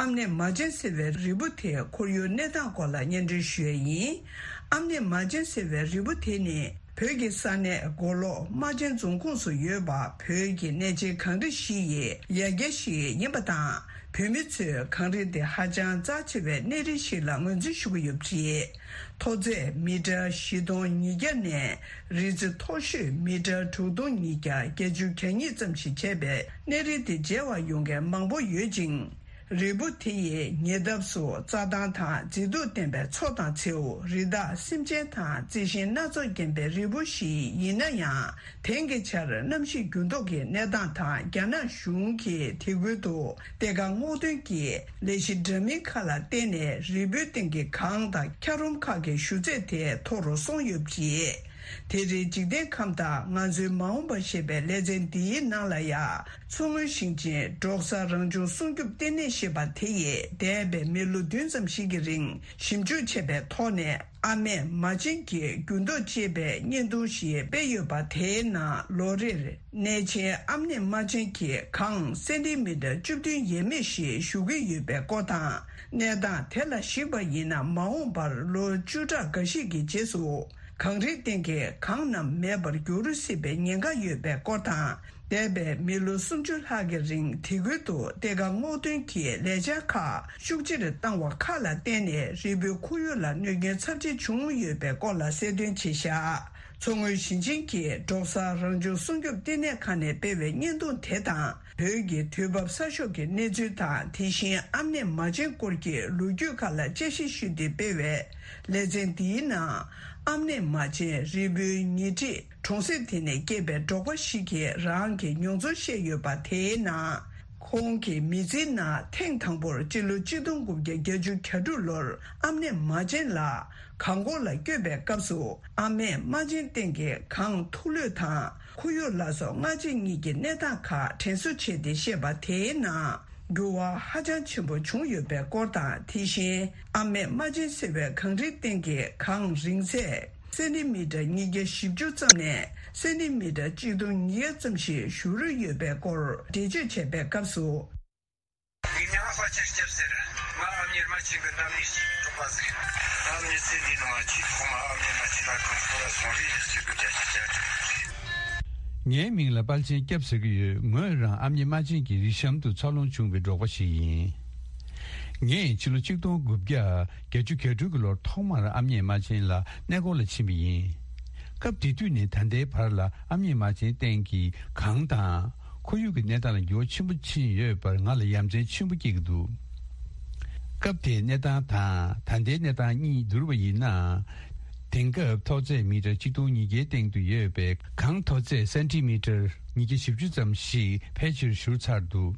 ཨམ་ནེ་མ་ཅན་ཟེར་བའི་རིལ་བུ་དེའི་ཁོར་ཡུག་གནས་སྟངས་སྐོར་ལ་སྙན་སྒྲོན་ཞུ་ཡས་ཡིན། ཨམ་ནེ་མ་ཅན་ཟེར་བའི་རིལ་བུ་དེ་ནི་བོད་ཀྱི་ས་གནས་མགོ་ལོག་རྨ་ཆེན་རྫོང་ཁོངས་སུ་ཡོད་པ། བོད་ཀྱི་གནས་ཆེན་གངས་རི་བཞི་ཡི་ཡ་གྱལ་ཞིག་ཡིན་པ་དང་། བོད་མི་ཚོས་གངས་རི་དེ་ཧ་ཅང་རྩ་ཆེ་བའི་གནས་རི་ཞིག་ལ་ངོས་འཛིན་ཞུ་གི་ཡོད་པ་རེད། མཐོ་ཚད་མི་ཊར་བཞི་སྟོང་ཉིས་བརྒྱ་ནས་རི་རྩེ་མཐོ་ཤོས་མི་ཊར་དྲུག་སྟོང་ཉིས་བརྒྱ་བརྒྱད་ཅུ་གྱ་གཉིས་ཙམ་ཞིག་བྱས་པའི་གནས་རི་དེ་མཇལ་བར་ཡོང་མཁན་མང་པོ་ཡོད་ཅིང་། རིལ་བུ་དེ་ཡི་ཉེ་འདབས་སུ་རྩྭ་ཐང་དང་མཛེས་སྡུག་ལྡན་པའི་མཚོ་དང་མཚེའུ། རི་དྭགས་སེམས་ཅན་དང་རྩི་ཤིང་སྣ་ཚོགས་ལྡན་པའི་རིལ་བུ་ཞིག་ཡིན་ན་ཡང་། དེང་གི་ཆར་གནམ་གཤིས་འགྱུར་ལྡོག་གི་གནས་སྟངས་དང་། རྒྱ་ནག་གཞུང་གིས་དེ་ཁུལ་དུ་གཏེར་ཁ་སྔོག་འདོན་གྱི་ལས་གཞི་འདྲ་མིན་ཁག་ལ་བརྟེན་ནས་རིལ་བུའི་སྟེང་གི་གངས་དང་འཁྱགས་རོམ་ཁག་གི་ཞུ་ཚད་དེ་མཐོ་རུ་སོང་ཡོད་པ་རེད། དེ་རིང་འཇིག་རྟེན་ཁམས་དང་ང་ཚོའི་མ་འོངས་པ་ཞེས་པའི་ལེ་ཚན་འདིའི་ནང་ལ་ཡ། མཚོ་སྔོན་ཞིང་ཆེན་འབྲོག་གསར་རང་བྱུང་སྲུང་སྐྱོབ་ལྟེ་གནས་ཞེས་པ་དེ་ཡིས་འདས་པའི་མི་ལོ་བདུན་ཙམ་ཞིག་གི་རིང་ཞིབ་འཇུག་བྱས་པའི་ཐོག་ནས། ཨ་མེས་མ་བྱན་གྱི་འགྱུར་ལྡོག་ཅེས་པའི་བརྙན་ཐུང་ཞིག་སྤེལ་ཡོད་པ། དེའི་ནང་ལོ་རེར་གནས་ཆེན་ཨ་མེས་མ་བྱན་གྱི་གངས་སེན་ཏི་མི་ཊར་བཅུ་བདུན་ཡས་མས་ཤིག་ཞུ་གི་ཡོད་པའི་སྐོར་དང་། གནས་སྟངས་དེ་ལ་གཞིགས་པ་ཡིན་ན། མ་འོངས་པར་ལོ་བཅུ་ཕྲག་འགའ་ཞིག་གི་རྗེས་སུ་གངས་རིའི་སྟེང་གི་གངས་རྣམས་མེད་པར་འགྱུར་སྲིད་པའི་ཉེན་ཁ་ཡོད་པའི་སྐོར་དང་། འདས་པའི་མི་ལོ་སུམ་ཅུ་ལྷག་གི་རིང་དེ་ཁུལ་དུ་གཏེར་ཁ་སྔོག་འདོན་གྱི་ལས་འཆར་ཁག་ཤུགས་ཆེར་བཏང་བ་ཁག་ལ་བརྟེན་ནས་རིལ་བུའི་ཁོར་ཡུག་ལ་གནོད་སྐྱོན་ཚབས་ཆེ་བྱུང་ཡོད་པའི་སྐོར་ལ་གསལ་སྟོན་བྱས་བཞག་མཚོ་སྔོན་ཞིང་ཆེན་གྱི་འབྲོག་གསར་རང་བྱུང་སྲུང་སྐྱོབ་ལྟེ་གནས་ཁང་ནས་སྤེལ་བའི་བརྙན་ཐུང་དེ་དང་། བོད་ཀྱི་དུས་བབ་གསར་ཤོག་གི་གནས་ཚུལ་དང་། དེ་བཞིན་ཨམ་ནེ་མ་བྱན་སྐོར་གྱི་ལོ་རྒྱུས་ཁག་ལ་དཔྱད་ཞིབ་ཞུས་ཏེ་སྤེལ་བའི་ལེ་ཚན་འདིའི་ནང་། ཨམ་ནེ་མ་བྱན་རིལ་བུའི་ཉེ་འཁྲིས་གྲོང་གསེབ་དེ་ནས་སྐྱེས་པའི་འབྲོག་པ་ཞིག་གིས་རང་གི་མྱོང་ཚོར་བཤད་ཡོད་པ། དེའི་ནང་། ཁོང་གི་མི་ཚེའི་ནང་ཐེངས་དང་པོར་སྤྱི་ལོ་གཅིག་སྟོང་དགུ་བརྒྱ་བརྒྱད་ཅུ་གྱ་དྲུག་ལོར་ཨམ་ནེ་མ་བྱན་ལ་གངས་སྐོར་ལ་བསྐྱོད་པའི་སྐབས་སུ། ཨ་མེས་མ་བྱན་སྟེང་གི་གངས་མཐུག་ལོས་དང་ཁོར་ཡུག་ལ་སོགས་སྔ་རྗེས་གཉིས་ཀྱི་གནས་སྟངས་ཁག་དྲན་གསོ་བྱས་ཏེ་བཤད་པ། དེའི་ནང་། འགྱུར་བ་ཧ་ཅང་ཆེན་པོ་བྱུང་ཡོད་པའི་སྐོར་དང་། དེ་བཞིན་ཨ་མེས་མ་བྱན་ཟེར་བའི་གངས་རིའི་སྟེང་གི་གངས་རིང་ཚད་སེན་ཏི་མི་ཊར་ཉིས་བརྒྱ་བཞི་བཅུ་ཙམ་ནས་སེན་ཏི་མི་ཊར་གཅིག་སྟོང་ཉིས་བརྒྱ་ཙམ་ཞིག་བཞུར་ཡོད་པའི་སྐོར་འགྲེལ་བརྗོད་བྱས་པའི་སྐབས་སུ། ངའི་མྱིང་ལ་དཔལ་ཆེན་སྐྱབས་ཟེར། ང་ཨ་མྱེས་རྨ་ཆེན་གྱི་འདབས་ནས་ཅིག་གྲོགས་པ་ཟིག་ཡིན། ད་མི་ཚེ་འདིའི་ནང་ཆེས་ཐོག་མ་ཨ་མྱེས་རྨ་ཆེན་ལ་གངས་སྐོར་ལ་སོང་རེས་ནས་སྐྱེ་དགུ་བརྒྱད་ཅུ་གྱ་དྲུག་རེད། ངའི་མིང་ལ་དཔལ་ཆེན་སྐྱབས་ཟེར་གྱི་ཡོད། ངོས་རང་ཨ་མྱེས་རྨ་ཆེན་གྱི་རི་གཤམ་དུ་འཚར་ལོངས་བྱུང་བའི་འབྲོག་པ་ཞིག་ཡིན། ངས་ཕྱི་ལོ་གཅིག་སྟོང་དགུ་བརྒྱ་བརྒྱད་ཅུ་གྱ་དྲུག་གི་ལོར་ཐོག་མར་ཨ་མྱེས་རྨ་ཆེན་ལ་གནས་སྐོར་ལ་ཕྱིན་པ་ཡིན། སྐབས་དེ་དུས་ནས་ད་ལྟའི་བར་ལ་ཨ་མྱེས་རྨ་ཆེན་སྟེང་གི་གངས་དང་། ཁོར་ཡུག་གི་གནས་སྟངས་ལ་འགྱུར་བ་ཆེན་པོ་ཕྱིན་ཡོད་པར་ང་ལ་ཡ་མཚན་ཆེན་པོ་སྐྱེ་གི་འདུག་སྐབས་དེའི་གནས་སྟངས་དང་ད་ལྟའི་གནས་སྟངས་གཉིས་བསྡུར་བ་ཡིན་ན། དེང་སྐབས་མཐོ་ཚད་མི་ཊར་གཅིག་སྟོང་ཉིས་བརྒྱའི་སྟེང་དུ་ཡོད་པའི་གངས་མཐོ་ཚད་སེན་ཏི་མི་ཊར་ཉིས་བརྒྱ་བཞི་བཅུ་ཙམ་ཞིག་ཕལ་ཆེར་བཞུར་ཚར་འདུག་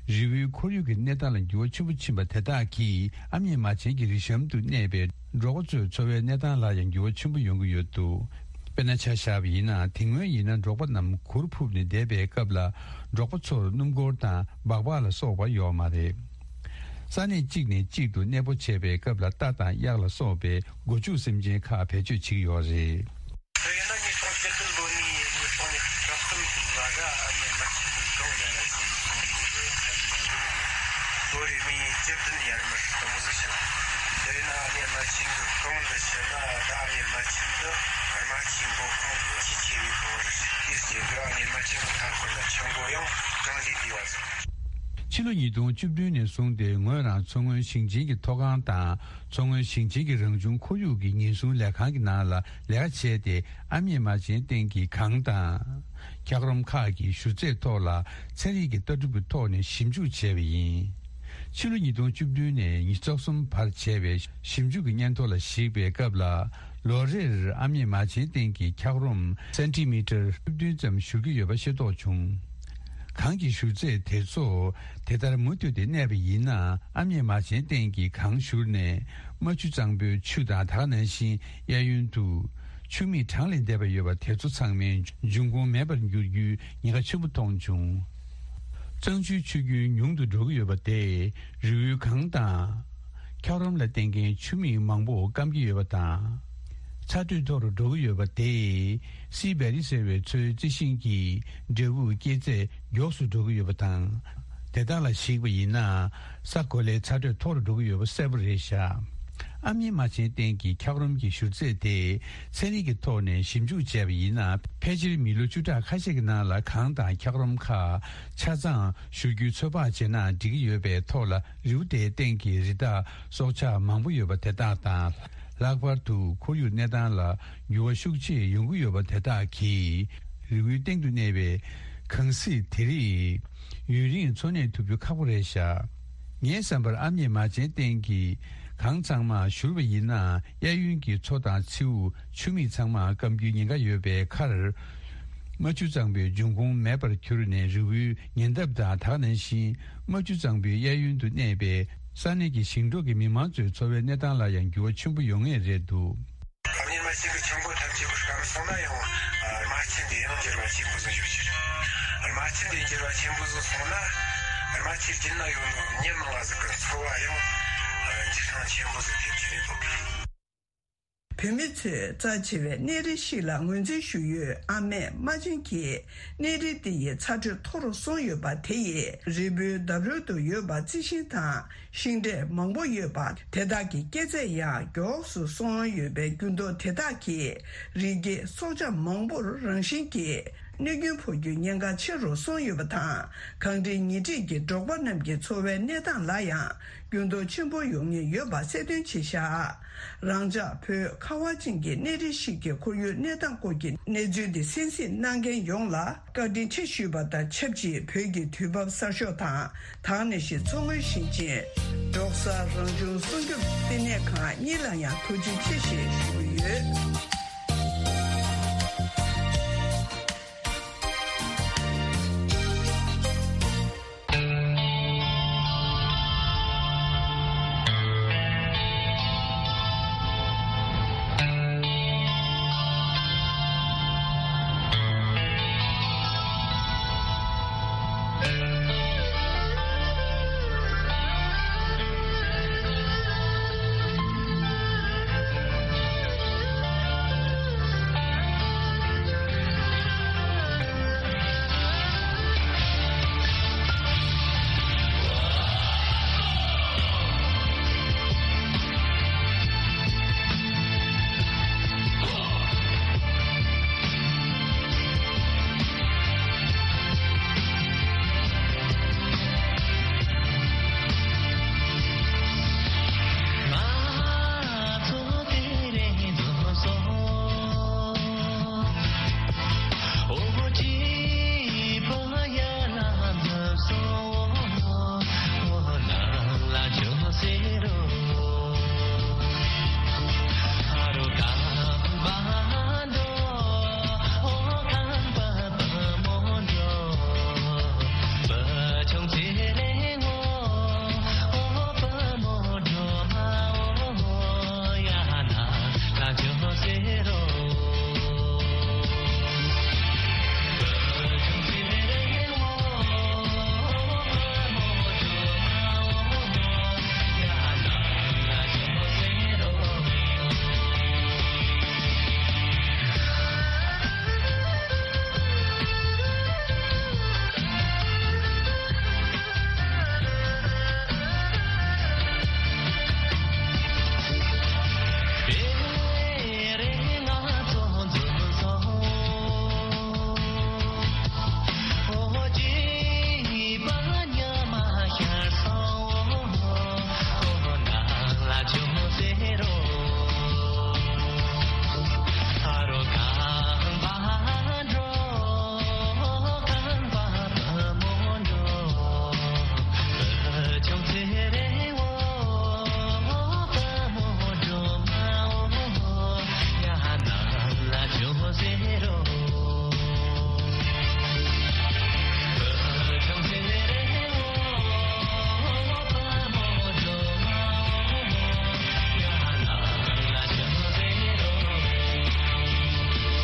རི་བོའི་ཁོར་ཡུག་གི་གནས་སྟངས་ལ་འགྱུར་བ་ཆེན་པོ་ཕྱིན་པ་དེ་དག་གིས་ཨ་མྱེས་རྨ་ཆེན་གྱི་རི་གཤམ་དུ་གནས་པའི་འབྲོག་པ་ཚོའི་འཚོ་བའི་གནས་སྟངས་ལ་ཡང་འགྱུར་བ་ཆེན་པོ་ཡོང་གི་ཡོད་འདུག་དཔེར་ན་ཆ་བཞག་པ་ཡིན་ན། དེ་སྔོན་ཡིན་ན་འབྲོག་པ་རྣམས་གུར་ཕུབ་ནས་བསྡད་པའི་སྐབས་ལ། འབྲོག་པ་ཚོར་སྣུམ་འཁོར་དང་སྦག་སྦག་ལ་སོགས་པ་ཡོད་མ་རེད། ས་གནས་གཅིག་ནས་གཅིག་ཏུ་གནས་སྤོ་བྱས་པའི་སྐབས་ལ་རྟ་དང་གཡག་ལ་སོགས་པའི་སྒོ་ཕྱུགས་སེམས་ཅན་ཁག་བེད་སྤྱོད་བྱེད་ཀྱི་ཡོད་རེད། དེ་ཡིན་ན་ཉིས་སྟོང་བཅུ་བདུན་ལོ་ནས་ཉིས་སྟོང་ནས་བཅུ་གསུམ་ལོ་བར་ཨ་མྱེས་རྨ་ཆེན་གྱི་གངས་ལ་ལ་ཞིག་སོང་ནས་ལོ་རེ་ནས་བཅུ་བདུན་ཡར་མར་དུ་མོ་ཟིག་བྱུང་། དེ་ཡིན་ན་ཨ་མྱེས་རྨ་ཆེན་གྱི་གངས་འདི་ཕྱིན་ན། ད་ཨ་མྱེས་རྨ་ཆེན་འདི་རྨ་ཆུའི་མགོ་ཁུངས་ཀྱི་ཆེས་ཆེ་བའི་གངས་རེད། དེའི་རྐྱེན་གྱིས་ཨ་མྱེས་རྨ་ཆེན་གྱི་མཐའ་འཁོར་ལ་ཆུ་མགོ་ཡང་ཅུང་ཟད་བསྡུས་པ་སོང་། ཕྱི་ལོ་ཉིས་སྟོང་བཅུ་བདུན་ནས་བཟུང་སྟེ་ངོས་རང་མཚོ་སྔོན་ཞིང་ཆེན་གྱི་མཐོ་སྒང་དང་། མཚོ་སྔོན་ཞིང་ཆེན་གྱི་རང་བྱུང་ཁོར་ཡུག་གི་ཉེན་སྲུང་ལས་ཁང་གི་ནང་ལ་ལས་ཀ་བྱས་ཏེ། ཨ་མྱེས་རྨ་ཆེན་སྟེང་གི་གངས་དང་། འཁྱགས་རོམ་ཁག་གི་ཞུ་ཚད་ཐོག་ལ་ཚན་རིག་གི་ལྟ་གྲུབ་ཀྱི་ཐོག་ནས་ཞིབ་འཇུག་བྱས་པ་ཡིན། ཕྱི་ལོ་ཉིས་སྟོང་བཅུ་བདུན་ནས་ཉི་ཤུ་རྩ་གསུམ་བར་བྱས་པའི་ཞིབ་འཇུག་གི་སྙན་ཐོ་ལ་གཞིགས་པའི་སྐབས་ལ། ལོ་རེར་ཨ་མྱེས་རྨ་ཆེན་སྟེང་གི་འཁྱགས་རོམ་སེན་ཏི་མི་ཊར་བཅུ་བདུན་ཙམ་བཞུར་གྱི་ཡོད་པ་ཤེས་རྟོགས་བྱུང་། གངས་ཀྱི་བཞུར་རྫས་དེ་ཚོ་དེ་ལྟར་མུ་མཐུད་དེ་གནས་པ་ཡིན་ན། ཨ་མྱེས་མ་བྱན་སྟེང་གི་གངས་བཞུར་ནས་རྨ་ཆུ་གཙང་པོའི་ཆུ་དང་། ད་ག་ནང་བཞིན་གཡས་གཡོན་དུ་ཆུ་མིག་གྲངས་ལས་འདས་པ་ཡོད་པ་དེ་ཚོ་ཚང་མའི་འབྱུང་ཁུངས་མེད་པར་འགྱུར་རྒྱུའི་ཉེན་ཁ་ཆེན་པོ་མཐོང་བྱུང་། གཙང་ཆུའི་ཆུ་རྒྱུན་ཉུང་དུ་འགྲོ་གི་ཡོད་པ་དེས་རི་བོའི་གངས་དང་། འཁྱགས་རོམ་ལ་བརྟེན་མཁན་ཆུ་མིག་མང་པོ་སྐམ་གྱི་ཡོད་པ་དང་། ཚ་དྲོད་མཐོ་རུ་འགྲོ་གི་ཡོད་པ་དེས་སི་བེ་རི་ཟེར་བའི་མཚོའི་རྩི་ཤིང་གི་འབྲས་བུ་སྐྱེད་ཚད་མགྱོགས་སུ་འགྲོ་གི་ཡོད་པ་དང་། དེ་དག་ལ་གཞིགས་པ་ཡིན་ན། ས་གོ་ལའི་ཚ་དྲོད་མཐོ་རུ་འགྲོ་གི་ཡོད་པ་གསལ་པོ་རེད་བཞག་ཨ་མྱེས་རྨ་ཆེན་སྟེང་གི་འཁྱགས་རོམ་གྱི་བཞུར་རྫས་དེ་ཚན་རིག་གི་ཐོག་ནས་ཞིབ་འཇུག་བྱས་པ་ཡིན་ན། ཕལ་ཆེར་མི་ལོ་བཅུ་ཕྲག་ཁ་ཤས་ཀྱི་ནང་ལ་གངས་དང་འཁྱགས་རོམ་ཁག་ཆ་ཚང་བཞུར་རྒྱུའི་ཚོད་དཔག་བྱས་ན་འགྲིག་གི་ཡོད་པའི་ཐོག་ལ། རི་བོ་དེའི་སྟེང་གི་རི་དྭགས་སྲོག་ཆགས་མང་པོ་ཡོད་པ་དེ་དག་དང་། ལྷག་པར་དུ་ཁོར་ཡུག་གནས་སྟངས་ལ་འགྱུར་བ་ཤུགས་ཆེ་ཡོང་གི་ཡོད་པ་དེ་དག་གིས། རི་བོའི་སྟེང་དུ་གནས་པའི་གངས་གཟིག་དེ་རིགས་ཡུན་རིང་འཚོ་གནས་ཐུབ་རྒྱུ་ཁག་པོ་རེད་བཞག་ངའི་བསམ་པར་ཨ་མྱེས་རྨ་ཆེན་སྟེང་གི་གངས་ཚང་མ་བཞུར་བ་ཡིན་ན། གཡས་གཡོན་གྱི་མཚོ་དང་མཚེའུ། ཆུ་མིག་ཚང་མ་སྐམ་རྒྱུའི་ཉེན་ཁ་ཡོད་པའི་ཁར། རྨ་ཆུ་གཙང་པོའི་འབྱུང་ཁུངས་མེད་པར་གྱུར་ནས། རི་བོའི་ཉེ་འདབས་དང་། ད་ག་ནང་བཞིན་རྨ་ཆུ་གཙང་པོའི་གཡས་གཡོན་དུ་གནས་པའི་ས་གནས་ཀྱི་ཞིང་འབྲོག་གི་མི་མང་ཚོའི་འཚོ་བའི་གནས་སྟངས་ལ་ཡང་འགྱུར་བ་ཆེན་པོ་ཡོང་ངེས་རེད་འདུག་ཨ་མྱེས་རྨ་ཆེན་གྱི་ཆུ་མགོ་ཐམས་ཅད་པོ་སྐམ་སོང་ན་ཡང་། རྨ་ཆུ་འདི་ཡང་འགྱུར་བ་ཆེན་པོ་ཟིག་ཡོད་ཀྱི་རེད། རྨ་ཆུ་འདི་འགྱུར་བ་ཆེན་པོ་ཟིག་སོང་ན། རྨ་ཆུའི་རྒྱུད་ན་ཡོད་མི་མི་མང་ང་ཟིག་གི་འཚོ་བ་ཡང་འགྱུར་བ་ཆེན་པོ་ཟིག་ཐེབས་ཀྱི་རེད་འདུག་བོད་མི་ཚོས་རྩ་ཆེ་བའི་གནས་རི་ཞིག་ལ་ངོས་འཛིན་ཞུ་ཡུལ་ཨ་མྱེས་རྨ་ཆེན་གྱི་གནས་རི་འདི་ཡི་ཚ་དྲོད་མཐོ་རུ་སོང་ཡོད་པ་དེ་ཡིས་རི་བོའི་འདབས་རོལ་དུ་ཡོད་པ་རྩི་ཤིང་དང་ཤིང་འབྲས་མང་པོ་ཡོད་པ་དེ་དག་གི་སྐྱེད་ཚད་ཡང་མགྱོགས་སུ་སོང་ཡོད་པའི་འགྱུར་ལྡོག་དེ་དག་གིས་རི་སྐྱེས་སྲོག་ཆགས་མང་པོར་རང་བཞིན་གྱིས་གནོད་སྐྱོན་ཕོག་རྒྱུའི་ཉེན་ཁ་ཆེ་རུ་སོང་ཡོད་པ་དང་། གངས་རིའི་ཉེ་འཁྲིས་ཀྱི་འབྲོག་པ་རྣམས་ཀྱི་འཚོ་བའི་གནས་སྟངས་ལ་ཡང་འགྱུར་ལྡོག་ཆེན་པོ་ཡོང་ངེས་ཡོད་པ་གསལ་སྟོན་བྱས་བཞག་རང་ཅག་བོད་ཁ་བ་ཅན་གྱི་གནས་རི་ཞིག་གི་ཁོར་ཡུག་གནས་སྟངས་སྐོར་གྱི་གནས་ཚུལ་འདི་གསན་གཟིགས་གནང་མཁན་ཡོངས་ལ་བཀའ་དྲིན་ཆེ་ཞུས་པ་དང་ཆབས་ཅིག་བོད་ཀྱི་དུས་བབ་གསར་ཤོག་དང་། དེ་ནང་བཞིན་མཚོ་སྔོན་ཞིང་ཆེན་འབྲོག་གསར་རང་བྱུང་སྲུང་སྐྱོབ་བསྟི་གནས་ཁང་གཉིས་ལ་ཡང་ཐུགས་རྗེ་ཆེ་ཞེས་ཞུ་གི་ཡོད།